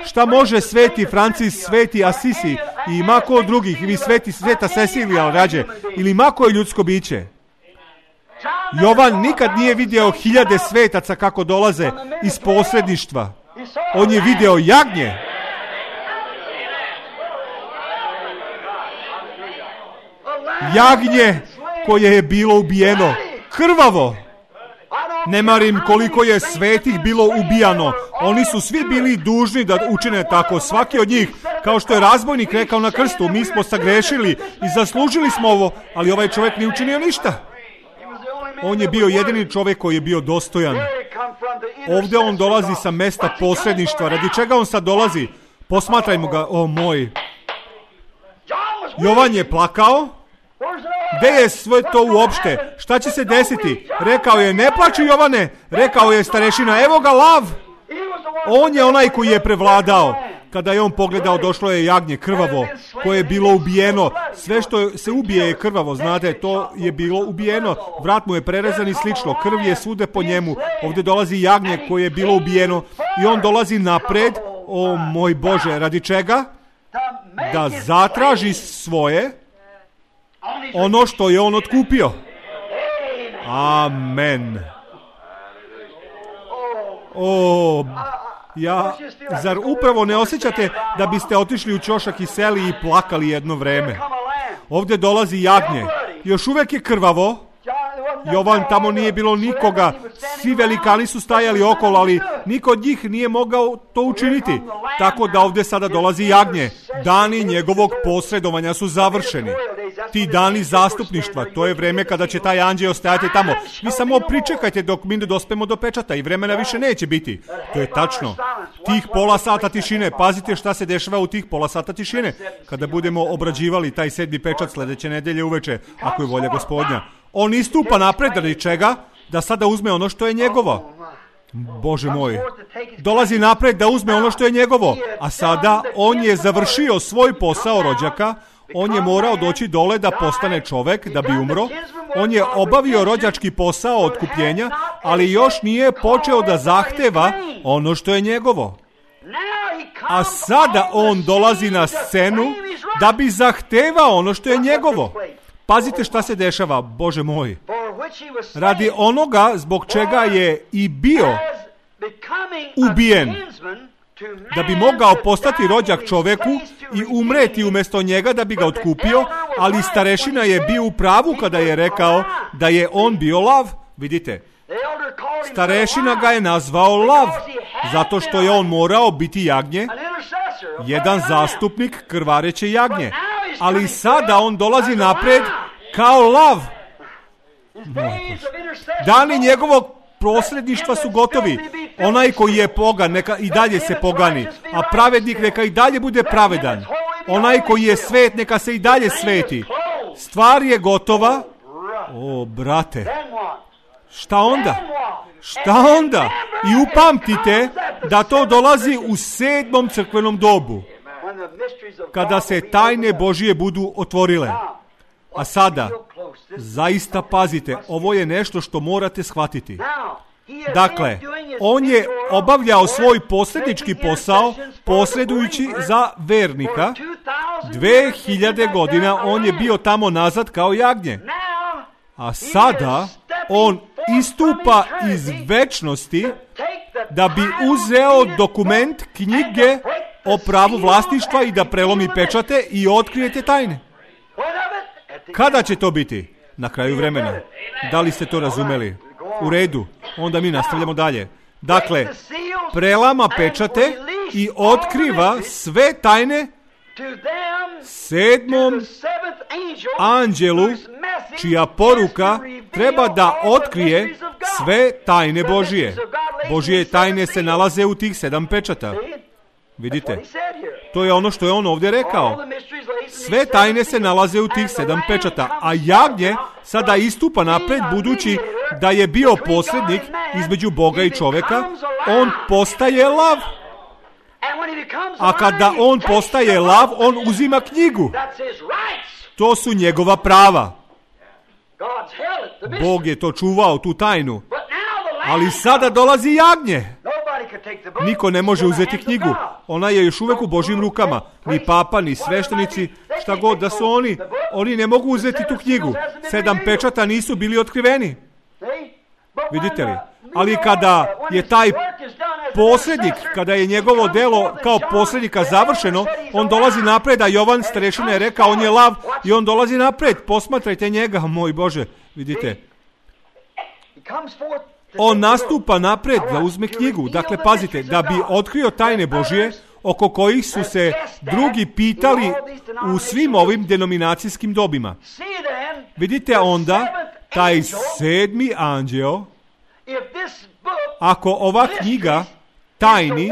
Šta može sveti Francis, sveti Asisi i mako od drugih, ili sveti sveta Cecilija rađe, ili mako je ljudsko biće? Jovan nikad nije vidio hiljade svetaca kako dolaze iz posredništva. On je video jagnje. Jagnje koje je bilo ubijeno krvavo. Ne marim koliko je svetih bilo ubijano. Oni su svi bili dužni da učine tako. Svaki od njih, kao što je razbojnik rekao na krstu, mi smo sagrešili i zaslužili smo ovo, ali ovaj čovjek nije učinio ništa. On je bio jedini čovjek koji je bio dostojan. Ovdje on dolazi sa mesta posredništva. Radi čega on sad dolazi? Posmatrajmo ga, o moj. Jovan je plakao. Gde je sve to uopšte? Šta će se desiti? Rekao je, ne plači Jovane. Rekao je starešina, evo ga lav. On je onaj koji je prevladao. Kada je on pogledao, došlo je jagnje krvavo, koje je bilo ubijeno. Sve što se ubije je krvavo, znate, to je bilo ubijeno. Vrat mu je prerezan i slično. Krv je svude po njemu. Ovdje dolazi jagnje koje je bilo ubijeno i on dolazi napred. O moj Bože, radi čega? Da zatraži svoje, ono što je on otkupio. Amen. O, ja, zar upravo ne osjećate da biste otišli u ćošak i seli i plakali jedno vreme? Ovdje dolazi jagnje. Još uvijek je krvavo. Jovan, tamo nije bilo nikoga. Svi velikani su stajali okolo, ali niko od njih nije mogao to učiniti. Tako da ovdje sada dolazi jagnje. Dani njegovog posredovanja su završeni. Ti dani zastupništva, to je vreme kada će taj anđeo ostajati tamo. Vi samo pričekajte dok mi ne dospemo do pečata i vremena više neće biti. To je tačno. Tih pola sata tišine, pazite šta se dešava u tih pola sata tišine. Kada budemo obrađivali taj sedmi pečat sljedeće nedelje uveče, ako je volja Gospodnja. On istupa napred, radi čega? Da sada uzme ono što je njegovo. Bože moj, dolazi napred da uzme ono što je njegovo, a sada on je završio svoj posao rođaka. On je morao doći dole da postane čovek, da bi umro. On je obavio rođački posao otkupljenja, ali još nije počeo da zahteva ono što je njegovo. A sada on dolazi na scenu da bi zahtevao ono što je njegovo. Pazite šta se dešava, Bože moj. Radi onoga zbog čega je i bio ubijen, da bi mogao postati rođak čoveku i umreti umjesto njega da bi ga otkupio, ali starešina je bio u pravu kada je rekao da je on bio lav. Vidite, starešina ga je nazvao lav, zato što je on morao biti jagnje, jedan zastupnik krvareće jagnje. Ali sada on dolazi napred kao lav. Dani njegovog prosredništva su gotovi. Onaj koji je pogan, neka i dalje se pogani, a pravednik neka i dalje bude pravedan. Onaj koji je svet, neka se i dalje sveti. Stvar je gotova. O, brate, šta onda? Šta onda? I upamtite da to dolazi u sedmom crkvenom dobu, kada se tajne Božije budu otvorile. A sada, zaista pazite, ovo je nešto što morate shvatiti. Dakle, on je obavljao svoj posrednički posao, posredujući za vernika. Dve hiljade godina on je bio tamo nazad kao jagnje. A sada on istupa iz večnosti da bi uzeo dokument knjige o pravu vlasništva i da prelomi pečate i otkrijete tajne. Kada će to biti? Na kraju vremena. Da li ste to razumeli? U redu. Onda mi nastavljamo dalje. Dakle, prelama pečate i otkriva sve tajne sedmom anđelu, čija poruka treba da otkrije sve tajne Božije. Božije tajne se nalaze u tih sedam pečata. Vidite, to je ono što je on ovdje rekao. Sve tajne se nalaze u tih sedam pečata, a jagnje sada istupa napred, budući da je bio posrednik između Boga i čoveka, on postaje lav. A kada on postaje lav, on uzima knjigu. To su njegova prava. Bog je to čuvao, tu tajnu. Ali sada dolazi jagnje. Niko ne može uzeti knjigu. Ona je još uvijek u Božjim rukama. Ni papa, ni sveštenici, šta god da su oni. Oni ne mogu uzeti tu knjigu. Sedam pečata nisu bili otkriveni. Vidite li? Ali kada je taj posrednik, kada je njegovo delo kao posrednika završeno, on dolazi napred, a Jovan starešina je rekao, on je lav, i on dolazi napred. Posmatrajte njega, moj Bože. Vidite? On nastupa napred da uzme knjigu. Dakle, pazite, da bi otkrio tajne Božije, oko kojih su se drugi pitali u svim ovim denominacijskim dobima. Vidite onda, taj sedmi anđeo, ako ova knjiga tajni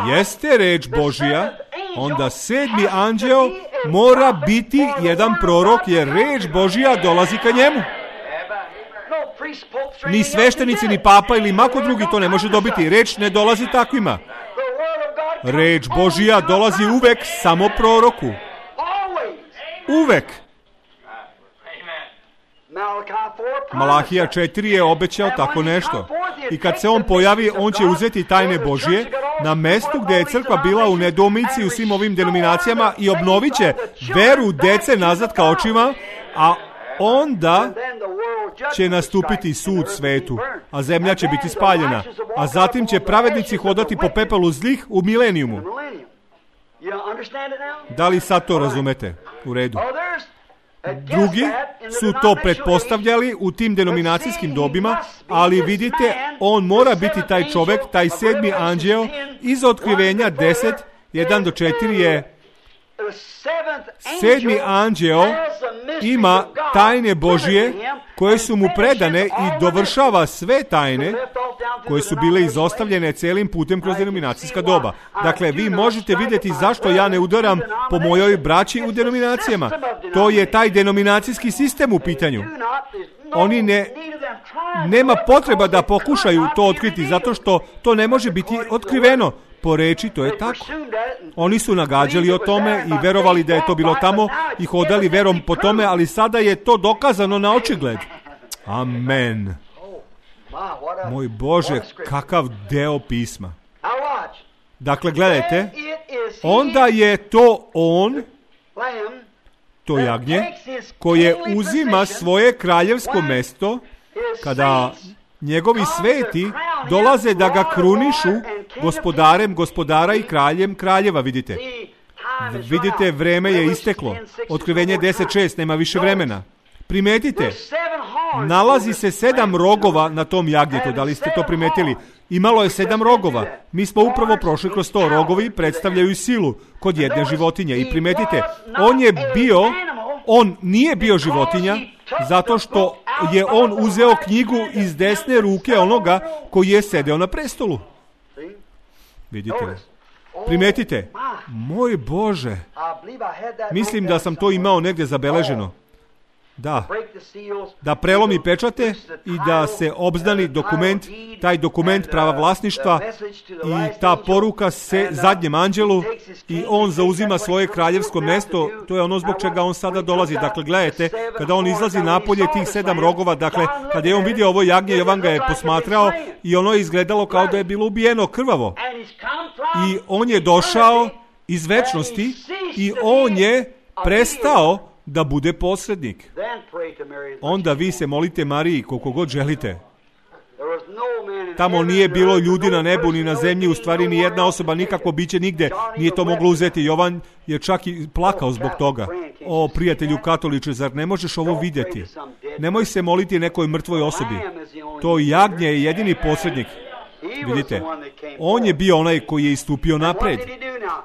jeste reč Božja, onda sedmi anđeo mora biti jedan prorok, jer reč Božja dolazi ka njemu. Ni sveštenici, ni papa ili mako drugi to ne može dobiti. Reč ne dolazi takvima. Reč Božja dolazi uvek samo proroku. Uvek. Malahija četiri je obećao tako nešto. I kad se on pojavi, on će uzeti tajne Božje na mestu gdje je crkva bila u nedoumici u svim ovim denominacijama i obnovit će veru dece nazad ka očima, a onda će nastupiti sud svetu, a zemlja će biti spaljena, a zatim će pravednici hodati po pepelu zlih u milenijumu. Da li sad to razumete? U redu. Drugi su to pretpostavljali u tim denominacijskim dobima, ali vidite, on mora biti taj čovjek, taj sedmi anđeo. Iz otkrivenja deset, jedan do četiri je sedmi anđeo ima tajne Božje koje su mu predane i dovršava sve tajne koje su bile izostavljene celim putem kroz denominacijska doba. Dakle, vi možete vidjeti zašto ja ne udaram po mojoj braći u denominacijama. To je taj denominacijski sistem u pitanju. Oni ne, nema potreba da pokušaju to otkriti, zato što to ne može biti otkriveno. Po reči, to je tako. Oni su nagađali o tome i verovali da je to bilo tamo i hodali verom po tome, ali sada je to dokazano na očigled. Amen. Moj Bože, kakav deo pisma. Dakle, gledajte, onda je to on, to jagnje, koje uzima svoje kraljevsko mesto kada njegovi sveti dolaze da ga krunišu gospodarem gospodara i kraljem kraljeva, vidite. Vidite, vreme je isteklo. Otkrivenje deset šest, nema više vremena. Primetite, nalazi se sedam rogova na tom jagnjetu, da li ste to primetili? Imalo je sedam rogova. Mi smo upravo prošli kroz to. Rogovi predstavljaju silu kod jedne životinje. I primetite, on je bio, on nije bio životinja, zato što je on uzeo knjigu iz desne ruke onoga koji je sedeo na prestolu. Vidite, primetite, moj Bože, mislim da sam to imao negdje zabeleženo. Da, da prelomi pečate i da se obznani dokument, taj dokument prava vlasništva i ta poruka se zadnjem anđelu i on zauzima svoje kraljevsko mesto, to je ono zbog čega on sada dolazi. Dakle, gledajte, kada on izlazi napolje tih sedam rogova, dakle, kada je on vidio ovo jagnje, Jovan ga je posmatrao i ono je izgledalo kao da je bilo ubijeno krvavo. I on je došao iz večnosti i on je prestao da bude posrednik. Onda vi se molite Mariji koliko god želite. Tamo nije bilo ljudi na nebu ni na zemlji, u stvari ni jedna osoba, nikakvo biće nigde nije to moglo uzeti. Jovan je čak i plakao zbog toga. O, prijatelju katoliče, zar ne možeš ovo vidjeti? Nemoj se moliti nekoj mrtvoj osobi. To jagnje je jedini posrednik. Vidite, on je bio onaj koji je istupio napred.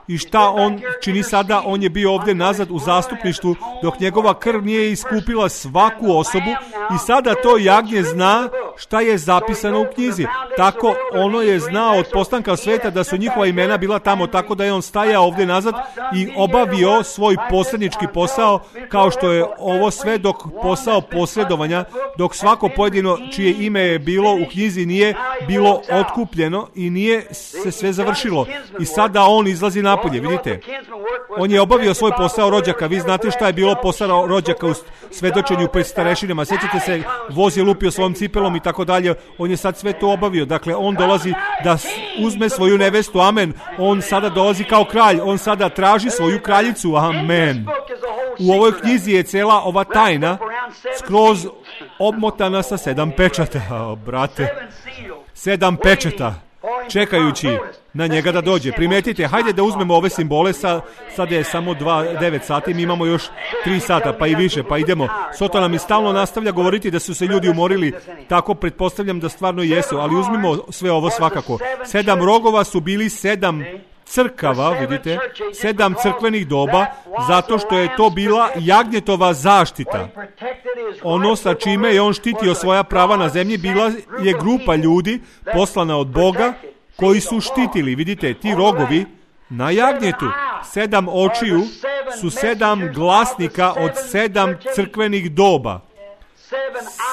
I šta on čini sada? On je bio ovdje nazad u zastupništvu dok njegova krv nije iskupila svaku osobu i sada to jagnje zna šta je zapisano u knjizi. Tako ono je znao od postanka sveta da su njihova imena bila tamo, tako da je on stajao ovdje nazad i obavio svoj posrednički posao, kao što je ovo sve dok posao posredovanja, dok svako pojedino čije ime je bilo u knjizi nije bilo otkupljeno i nije se sve završilo. I sada on izlazi napolje, vidite. On je obavio svoj posao rođaka. Vi znate šta je bilo posao rođaka u svedočenju pred starešinama. Sjećate se, voz je lupio svojom cipelom i tako dalje. On je sad sve to obavio. Dakle, on dolazi da uzme svoju nevestu. Amen. On sada dolazi kao kralj. On sada traži svoju kraljicu. Amen. U ovoj knjizi je cela ova tajna skroz obmotana sa sedam pečata. O, brate. Sedam pečata. Čekajući na njega da dođe. Primetite, hajde da uzmemo ove simbole, sa, sad je samo dva, devet sati, mi imamo još tri sata, pa i više, pa idemo. Sotona mi stalno nastavlja govoriti da su se ljudi umorili, tako pretpostavljam da stvarno jesu, ali uzmimo sve ovo svakako. Sedam rogova su bili sedam crkava, vidite, sedam crkvenih doba, zato što je to bila jagnjetova zaštita. Ono sa čime je on štitio svoja prava na zemlji bila je grupa ljudi poslana od Boga koji su štitili, vidite, ti rogovi na jagnjetu. Sedam očiju su sedam glasnika od sedam crkvenih doba.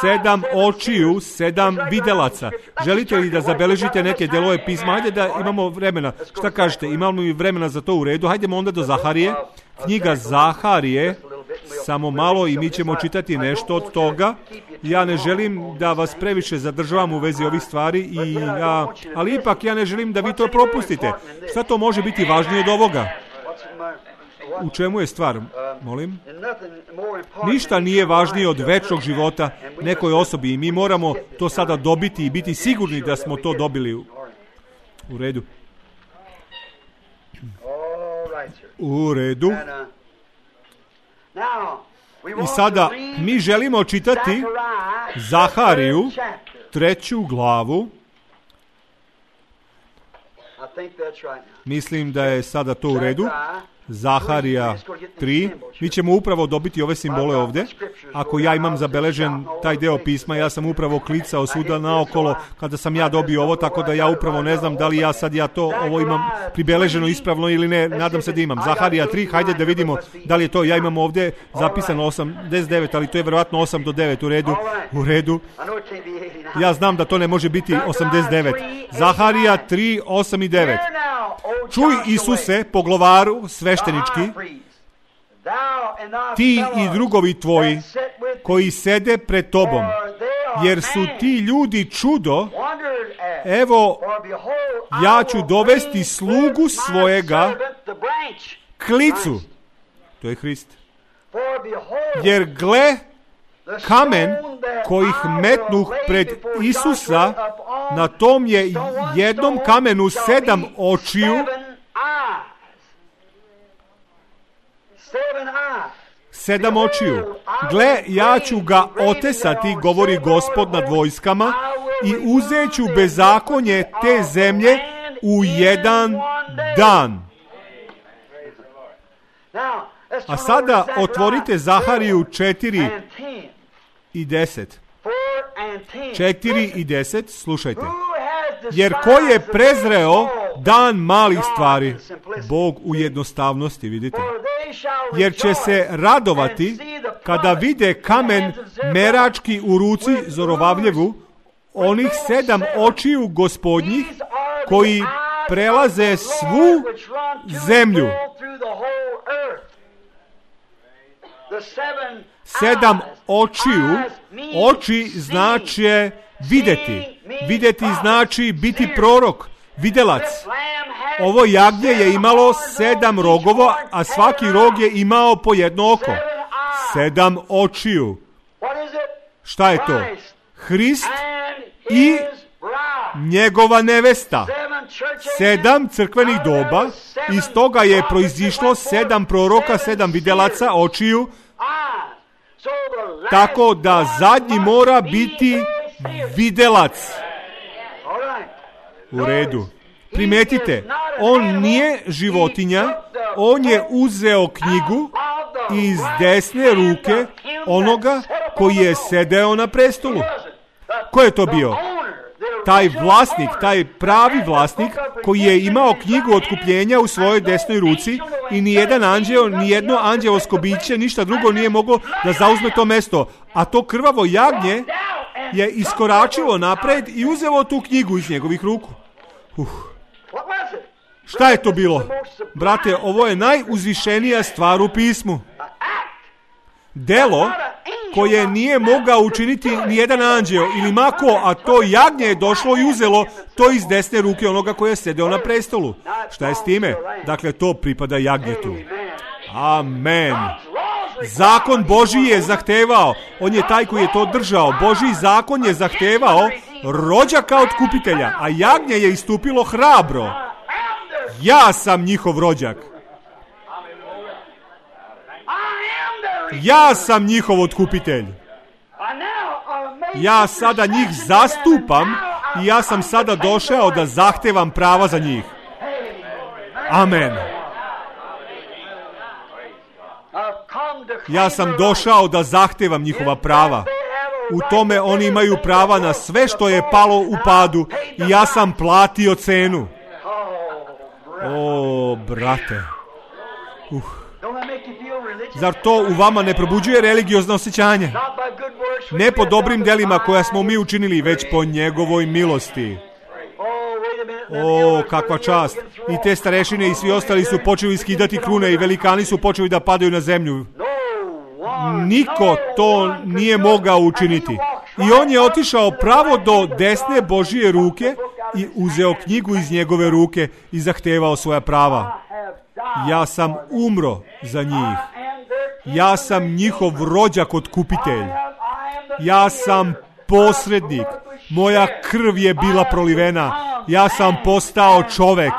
Sedam očiju, sedam videlaca. Želite li da zabeležite neke delove pisma? Hajde da imamo vremena. Šta kažete? Imamo li vremena za to u redu? Hajdemo onda do Zaharije. Knjiga Zaharije. Samo malo i mi ćemo čitati nešto od toga. Ja ne želim da vas previše zadržavam u vezi ovih stvari, i ja, ali ipak ja ne želim da vi to propustite. Šta to može biti važnije od ovoga? U čemu je stvar? Molim? Ništa nije važnije od večnog života nekoj osobi i mi moramo to sada dobiti i biti sigurni da smo to dobili. U redu. U redu. I sada mi želimo čitati Zahariju, treću glavu. Mislim da je sada to u redu. Zaharija tri. Mi ćemo upravo dobiti ove simbole ovdje. Ako ja imam zabeležen taj deo pisma, ja sam upravo klicao svuda naokolo kada sam ja dobio ovo, tako da ja upravo ne znam da li ja sad ja to ovo imam pribeleženo ispravno ili ne. Nadam se da imam. Zaharija tri, hajde da vidimo da li je to. Ja imam ovdje zapisano osamdeset devet, ali to je vjerojatno osam do devet. U redu, u redu. Ja znam da to ne može biti osamdeset devet. Zaharija tri, osam i devet. Čuj, Isuse, poglovaru sveštenički, ti i drugovi tvoji koji sede pred tobom, jer su ti ljudi čudo evo, ja ću dovesti slugu svojega klicu. To je Hrist. Jer gle, kamen kojih metnuh pred Isusa, na tom je jednom kamenu sedam očiju, sedam očiju. Gle, ja ću ga otesati, govori Gospod nad vojskama, i uzet ću bezakonje te zemlje u jedan dan. A sada otvorite Zahariju četiri i deset. četiri i deset, slušajte. Jer ko je prezreo dan malih stvari? Bog u jednostavnosti, vidite. Jer će se radovati kada vide kamen merački u ruci Zorovavljevu, onih sedam očiju Gospodnjih koji prelaze svu zemlju. Sedam očiju, oči znači vidjeti. Vidjeti znači biti prorok, videlac. Ovo jagnje je imalo sedam rogova, a svaki rog je imao po jedno oko. Sedam očiju. Šta je to? Hrist i njegova nevesta. Sedam crkvenih doba, iz toga je proizišlo sedam proroka, sedam videlaca očiju, tako da zadnji mora biti videlac. U redu. Primetite, on nije životinja, on je uzeo knjigu iz desne ruke onoga koji je sedeo na prestolu. Ko je to bio? Taj vlasnik, taj pravi vlasnik koji je imao knjigu otkupljenja u svojoj desnoj ruci i nijedan anđeo, nijedno anđeosko biće, ništa drugo nije moglo da zauzme to mesto. A to krvavo jagnje je iskoračilo napred i uzelo tu knjigu iz njegovih ruku. Uh. Šta je to bilo? Brate, ovo je najuzvišenija stvar u pismu. Delo koje nije mogao učiniti nijedan anđeo ili mako, a to jagnje je došlo i uzelo to iz desne ruke onoga koji je sedeo na prestolu. Šta je s time? Dakle, to pripada jagnjetu. Amen. Zakon Božji je zahtevao, on je taj koji je to držao. Božji zakon je zahtevao rođaka od kupitelja, a jagnje je istupilo hrabro. Ja sam njihov rođak. Ja sam njihov otkupitelj. Ja sada njih zastupam i ja sam sada došao da zahtevam prava za njih. Amen. Ja sam došao da zahtevam njihova prava. U tome oni imaju prava na sve što je palo u padu i ja sam platio cenu. O, brate. Uh. Zar to u vama ne probuđuje religiozno osjećanje? Ne po dobrim delima koja smo mi učinili, već po njegovoj milosti. O, kakva čast. I te starešine i svi ostali su počeli skidati krune i velikani su počeli da padaju na zemlju. Niko to nije mogao učiniti. I on je otišao pravo do desne Božije ruke i uzeo knjigu iz njegove ruke i zahtevao svoja prava. Ja sam umro za njih. Ja sam njihov rođak otkupitelj. Ja sam posrednik. Moja krv je bila prolivena. Ja sam postao čovek.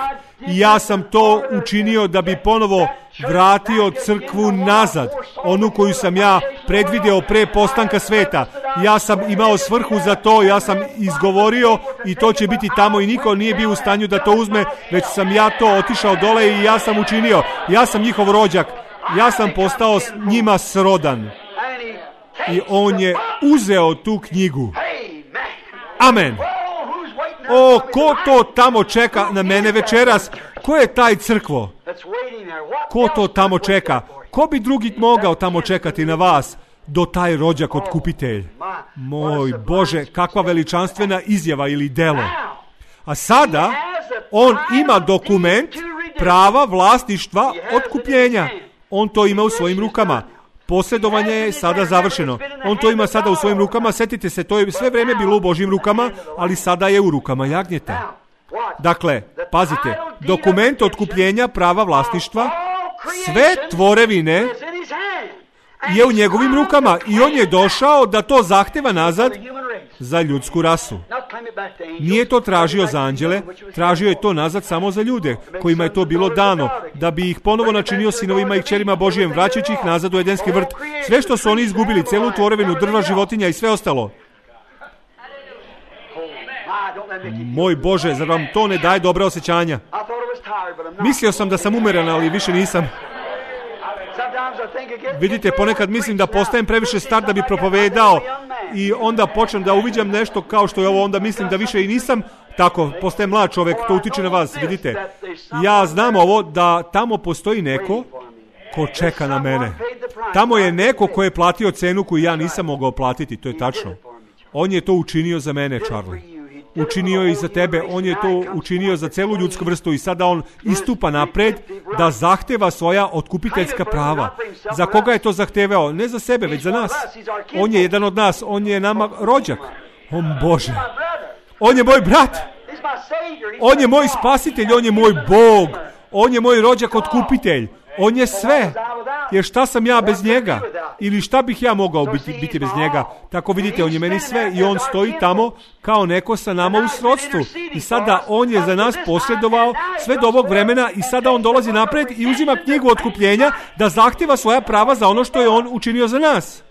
I ja sam to učinio da bi ponovo vratio crkvu nazad. Onu koju sam ja predvideo pre postanka sveta. Ja sam imao svrhu za to. Ja sam izgovorio i to će biti tamo i niko nije bio u stanju da to uzme. Već sam ja to otišao dole i ja sam učinio. Ja sam njihov rođak. Ja sam postao njima srodan. I on je uzeo tu knjigu. Amen. O, ko to tamo čeka na mene večeras? Ko je taj crkvo? Ko to tamo čeka? Ko bi drugi mogao tamo čekati na vas do taj rođak otkupitelj? Moj Bože, kakva veličanstvena izjava ili delo. A sada on ima dokument prava vlasništva otkupljenja. On to ima u svojim rukama. Posjedovanje je sada završeno. On to ima sada u svojim rukama. Sjetite se, to je sve vrijeme bilo u Božjim rukama, ali sada je u rukama jagnjeta. Dakle, pazite, dokument otkupljenja prava vlasništva, sve tvorevine je u njegovim rukama i on je došao da to zahteva nazad za ljudsku rasu. Nije to tražio za anđele, tražio je to nazad samo za ljude kojima je to bilo dano, da bi ih ponovo načinio sinovima i kćerima Božijem, vraćajući ih nazad u Edenski vrt. Sve što su oni izgubili, celu tvorevinu, drva, životinja i sve ostalo. Moj Bože, zar vam to ne daje dobra osjećanja? Mislio sam da sam umeran, ali više nisam. Vidite, ponekad mislim da postajem previše star da bi propovedao i onda počnem da uviđam nešto kao što je ovo, onda mislim da više i nisam tako, postajem mlad čovjek, to utiče na vas, vidite. Ja znam ovo, da tamo postoji neko ko čeka na mene. Tamo je neko ko je platio cenu koju ja nisam mogao platiti, to je tačno. On je to učinio za mene, Charlie. Učinio je i za tebe, on je to učinio za celu ljudsku vrstu i sada on istupa napred da zahteva svoja otkupiteljska prava. Za koga je to zahtevao? Ne za sebe, već za nas. On je jedan od nas, on je nama rođak. O Bože, on je moj brat, on je moj spasitelj, on je moj Bog, on je moj rođak otkupitelj, on je sve. Jer šta sam ja bez njega? Ili šta bih ja mogao biti, biti bez njega? Tako vidite, on je meni sve i on stoji tamo kao neko sa nama u srodstvu. I sada on je za nas posredovao sve do ovog vremena i sada on dolazi napred i uzima knjigu otkupljenja da zahtjeva svoja prava za ono što je on učinio za nas.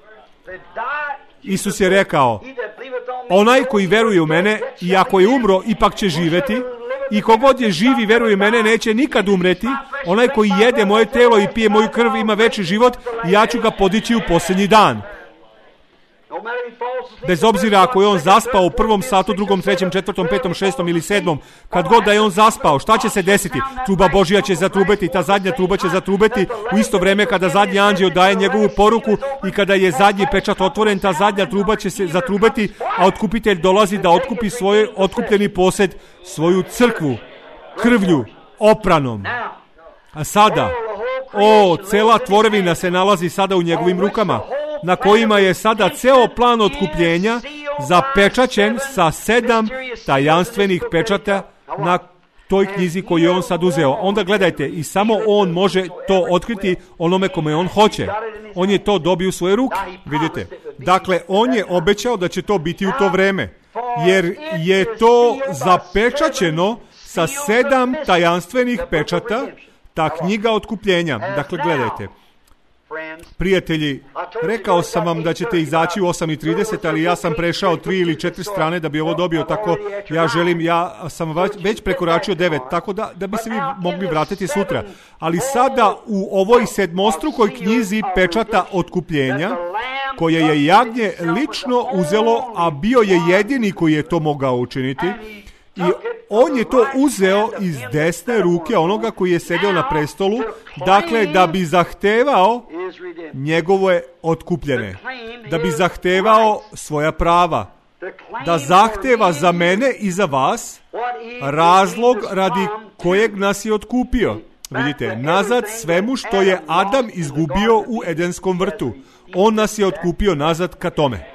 Isus je rekao, onaj koji veruje u mene i ako je umro, ipak će živjeti. I kogod je živ i veruje u mene neće nikad umreti. Onaj koji jede moje telo i pije moju krv ima veći život i ja ću ga podići u posljednji dan. Bez obzira ako je on zaspao u prvom satu, drugom, trećem, četvrtom, petom, šestom ili sedmom, kad god da je on zaspao, šta će se desiti? Truba Božja će zatrubeti, ta zadnja truba će zatrubeti u isto vrijeme kada zadnji anđeo daje njegovu poruku i kada je zadnji pečat otvoren, ta zadnja truba će se zatrubeti, a otkupitelj dolazi da otkupi svoj otkupljeni posjed, svoju crkvu, krvlju, opranom. A sada, o, cela tvorevina se nalazi sada u njegovim rukama, na kojima je sada ceo plan otkupljenja zapečaćen sa sedam tajanstvenih pečata na toj knjizi koju je on sad uzeo. Onda gledajte, i samo on može to otkriti onome kome on hoće. On je to dobio u svoje ruke, vidite. Dakle, on je obećao da će to biti u to vreme, jer je to zapečaćeno sa sedam tajanstvenih pečata, ta knjiga otkupljenja. Dakle, gledajte. Prijatelji, rekao sam vam da ćete izaći u osam i trideset, ali ja sam prešao tri ili četiri strane da bi ovo dobio, tako ja želim, ja sam već prekoračio devet, tako da, da bi se vi mogli vratiti sutra. Ali sada u ovoj sedmostrukoj knjizi pečata otkupljenja, koje je jagnje lično uzelo, a bio je jedini koji je to mogao učiniti, i on je to uzeo iz desne ruke onoga koji je sedio na prestolu, dakle da bi zahtevao njegove otkupljene, da bi zahtevao svoja prava, da zahteva za mene i za vas razlog radi kojeg nas je otkupio. Vidite, nazad svemu što je Adam izgubio u Edenskom vrtu. On nas je otkupio nazad ka tome.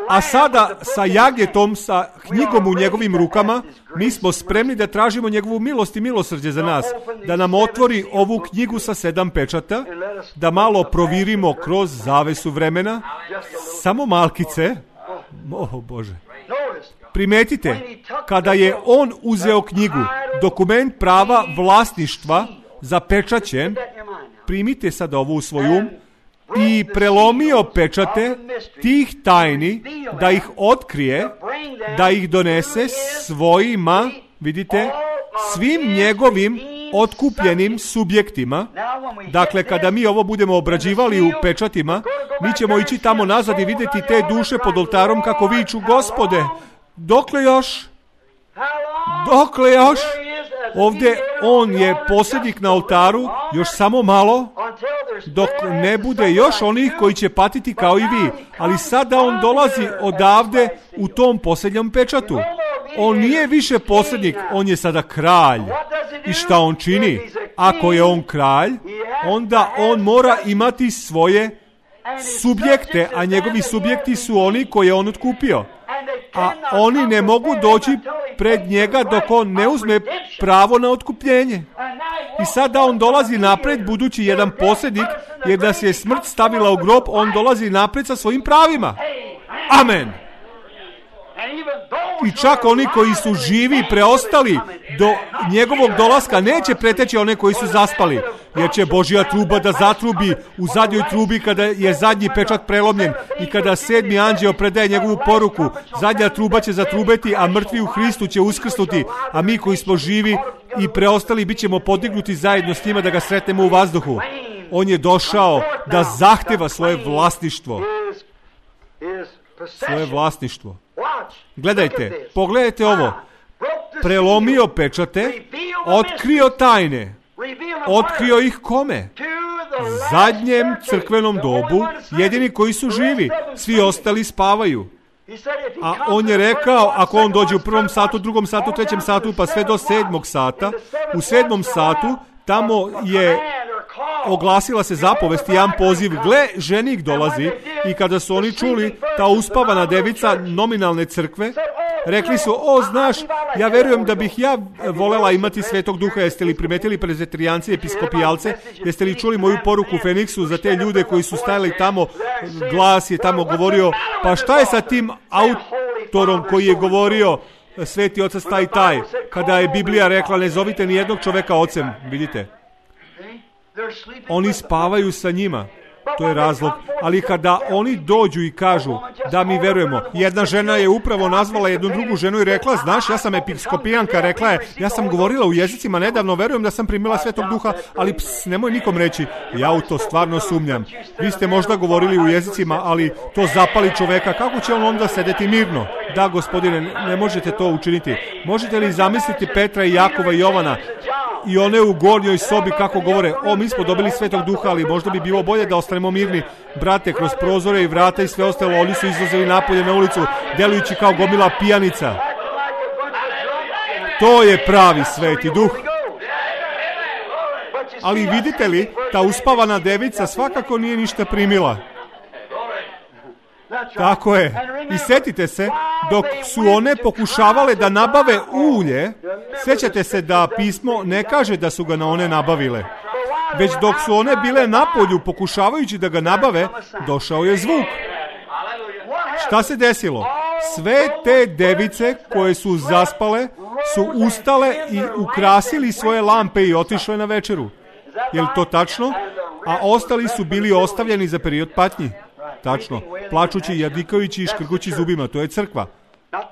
A sada sa jagnjetom, sa knjigom u njegovim rukama, mi smo spremni da tražimo njegovu milost i milosrđe za nas, da nam otvori ovu knjigu sa sedam pečata, da malo provirimo kroz zavesu vremena, samo malkice. O Bože. Primetite, kada je on uzeo knjigu, dokument prava vlasništva zapečaćen, primite sad ovo u svoj um, i prelomio pečate tih tajni, da ih otkrije, da ih donese svojima, vidite, svim njegovim otkupljenim subjektima. Dakle, kada mi ovo budemo obrađivali u pečatima, mi ćemo ići tamo nazad i vidjeti te duše pod oltarom kako viču: Gospode, dokle još? Dokle još? Ovdje on je posljednik na oltaru, još samo malo, dok ne bude još onih koji će patiti kao i vi. Ali sada on dolazi odavde u tom posljednjem pečatu. On nije više posljednik, on je sada kralj. I šta on čini? Ako je on kralj, onda on mora imati svoje subjekte, a njegovi subjekti su oni koje on otkupio. A oni ne mogu doći pred njega dok on ne uzme pravo na otkupljenje. I sada on dolazi napred, budući jedan posrednik, jer da se je smrt stavila u grob, on dolazi napred sa svojim pravima. Amen. I čak oni koji su živi i preostali do njegovog dolaska neće preteći one koji su zaspali, jer će Božja truba da zatrubi u zadnjoj trubi kada je zadnji pečat prelomljen i kada sedmi anđeo predaje njegovu poruku. Zadnja truba će zatrubeti, a mrtvi u Hristu će uskrsnuti, a mi koji smo živi i preostali bit ćemo podignuti zajedno s njima da ga sretnemo u vazduhu. On je došao da zahteva svoje vlasništvo. Svoje vlasništvo. Gledajte, pogledajte ovo. Prelomio pečate, otkrio tajne. Otkrio ih kome? Zadnjem crkvenom dobu, jedini koji su živi, svi ostali spavaju. A on je rekao, ako on dođe u prvom satu, drugom satu, trećem satu, pa sve do sedmog sata, u sedmom satu, tamo je oglasila se zapovest i jedan poziv, gle, ženik dolazi, i kada su oni čuli, ta uspavana devica nominalne crkve, rekli su, o, znaš, ja verujem da bih ja volela imati Svetog Duha. Jeste li primetili prezbiterijanci, episkopijalce? Jeste li čuli moju poruku u Feniksu za te ljude koji su stajali tamo? Glas je tamo govorio, pa šta je sa tim autorom koji je govorio Sveti Otac taj taj, kada je Biblija rekla, ne zovite ni jednog čoveka ocem, vidite? Oni spavaju sa njima. To je razlog. Ali kada oni dođu i kažu da mi verujemo, jedna žena je upravo nazvala jednu drugu ženu i rekla, znaš, ja sam episkopijanka, rekla je, ja sam govorila u jezicima nedavno, verujem da sam primila Svetog Duha, ali ps, nemoj nikom reći, ja u to stvarno sumnjam. Vi ste možda govorili u jezicima, ali to zapali čoveka, kako će on onda sedeti mirno? Da, gospodine, ne možete to učiniti. Možete li zamisliti Petra i Jakova i Jovana i one u gornjoj sobi kako govore, o, mi smo dobili Svetog Duha, ali možda bi bilo bolje da ostanemo mirni. Brate, kroz prozore i vrata i sve ostalo, oni su izlazili napolje na ulicu, delujući kao gomila pijanica. To je pravi Sveti Duh. Ali vidite li, ta uspavana devica svakako nije ništa primila. Tako je. I setite se, dok su one pokušavale da nabave ulje, sećate se da pismo ne kaže da su ga na one nabavile. Već dok su one bile napolju pokušavajući da ga nabave, došao je zvuk. Šta se desilo? Sve te device koje su zaspale su ustale i ukrasili svoje lampe i otišle na večeru. Je li to tačno? A ostali su bili ostavljeni za period patnji. Tačno, plačući, jadikajući i škrgući zubima, to je crkva.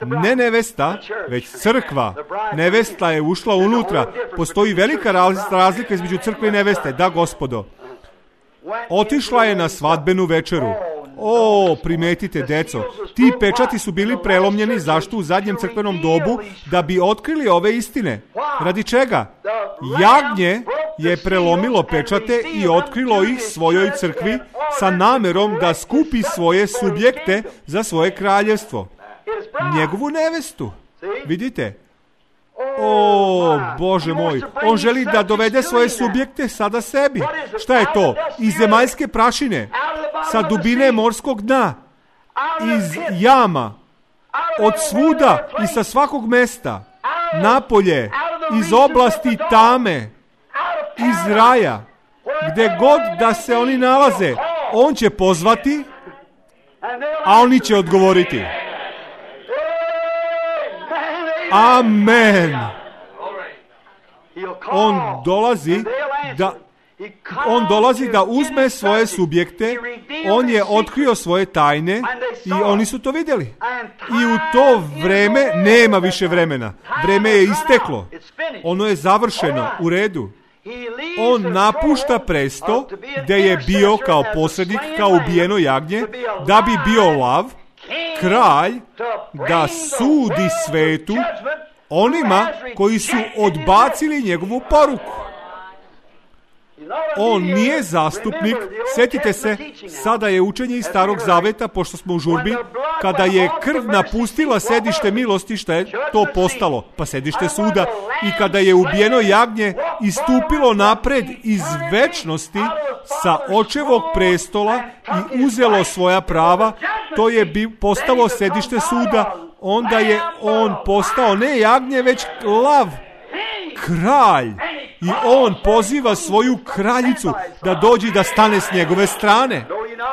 Ne nevesta, već crkva. Nevesta je ušla unutra. Postoji velika razlika između crkve i neveste, da, gospodo. Otišla je na svadbenu večeru. O, primetite, deco, ti pečati su bili prelomljeni, zašto u zadnjem crkvenom dobu? Da bi otkrili ove istine. Radi čega? Jagnje je prelomilo pečate i otkrilo ih svojoj crkvi sa namerom da skupi svoje subjekte za svoje kraljevstvo. Njegovu nevestu. Vidite? O, Bože moj, on želi da dovede svoje subjekte sada sebi. Šta je to? Iz zemaljske prašine, sa dubine morskog dna, iz jama, od svuda i sa svakog mesta, napolje, iz oblasti tame, iz raja, gde god da se oni nalaze, on će pozvati, a oni će odgovoriti. Amen. On dolazi da on dolazi da uzme svoje subjekte, on je otkrio svoje tajne i oni su to vidjeli. I u to vreme nema više vremena. Vreme je isteklo. Ono je završeno, u redu. On napušta presto gde je bio kao posrednik, kao ubijeno jagnje, da bi bio lav, kralj, da sudi svetu onima koji su odbacili njegovu poruku. on nije zastupnik. Sjetite se, sada je učenje iz Starog Zaveta, pošto smo u žurbi, kada je krv napustila sedište milosti, šta je to postalo? Pa sedište suda. I kada je ubijeno jagnje istupilo napred iz večnosti sa očevog prestola i uzelo svoja prava, to je bi postalo sedište suda. Onda je on postao ne jagnje, već lav, kralj. I on poziva svoju kraljicu da dođe da stane s njegove strane.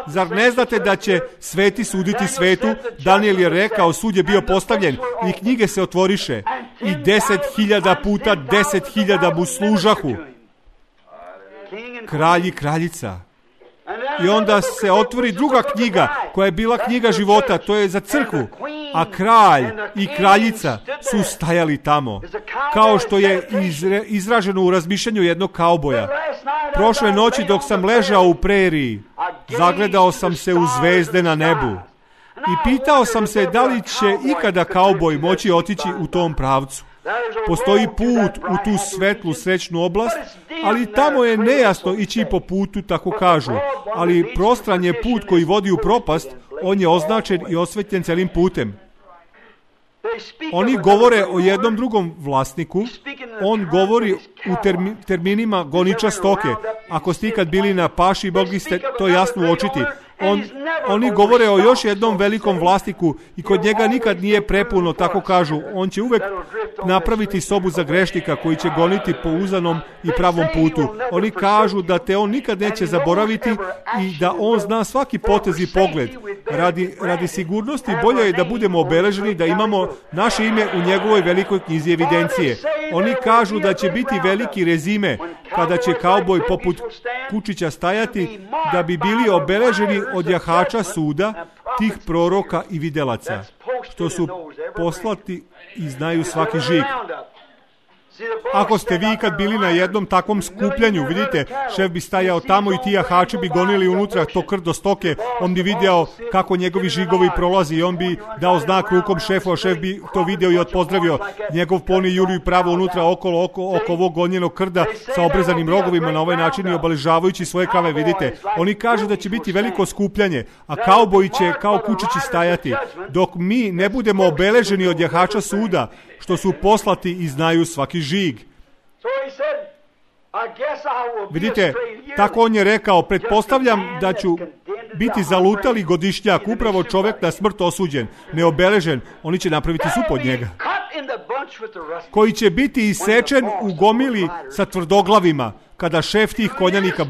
Zar ne znate da će sveti suditi svetu? Daniel je rekao, sud je bio postavljen i knjige se otvoriše. I deset hiljada puta deset hiljada mu služahu. Kralj i kraljica. I onda se otvori druga knjiga, koja je bila knjiga života, to je za crkvu. A kralj i kraljica su stajali tamo. Kao što je izre, izraženo u razmišljanju jednog kauboja. Prošle noći dok sam ležao u preriji, zagledao sam se u zvezde na nebu. I pitao sam se da li će ikada kauboj moći otići u tom pravcu. Postoji put u tu svetlu srećnu oblast, ali tamo je nejasno ići po putu, tako kažu. Ali prostran je put koji vodi u propast, on je označen i osvetljen celim putem. Oni govore o jednom drugom vlasniku, on govori u termi, terminima goniča stoke. Ako ste ikad bili na paši, mogli ste to jasno uočiti. On, oni govore o još jednom velikom vlasniku i kod njega nikad nije prepuno, tako kažu. On će uvek napraviti sobu za grešnika koji će goniti po uzanom i pravom putu. Oni kažu da te on nikad neće zaboraviti i da on zna svaki potez i pogled. Radi, radi sigurnosti bolje je da budemo obeleženi, da imamo naše ime u njegovoj velikoj knjizi evidencije. Oni kažu da će biti veliki rezime kada će kauboj poput Kučića stajati, da bi bili obeleženi od jahača suda, tih proroka i videlaca, što su poslati i znaju svaki žig. Ako ste vi kad bili na jednom takvom skupljanju, vidite, šef bi stajao tamo i ti jahači bi gonili unutra to krv do stoke, on bi vidio kako njegovi žigovi prolazi i on bi dao znak rukom šefu, a šef bi to video i odpozdravio. Njegov poni juri pravo unutra okolo, oko, oko ovog gonjenog krda sa obrezanim rogovima na ovaj način i obeležavajući svoje krave, vidite. Oni kažu da će biti veliko skupljanje, a kauboji će kao kučići stajati, dok mi ne budemo obeleženi od jahača suda, što su poslati i znaju svaki žig. Vidite, tako on je rekao, pretpostavljam da ću biti zalutali godišnjak, upravo čovjek na smrt osuđen, neobeležen, oni će napraviti sup od njega, koji će biti isečen u gomili sa tvrdoglavima, kada šef tih konjanika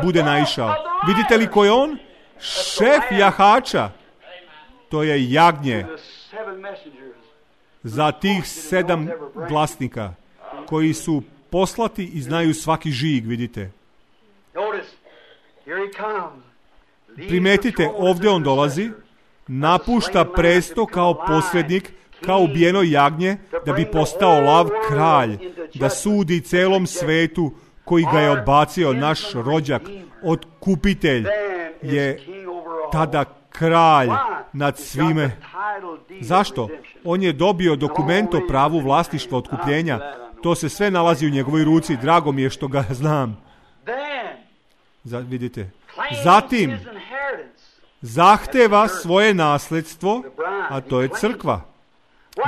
bude naišao. Vidite li ko je on? Šef jahača. To je jagnje za tih sedam glasnika koji su poslati i znaju svaki žig, vidite. Primetite, ovdje on dolazi, napušta presto kao posrednik, kao ubijeno jagnje, da bi postao lav kralj, da sudi celom svetu koji ga je odbacio. Naš rođak, otkupitelj, je tada kralj nad svime. Zašto? On je dobio dokument o pravu vlasništva otkupljenja. To se sve nalazi u njegovoj ruci. Drago mi je što ga znam. Za, vidite. Zatim zahteva svoje nasledstvo, a to je crkva,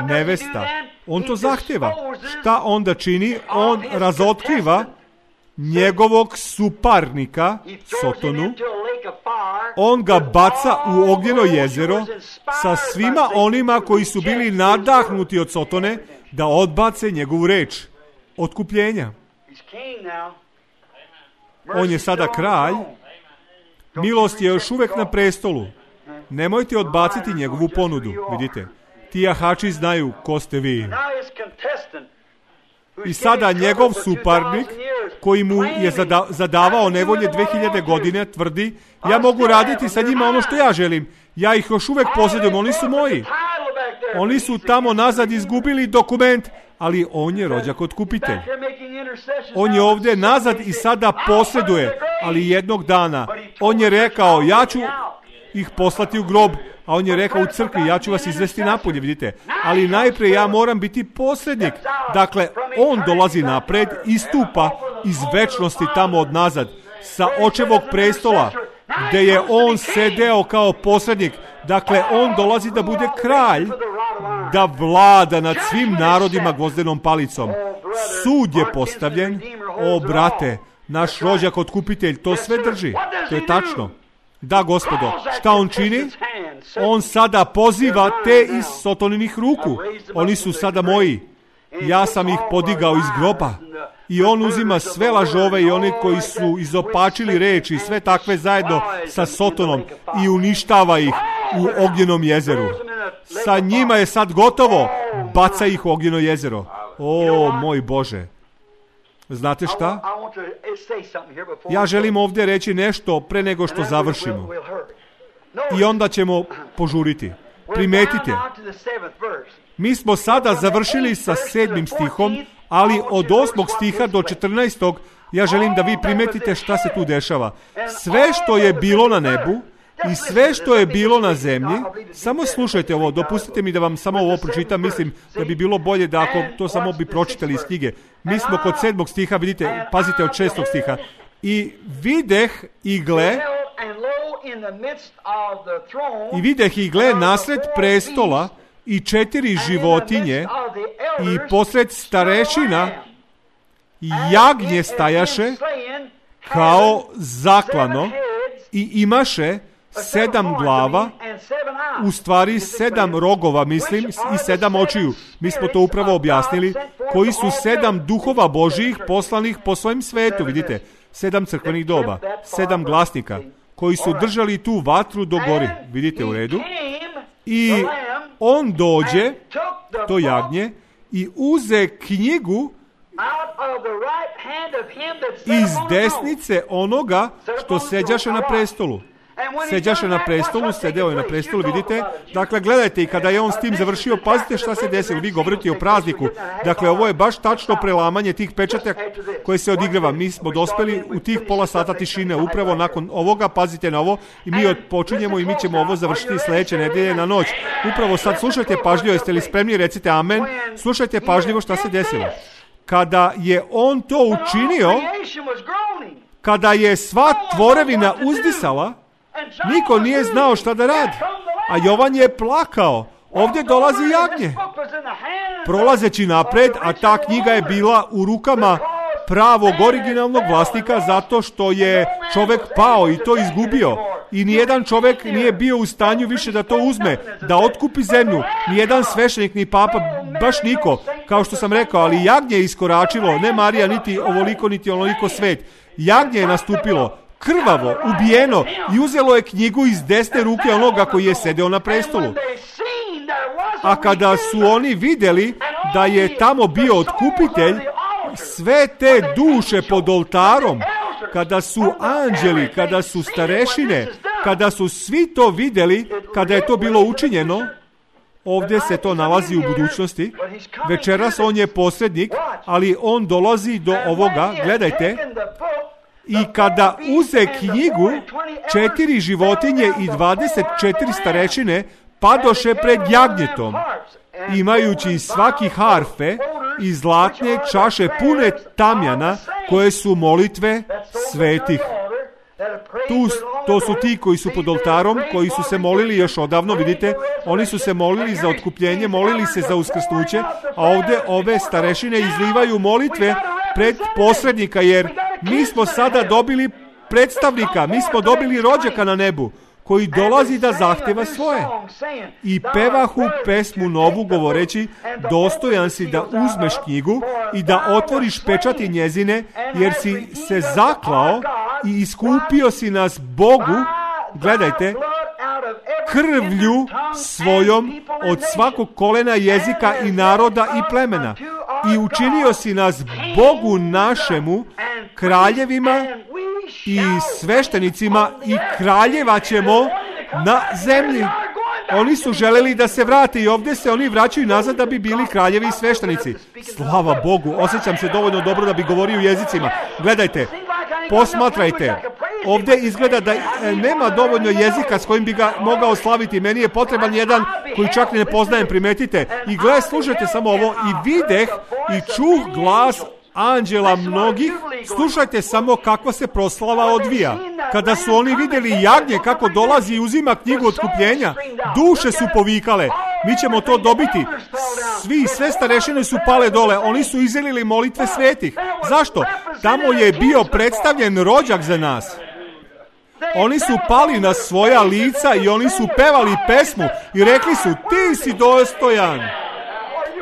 nevesta. On to zahteva. Šta onda čini? On razotkriva njegovog suparnika, Sotonu. On ga baca u ognjeno jezero sa svima onima koji su bili nadahnuti od Sotone da odbace njegovu reč otkupljenja. On je sada kralj. Milost je još uvek na prestolu. Nemojte odbaciti njegovu ponudu. Vidite, ti jahači znaju ko ste vi. I sada njegov suparnik, koji mu je zada, zadavao nevolje dve hiljade godine, tvrdi, ja mogu raditi sa njima ono što ja želim. Ja ih još uvek posjedujem, oni su moji. Oni su tamo nazad izgubili dokument, ali on je rođak otkupitelj. On je ovdje nazad i sada posjeduje, ali jednog dana on je rekao, ja ću ih poslati u grob, a on je rekao u crkvi, ja ću vas izvesti napolje, vidite. Ali najprije ja moram biti posrednik. Dakle, on dolazi napred, istupa iz večnosti tamo od nazad, sa očevog prestola, gde je on sedeo kao posrednik. Dakle, on dolazi da bude kralj, da vlada nad svim narodima gvozdenom palicom. Sud je postavljen. O, brate, naš rođak otkupitelj to sve drži. To je tačno. Da, Gospodo, šta on čini? On sada poziva te iz Sotoninih ruku. Oni su sada moji. Ja sam ih podigao iz groba. I on uzima sve lažove i one koji su izopačili reči i sve takve zajedno sa Sotonom i uništava ih u ognjenom jezeru. Sa njima je sad gotovo. Baca ih u ognjeno jezero. O, moj Bože. Znate šta? Ja želim ovdje reći nešto pre nego što završimo. I onda ćemo požuriti. Primetite. Mi smo sada završili sa sedmim stihom, ali od osmog stiha do četrnaestog ja želim da vi primetite šta se tu dešava. Sve što je bilo na nebu i sve što je bilo na zemlji, samo slušajte ovo, dopustite mi da vam samo ovo pročitam, mislim da bi bilo bolje da ako to samo bi pročitali iz knjige. Mi smo kod sedmog stiha, vidite, pazite od šestog stiha. I videh i gle, i videh i gle nasred prestola i četiri životinje i posred starešina jagnje stajaše kao zaklano i imaše sedam glava, u stvari sedam rogova, mislim, i sedam očiju. Mi smo to upravo objasnili, koji su sedam duhova Božijih poslanih po svojem svetu, vidite, sedam crkvenih doba, sedam glasnika, koji su držali tu vatru do gori, vidite u redu, i on dođe, to jagnje, i uze knjigu iz desnice onoga što seđaše na prestolu. Seđaše na prestolu, sedeo je na prestolu, vidite. Dakle, gledajte, i kada je on s tim završio, pazite šta se desilo, vi govorite o prazniku. Dakle, ovo je baš tačno prelamanje tih pečata koje se odigrava. Mi smo dospeli u tih pola sata tišine, upravo nakon ovoga, pazite na ovo, i mi počinjemo i mi ćemo ovo završiti sljedeće nedelje na noć. Upravo sad, slušajte pažljivo, jeste li spremni, recite amen, slušajte pažljivo šta se desilo. Kada je on to učinio, kada je sva tvorevina uzdisala, niko nije znao šta da radi. A Jovan je plakao. Ovdje dolazi jagnje. Prolazeći napred, a ta knjiga je bila u rukama pravog originalnog vlasnika zato što je čovjek pao i to izgubio. I nijedan čovjek nije bio u stanju više da to uzme, da otkupi zemlju. Nijedan sveštenik, ni papa, baš niko. Kao što sam rekao, ali jagnje je iskoračilo, ne Marija, niti ovoliko, niti onoliko svet. Jagnje je nastupilo, krvavo, ubijeno, i uzelo je knjigu iz desne ruke onoga koji je sedeo na prestolu. A kada su oni vidjeli da je tamo bio otkupitelj, sve te duše pod oltarom, kada su anđeli, kada su starešine, kada su svi to vidjeli, kada je to bilo učinjeno, ovdje se to nalazi u budućnosti, večeras on je posrednik, ali on dolazi do ovoga, gledajte, i kada uze knjigu, četiri životinje i dvadeset četiri starešine padoše pred jagnjetom, imajući svaki harfe i zlatne čaše pune tamjana, koje su molitve svetih. Tu, to su ti koji su pod oltarom, koji su se molili još odavno, vidite, oni su se molili za otkupljenje, molili se za uskrsnuće, a ovdje ove starešine izlivaju molitve pred posrednika, jer mi smo sada dobili predstavnika, mi smo dobili rođaka na nebu, koji dolazi da zahtjeva svoje. I pevahu pesmu novu govoreći, dostojan si da uzmeš knjigu i da otvoriš pečati njezine, jer si se zaklao i iskupio si nas Bogu, gledajte, krvlju svojom od svakog kolena, jezika i naroda i plemena. I učinio si nas Bogu našemu, kraljevima i sveštenicima, i kraljevaćemo na zemlji. Oni su želeli da se vrate i ovdje se oni vraćaju nazad da bi bili kraljevi i sveštenici. Slava Bogu, osjećam se dovoljno dobro da bi govorio jezicima. Gledajte, posmatrajte. Ovdje izgleda da nema dovoljno jezika s kojim bi ga mogao slaviti. Meni je potreban jedan koji čak ne poznajem, primetite. I gle, slušajte samo ovo. I videh i čuh glas anđela mnogih, slušajte samo kakva se proslava odvija. Kada su oni vidjeli jagnje kako dolazi i uzima knjigu otkupljenja, duše su povikale, mi ćemo to dobiti. Svi, sve starešine su pale dole, oni su izjelili molitve svetih. Zašto? Tamo je bio predstavljen rođak za nas. Oni su pali na svoja lica i oni su pevali pesmu i rekli su, ti si dostojan,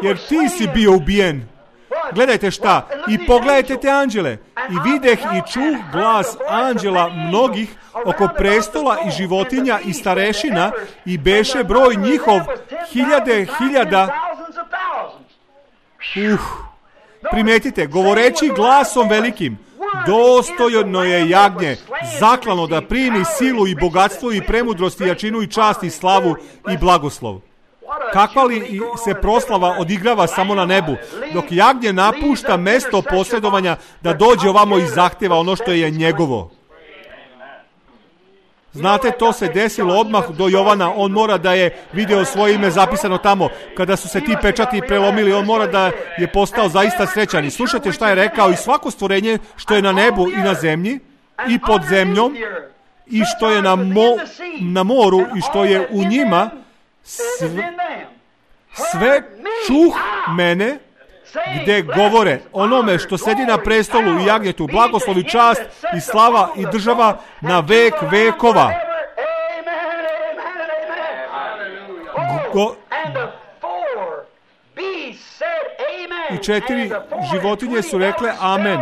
jer ti si bio ubijen. Gledajte šta, i pogledajte te anđele. I videh i čuh glas anđela mnogih oko prestola i životinja i starešina i beše broj njihov hiljade hiljada. Uh, primetite, govoreći glasom velikim, dostojno je jagnje, zaklano da primi silu i bogatstvo i premudrost i jačinu i čast i slavu i blagoslov. Kakva li se proslava odigrava samo na nebu, dok jagnje napušta mesto posredovanja da dođe ovamo i zahteva ono što je njegovo. Znate, to se desilo odmah do Jovana, on mora da je video svoje ime zapisano tamo. Kada su se ti pečati prelomili, on mora da je postao zaista srećan. I slušajte šta je rekao, i svako stvorenje što je na nebu i na zemlji i pod zemljom i što je na, mo, na moru i što je u njima, sve, sve čuh mene gde govore onome što sedi na prestolu i jagnjetu, blagoslov i čast i slava i država na vek vekova. Go, I četiri životinje su rekle amen.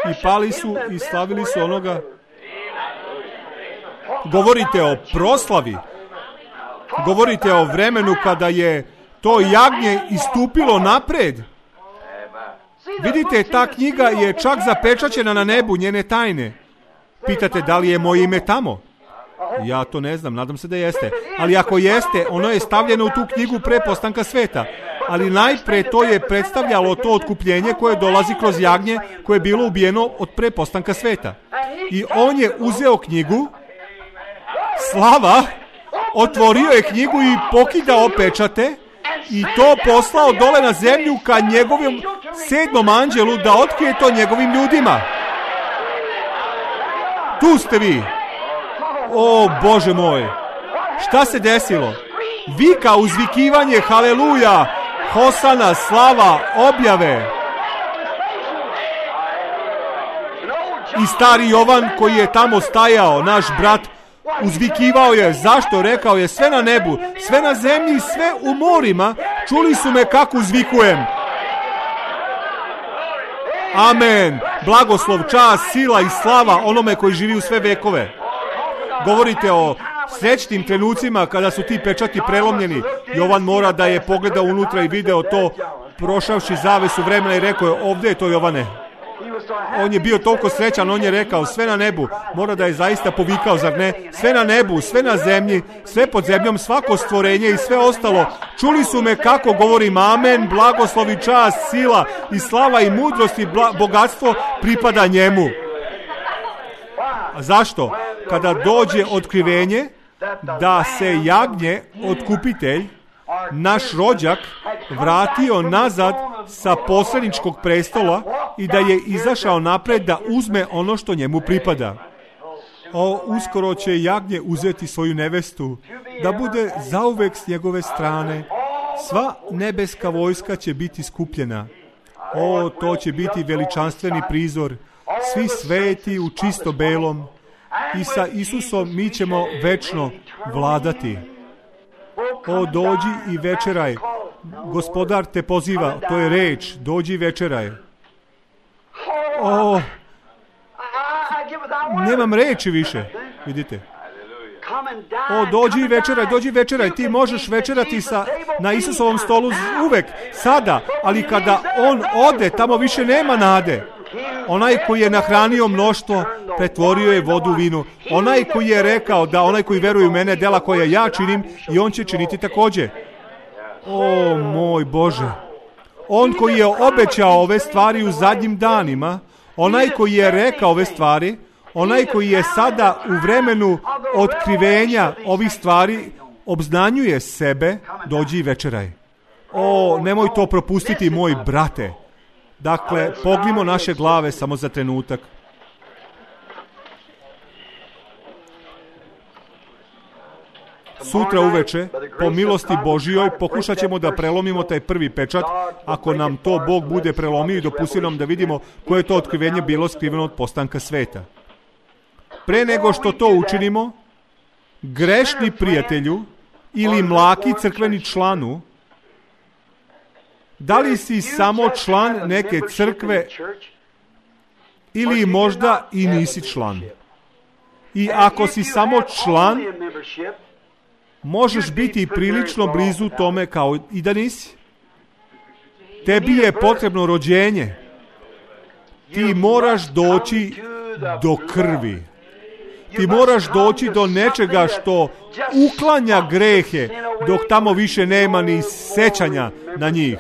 I pali su i slavili su onoga. Govorite o proslavi. Govorite o vremenu kada je to jagnje istupilo napred. Vidite, ta knjiga je čak zapečaćena na nebu, njene tajne. Pitate da li je moje ime tamo? Ja to ne znam, nadam se da jeste. Ali ako jeste, ono je stavljeno u tu knjigu pre postanka sveta. Ali najpre to je predstavljalo to otkupljenje koje dolazi kroz jagnje koje je bilo ubijeno od pre postanka sveta. I on je uzeo knjigu, slava, otvorio je knjigu i pokidao pečate i to poslao dole na zemlju ka njegovom sedmom anđelu da otkrije to njegovim ljudima. Tu ste vi. O Bože moj, šta se desilo? Vika, uzvikivanje, haleluja, hosana, slava, objave. I stari Jovan koji je tamo stajao, naš brat, uzvikivao je. Zašto? Rekao je, sve na nebu, sve na zemlji, sve u morima, čuli su me kako uzvikujem. Amen. Blagoslov, čast, sila i slava onome koji živi u sve vekove. Govorite o srećnim trenucima kada su ti pečati prelomljeni. Jovan mora da je pogledao unutra i video to, prošavši zavesu vremena i rekao je, ovdje je to Jovane. On je bio toliko srećan, on je rekao, sve na nebu, mora da je zaista povikao, zar ne? Sve na nebu, sve na zemlji, sve pod zemljom, svako stvorenje i sve ostalo. Čuli su me kako govorim, amen, blagoslov i čast, sila i slava i mudrost i bla, bogatstvo pripada njemu. A zašto? Kada dođe otkrivenje da se jagnje, otkupitelj, naš rođak, vratio nazad sa posredničkog prestola i da je izašao napred da uzme ono što njemu pripada. O, uskoro će jagnje uzeti svoju nevestu, da bude zauvek s njegove strane. Sva nebeska vojska će biti skupljena. O, to će biti veličanstveni prizor. Svi sveti u čisto belom. I sa Isusom mi ćemo večno vladati. O, dođi i večeraj. Gospodar te poziva, to je reč, dođi i večeraj. O, nemam reči više, vidite. O, dođi i večeraj, dođi i večeraj. Ti možeš večerati sa, na Isusovom stolu uvek, sada, ali kada on ode, tamo više nema nade. Onaj koji je nahranio mnoštvo, pretvorio je vodu u vinu. Onaj koji je rekao da onaj koji veruje u mene, dela koje ja činim, i on će činiti također. O, moj Bože. On koji je obećao ove stvari u zadnjim danima, onaj koji je rekao ove stvari, onaj koji je sada u vremenu otkrivenja ovih stvari, obznanjuje sebe, dođi i večeraj. O, nemoj to propustiti, moj brate. Dakle, pognimo naše glave samo za trenutak. Sutra uveče, po milosti Božijoj, pokušat ćemo da prelomimo taj prvi pečat, ako nam to Bog bude prelomio i dopustio nam da vidimo koje je to otkrivenje bilo skriveno od postanka sveta. Pre nego što to učinimo, grešni prijatelju ili mlaki crkveni članu, da li si samo član neke crkve ili možda i nisi član? I ako si samo član, možeš biti prilično blizu tome kao i da nisi. Tebi je potrebno rođenje. Ti moraš doći do krvi. Ti moraš doći do nečega što uklanja grehe, dok tamo više nema ni sećanja na njih.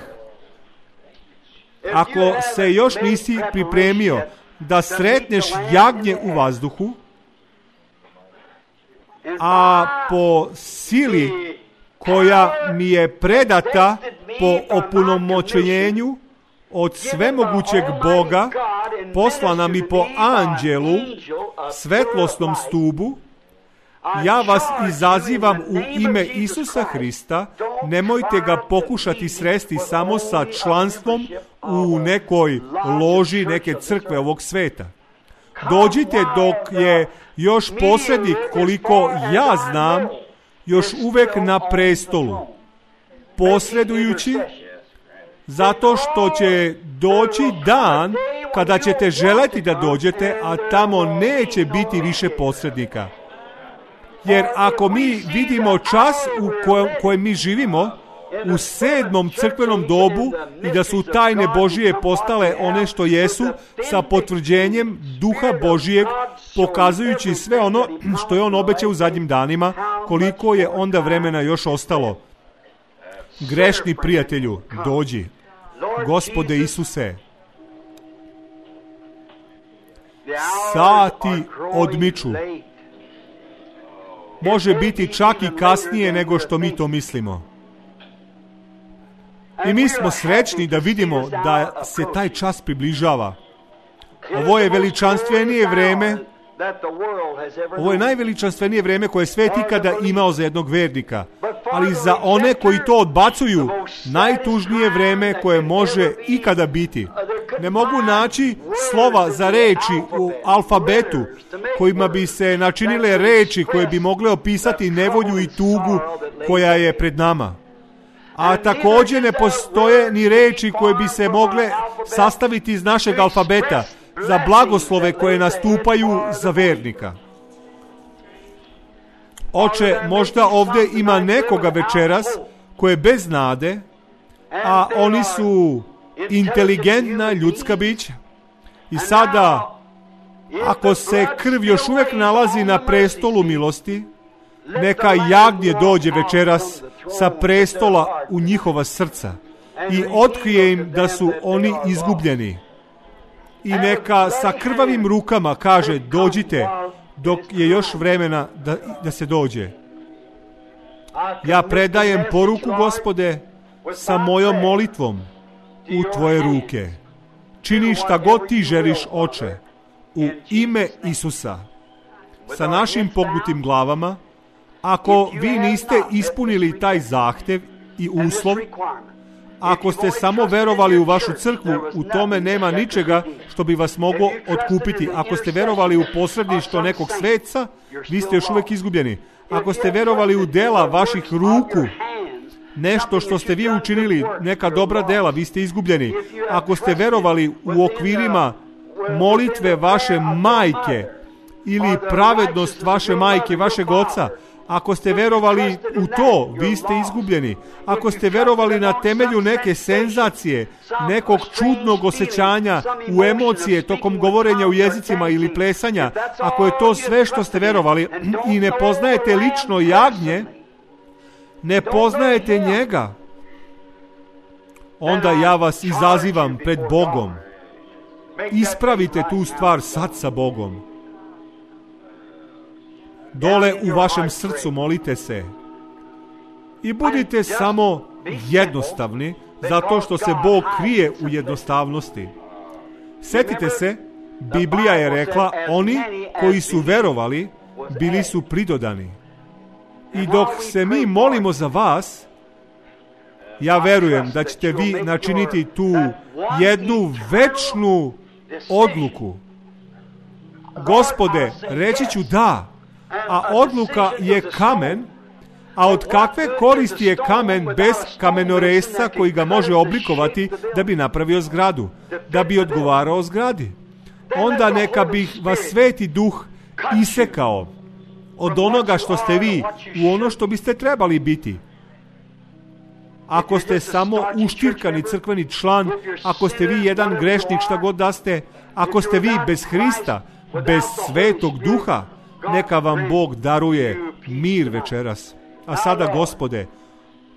Ako se još nisi pripremio da sretneš jagnje u vazduhu, a po sili koja mi je predata po opunomoćenju od svemogućeg Boga, poslana mi po anđelu, svetlosnom stubu, ja vas izazivam u ime Isusa Hrista, nemojte ga pokušati sresti samo sa članstvom u nekoj loži neke crkve ovog sveta. Dođite dok je još posrednik, koliko ja znam, još uvek na prestolu, posredujući, zato što će doći dan kada ćete želeti da dođete, a tamo neće biti više posrednika. Jer ako mi vidimo čas u kojem, kojem mi živimo, u sedmom crkvenom dobu, i da su tajne Božije postale one što jesu, sa potvrđenjem Duha Božijeg, pokazujući sve ono što je on obećao u zadnjim danima, koliko je onda vremena još ostalo. Grešni prijatelju, dođi. Gospode Isuse, sati odmiču. Može biti čak i kasnije nego što mi to mislimo. I mi smo srećni da vidimo da se taj čas približava. Ovo je veličanstvenije vreme, ovo je najveličanstvenije vreme koje je svet ikada imao za jednog vernika. Ali za one koji to odbacuju, najtužnije vreme koje može ikada biti. Ne mogu naći slova za reči u alfabetu kojima bi se načinile reči koje bi mogle opisati nevolju i tugu koja je pred nama. A također ne postoje ni reči koje bi se mogle sastaviti iz našeg alfabeta za blagoslove koje nastupaju za vernika. Oče, možda ovdje ima nekoga večeras koje je bez nade, a oni su inteligentna ljudska bića. I sada, ako se krv još uvijek nalazi na prestolu milosti, neka jagnje dođe večeras sa prestola u njihova srca i otkrije im da su oni izgubljeni. I neka sa krvavim rukama kaže, dođite dok je još vremena da, da se dođe. Ja predajem poruku, Gospode, sa mojom molitvom u tvoje ruke. Čini šta god ti želiš, Oče, u ime Isusa. Sa našim pognutim glavama, ako vi niste ispunili taj zahtev i uslov, ako ste samo verovali u vašu crkvu, u tome nema ničega što bi vas moglo otkupiti. Ako ste verovali u posredništvo nekog sveca, vi ste još uvijek izgubljeni. Ako ste verovali u dela vaših ruku, nešto što ste vi učinili, neka dobra dela, vi ste izgubljeni. Ako ste verovali u okvirima molitve vaše majke ili pravednost vaše majke, vašeg oca, ako ste verovali u to, vi ste izgubljeni. Ako ste verovali na temelju neke senzacije, nekog čudnog osjećanja, u emocije tokom govorenja u jezicima ili plesanja, ako je to sve što ste verovali i ne poznajete lično jagnje, ne poznajete njega, onda ja vas izazivam pred Bogom. Ispravite tu stvar sad sa Bogom. Dole u vašem srcu molite se. I budite samo jednostavni, zato što se Bog krije u jednostavnosti. Setite se, Biblija je rekla, oni koji su verovali, bili su pridodani. I dok se mi molimo za vas, ja verujem da ćete vi načiniti tu jednu večnu odluku. Gospode, reći ću da, a odluka je kamen, a od kakve koristi je kamen bez kamenoresca koji ga može oblikovati da bi napravio zgradu, da bi odgovarao zgradi? Onda neka bi vas Sveti Duh isekao od onoga što ste vi u ono što biste trebali biti. Ako ste samo uštirkani crkveni član, ako ste vi jedan grešnik, šta god da ste, ako ste vi bez Hrista, bez Svetog Duha, neka vam Bog daruje mir večeras. A sada, Gospode,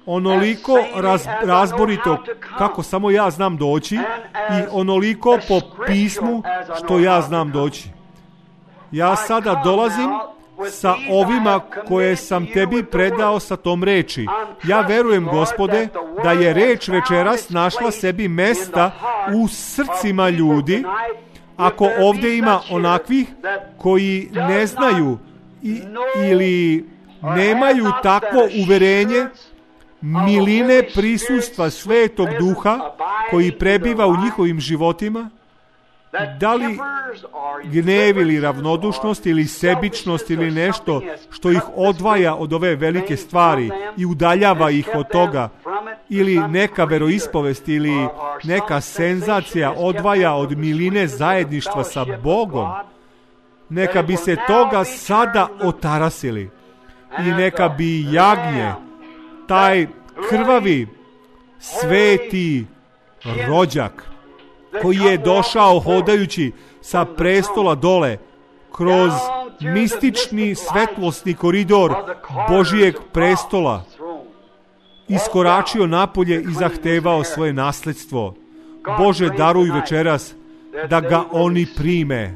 onoliko raz, razborito kako samo ja znam doći i onoliko po pismu što ja znam doći. Ja sada dolazim sa ovima koje sam tebi predao sa tom reči. Ja verujem, Gospode, da je reč večeras našla sebi mesta u srcima ljudi. Ako ovdje ima onakvih koji ne znaju i, ili nemaju takvo uverenje miline prisustva Svetog Duha koji prebiva u njihovim životima, da li gnev ili ravnodušnost ili sebičnost ili nešto što ih odvaja od ove velike stvari i udaljava ih od toga, ili neka veroispovest ili neka senzacija odvaja od miline zajedništva sa Bogom, neka bi se toga sada otarasili i neka bi jagnje, taj krvavi sveti rođak koji je došao hodajući sa prestola dole kroz mistični svetlosni koridor Božijeg prestola, iskoračio napolje i zahtevao svoje nasledstvo. Bože, daruj večeras da ga oni prime.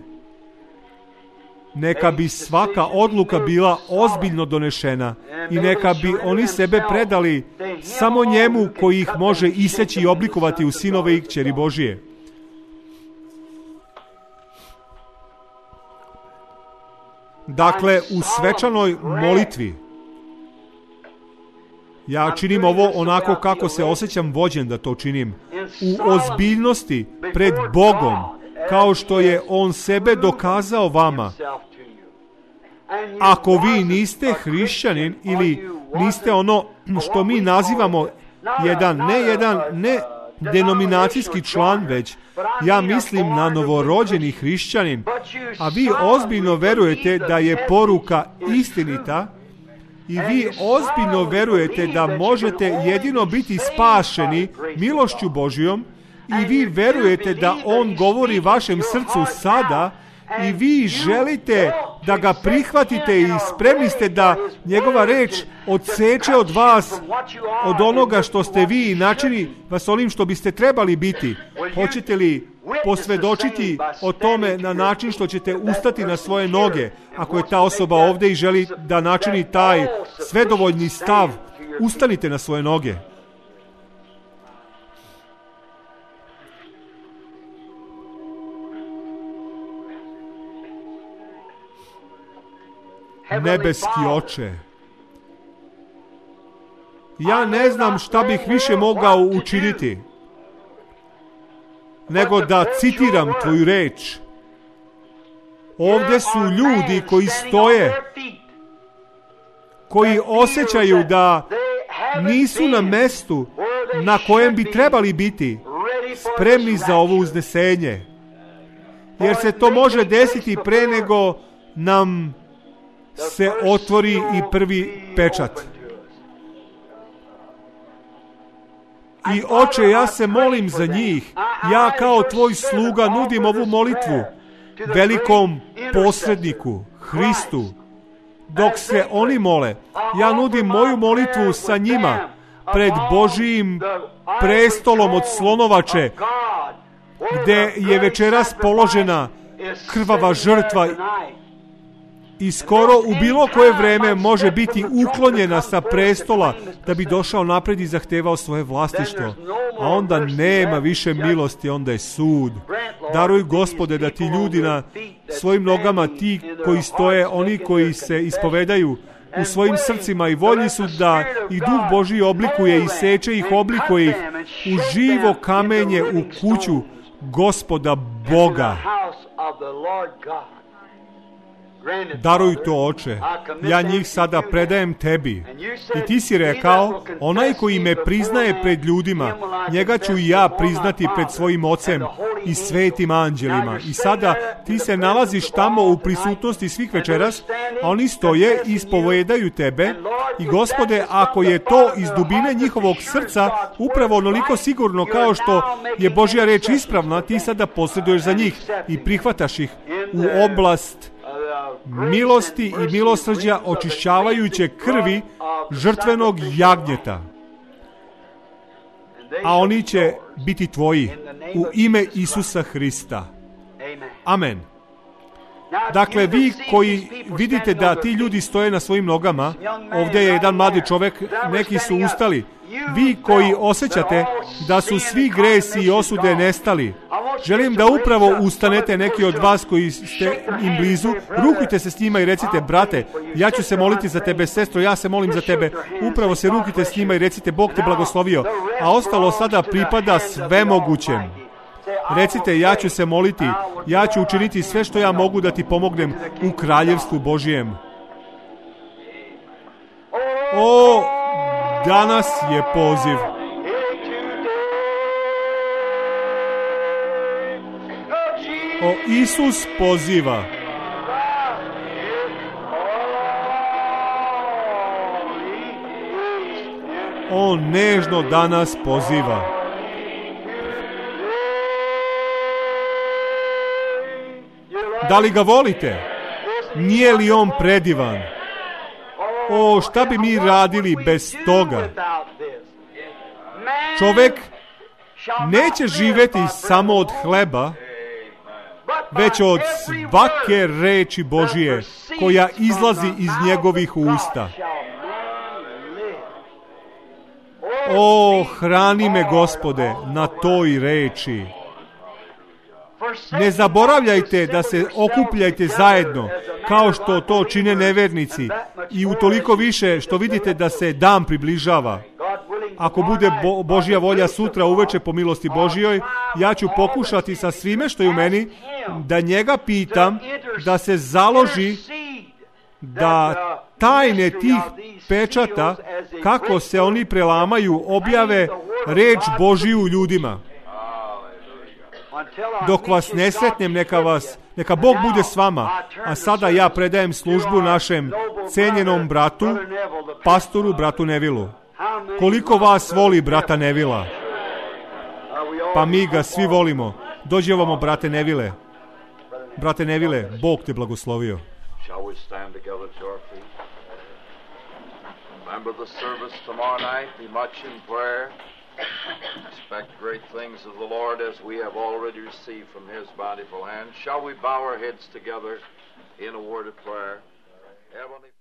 Neka bi svaka odluka bila ozbiljno donešena i neka bi oni sebe predali samo njemu koji ih može iseći i oblikovati u sinove i kćeri Božije. Dakle, u svečanoj molitvi ja činim ovo onako kako se osjećam vođen da to činim. U ozbiljnosti pred Bogom, kao što je On sebe dokazao vama. Ako vi niste hrišćanin ili niste ono što mi nazivamo jedan, ne jedan, ne denominacijski član, već ja mislim na novorođeni hrišćanin, a vi ozbiljno verujete da je poruka istinita i vi ozbiljno verujete da možete jedino biti spašeni milošću Božjom i vi verujete da On govori vašem srcu sada i vi želite da ga prihvatite i spremni ste da njegova reč odseče od vas, od onoga što ste vi i načini vas onim što biste trebali biti. Hoćete li posvedočiti o tome na način što ćete ustati na svoje noge, ako je ta osoba ovdje i želi da načini taj svedovoljni stav? Ustanite na svoje noge. Nebeski Oče, ja ne znam šta bih više mogao učiniti nego da citiram Tvoju reč. Ovdje su ljudi koji stoje, koji osjećaju da nisu na mestu na kojem bi trebali biti, spremni za ovo uznesenje. Jer se to može desiti pre nego nam se otvori i prvi pečat. I Oče, ja se molim za njih. Ja kao Tvoj sluga nudim ovu molitvu velikom posredniku, Hristu. Dok se oni mole, ja nudim moju molitvu sa njima pred Božijim prestolom od slonovače, gde je večeras položena krvava žrtva i skoro u bilo koje vreme može biti uklonjena sa prestola da bi došao napred i zahtevao svoje vlastištvo. A onda nema više milosti, onda je sud. Daruj, Gospode, da ti ljudi na svojim nogama, ti koji stoje, oni koji se ispovedaju u svojim srcima i voljni su da ih Duh Božji oblikuje i seče ih, oblikuje ih u živo kamenje u kuću Gospoda Boga. Daruj to, Oče, ja njih sada predajem tebi. I ti si rekao, onaj koji me priznaje pred ljudima, njega ću i ja priznati pred svojim Ocem i svetim anđelima. I sada ti se nalaziš tamo u prisutnosti svih večeras, a oni stoje i ispovedaju tebe. I Gospode, ako je to iz dubine njihovog srca upravo onoliko sigurno kao što je Božja reč ispravna, ti sada posreduješ za njih i prihvataš ih u oblast milosti i milosrđa očišćavajuće krvi žrtvenog jagnjeta. A oni će biti tvoji u ime Isusa Hrista. Amen. Dakle, vi koji vidite da ti ljudi stoje na svojim nogama, ovdje je jedan mladi čovjek, neki su ustali. Vi koji osjećate da su svi gresi i osude nestali, želim da upravo ustanete, neki od vas koji ste im blizu, rukujte se s njima i recite, brate, ja ću se moliti za tebe, sestro, ja se molim za tebe, upravo se rukujte s njima i recite, Bog te blagoslovio, a ostalo sada pripada svemogućem. Recite, ja ću se moliti, ja ću učiniti sve što ja mogu da ti pomognem u kraljevstvu Božijem. O, danas je poziv. O, Isus poziva. On nežno danas poziva. Da li ga volite? Nije li on predivan? O, šta bi mi radili bez toga? Čovek neće živeti samo od hleba, već od svake reči Božije koja izlazi iz njegovih usta. O, hrani me, Gospode, na toj reči. Ne zaboravljajte da se okupljajte zajedno, kao što to čine nevernici, i utoliko više što vidite da se dan približava. Ako bude Bo- Božja volja sutra uveče po milosti Božjoj, ja ću pokušati sa svime što je u meni da njega pitam da se založi da tajne tih pečata, kako se oni prelamaju, objave reč Božiju ljudima. Dok vas ne sretnem, neka vas, neka Bog bude s vama. A sada ja predajem službu našem cenjenom bratu, pastoru, bratu Nevilu. Koliko vas voli brata Nevila? Pa mi ga svi volimo. Dođi ovamo, brate Nevile. Brate Nevile, Bog te blagoslovio.
Shall we stand together to our feet? Remember the service tomorrow night. Be much in prayer. Expect great things of the Lord as we have already received from His bountiful hand. Shall we bow our heads together in a word of prayer? Heavenly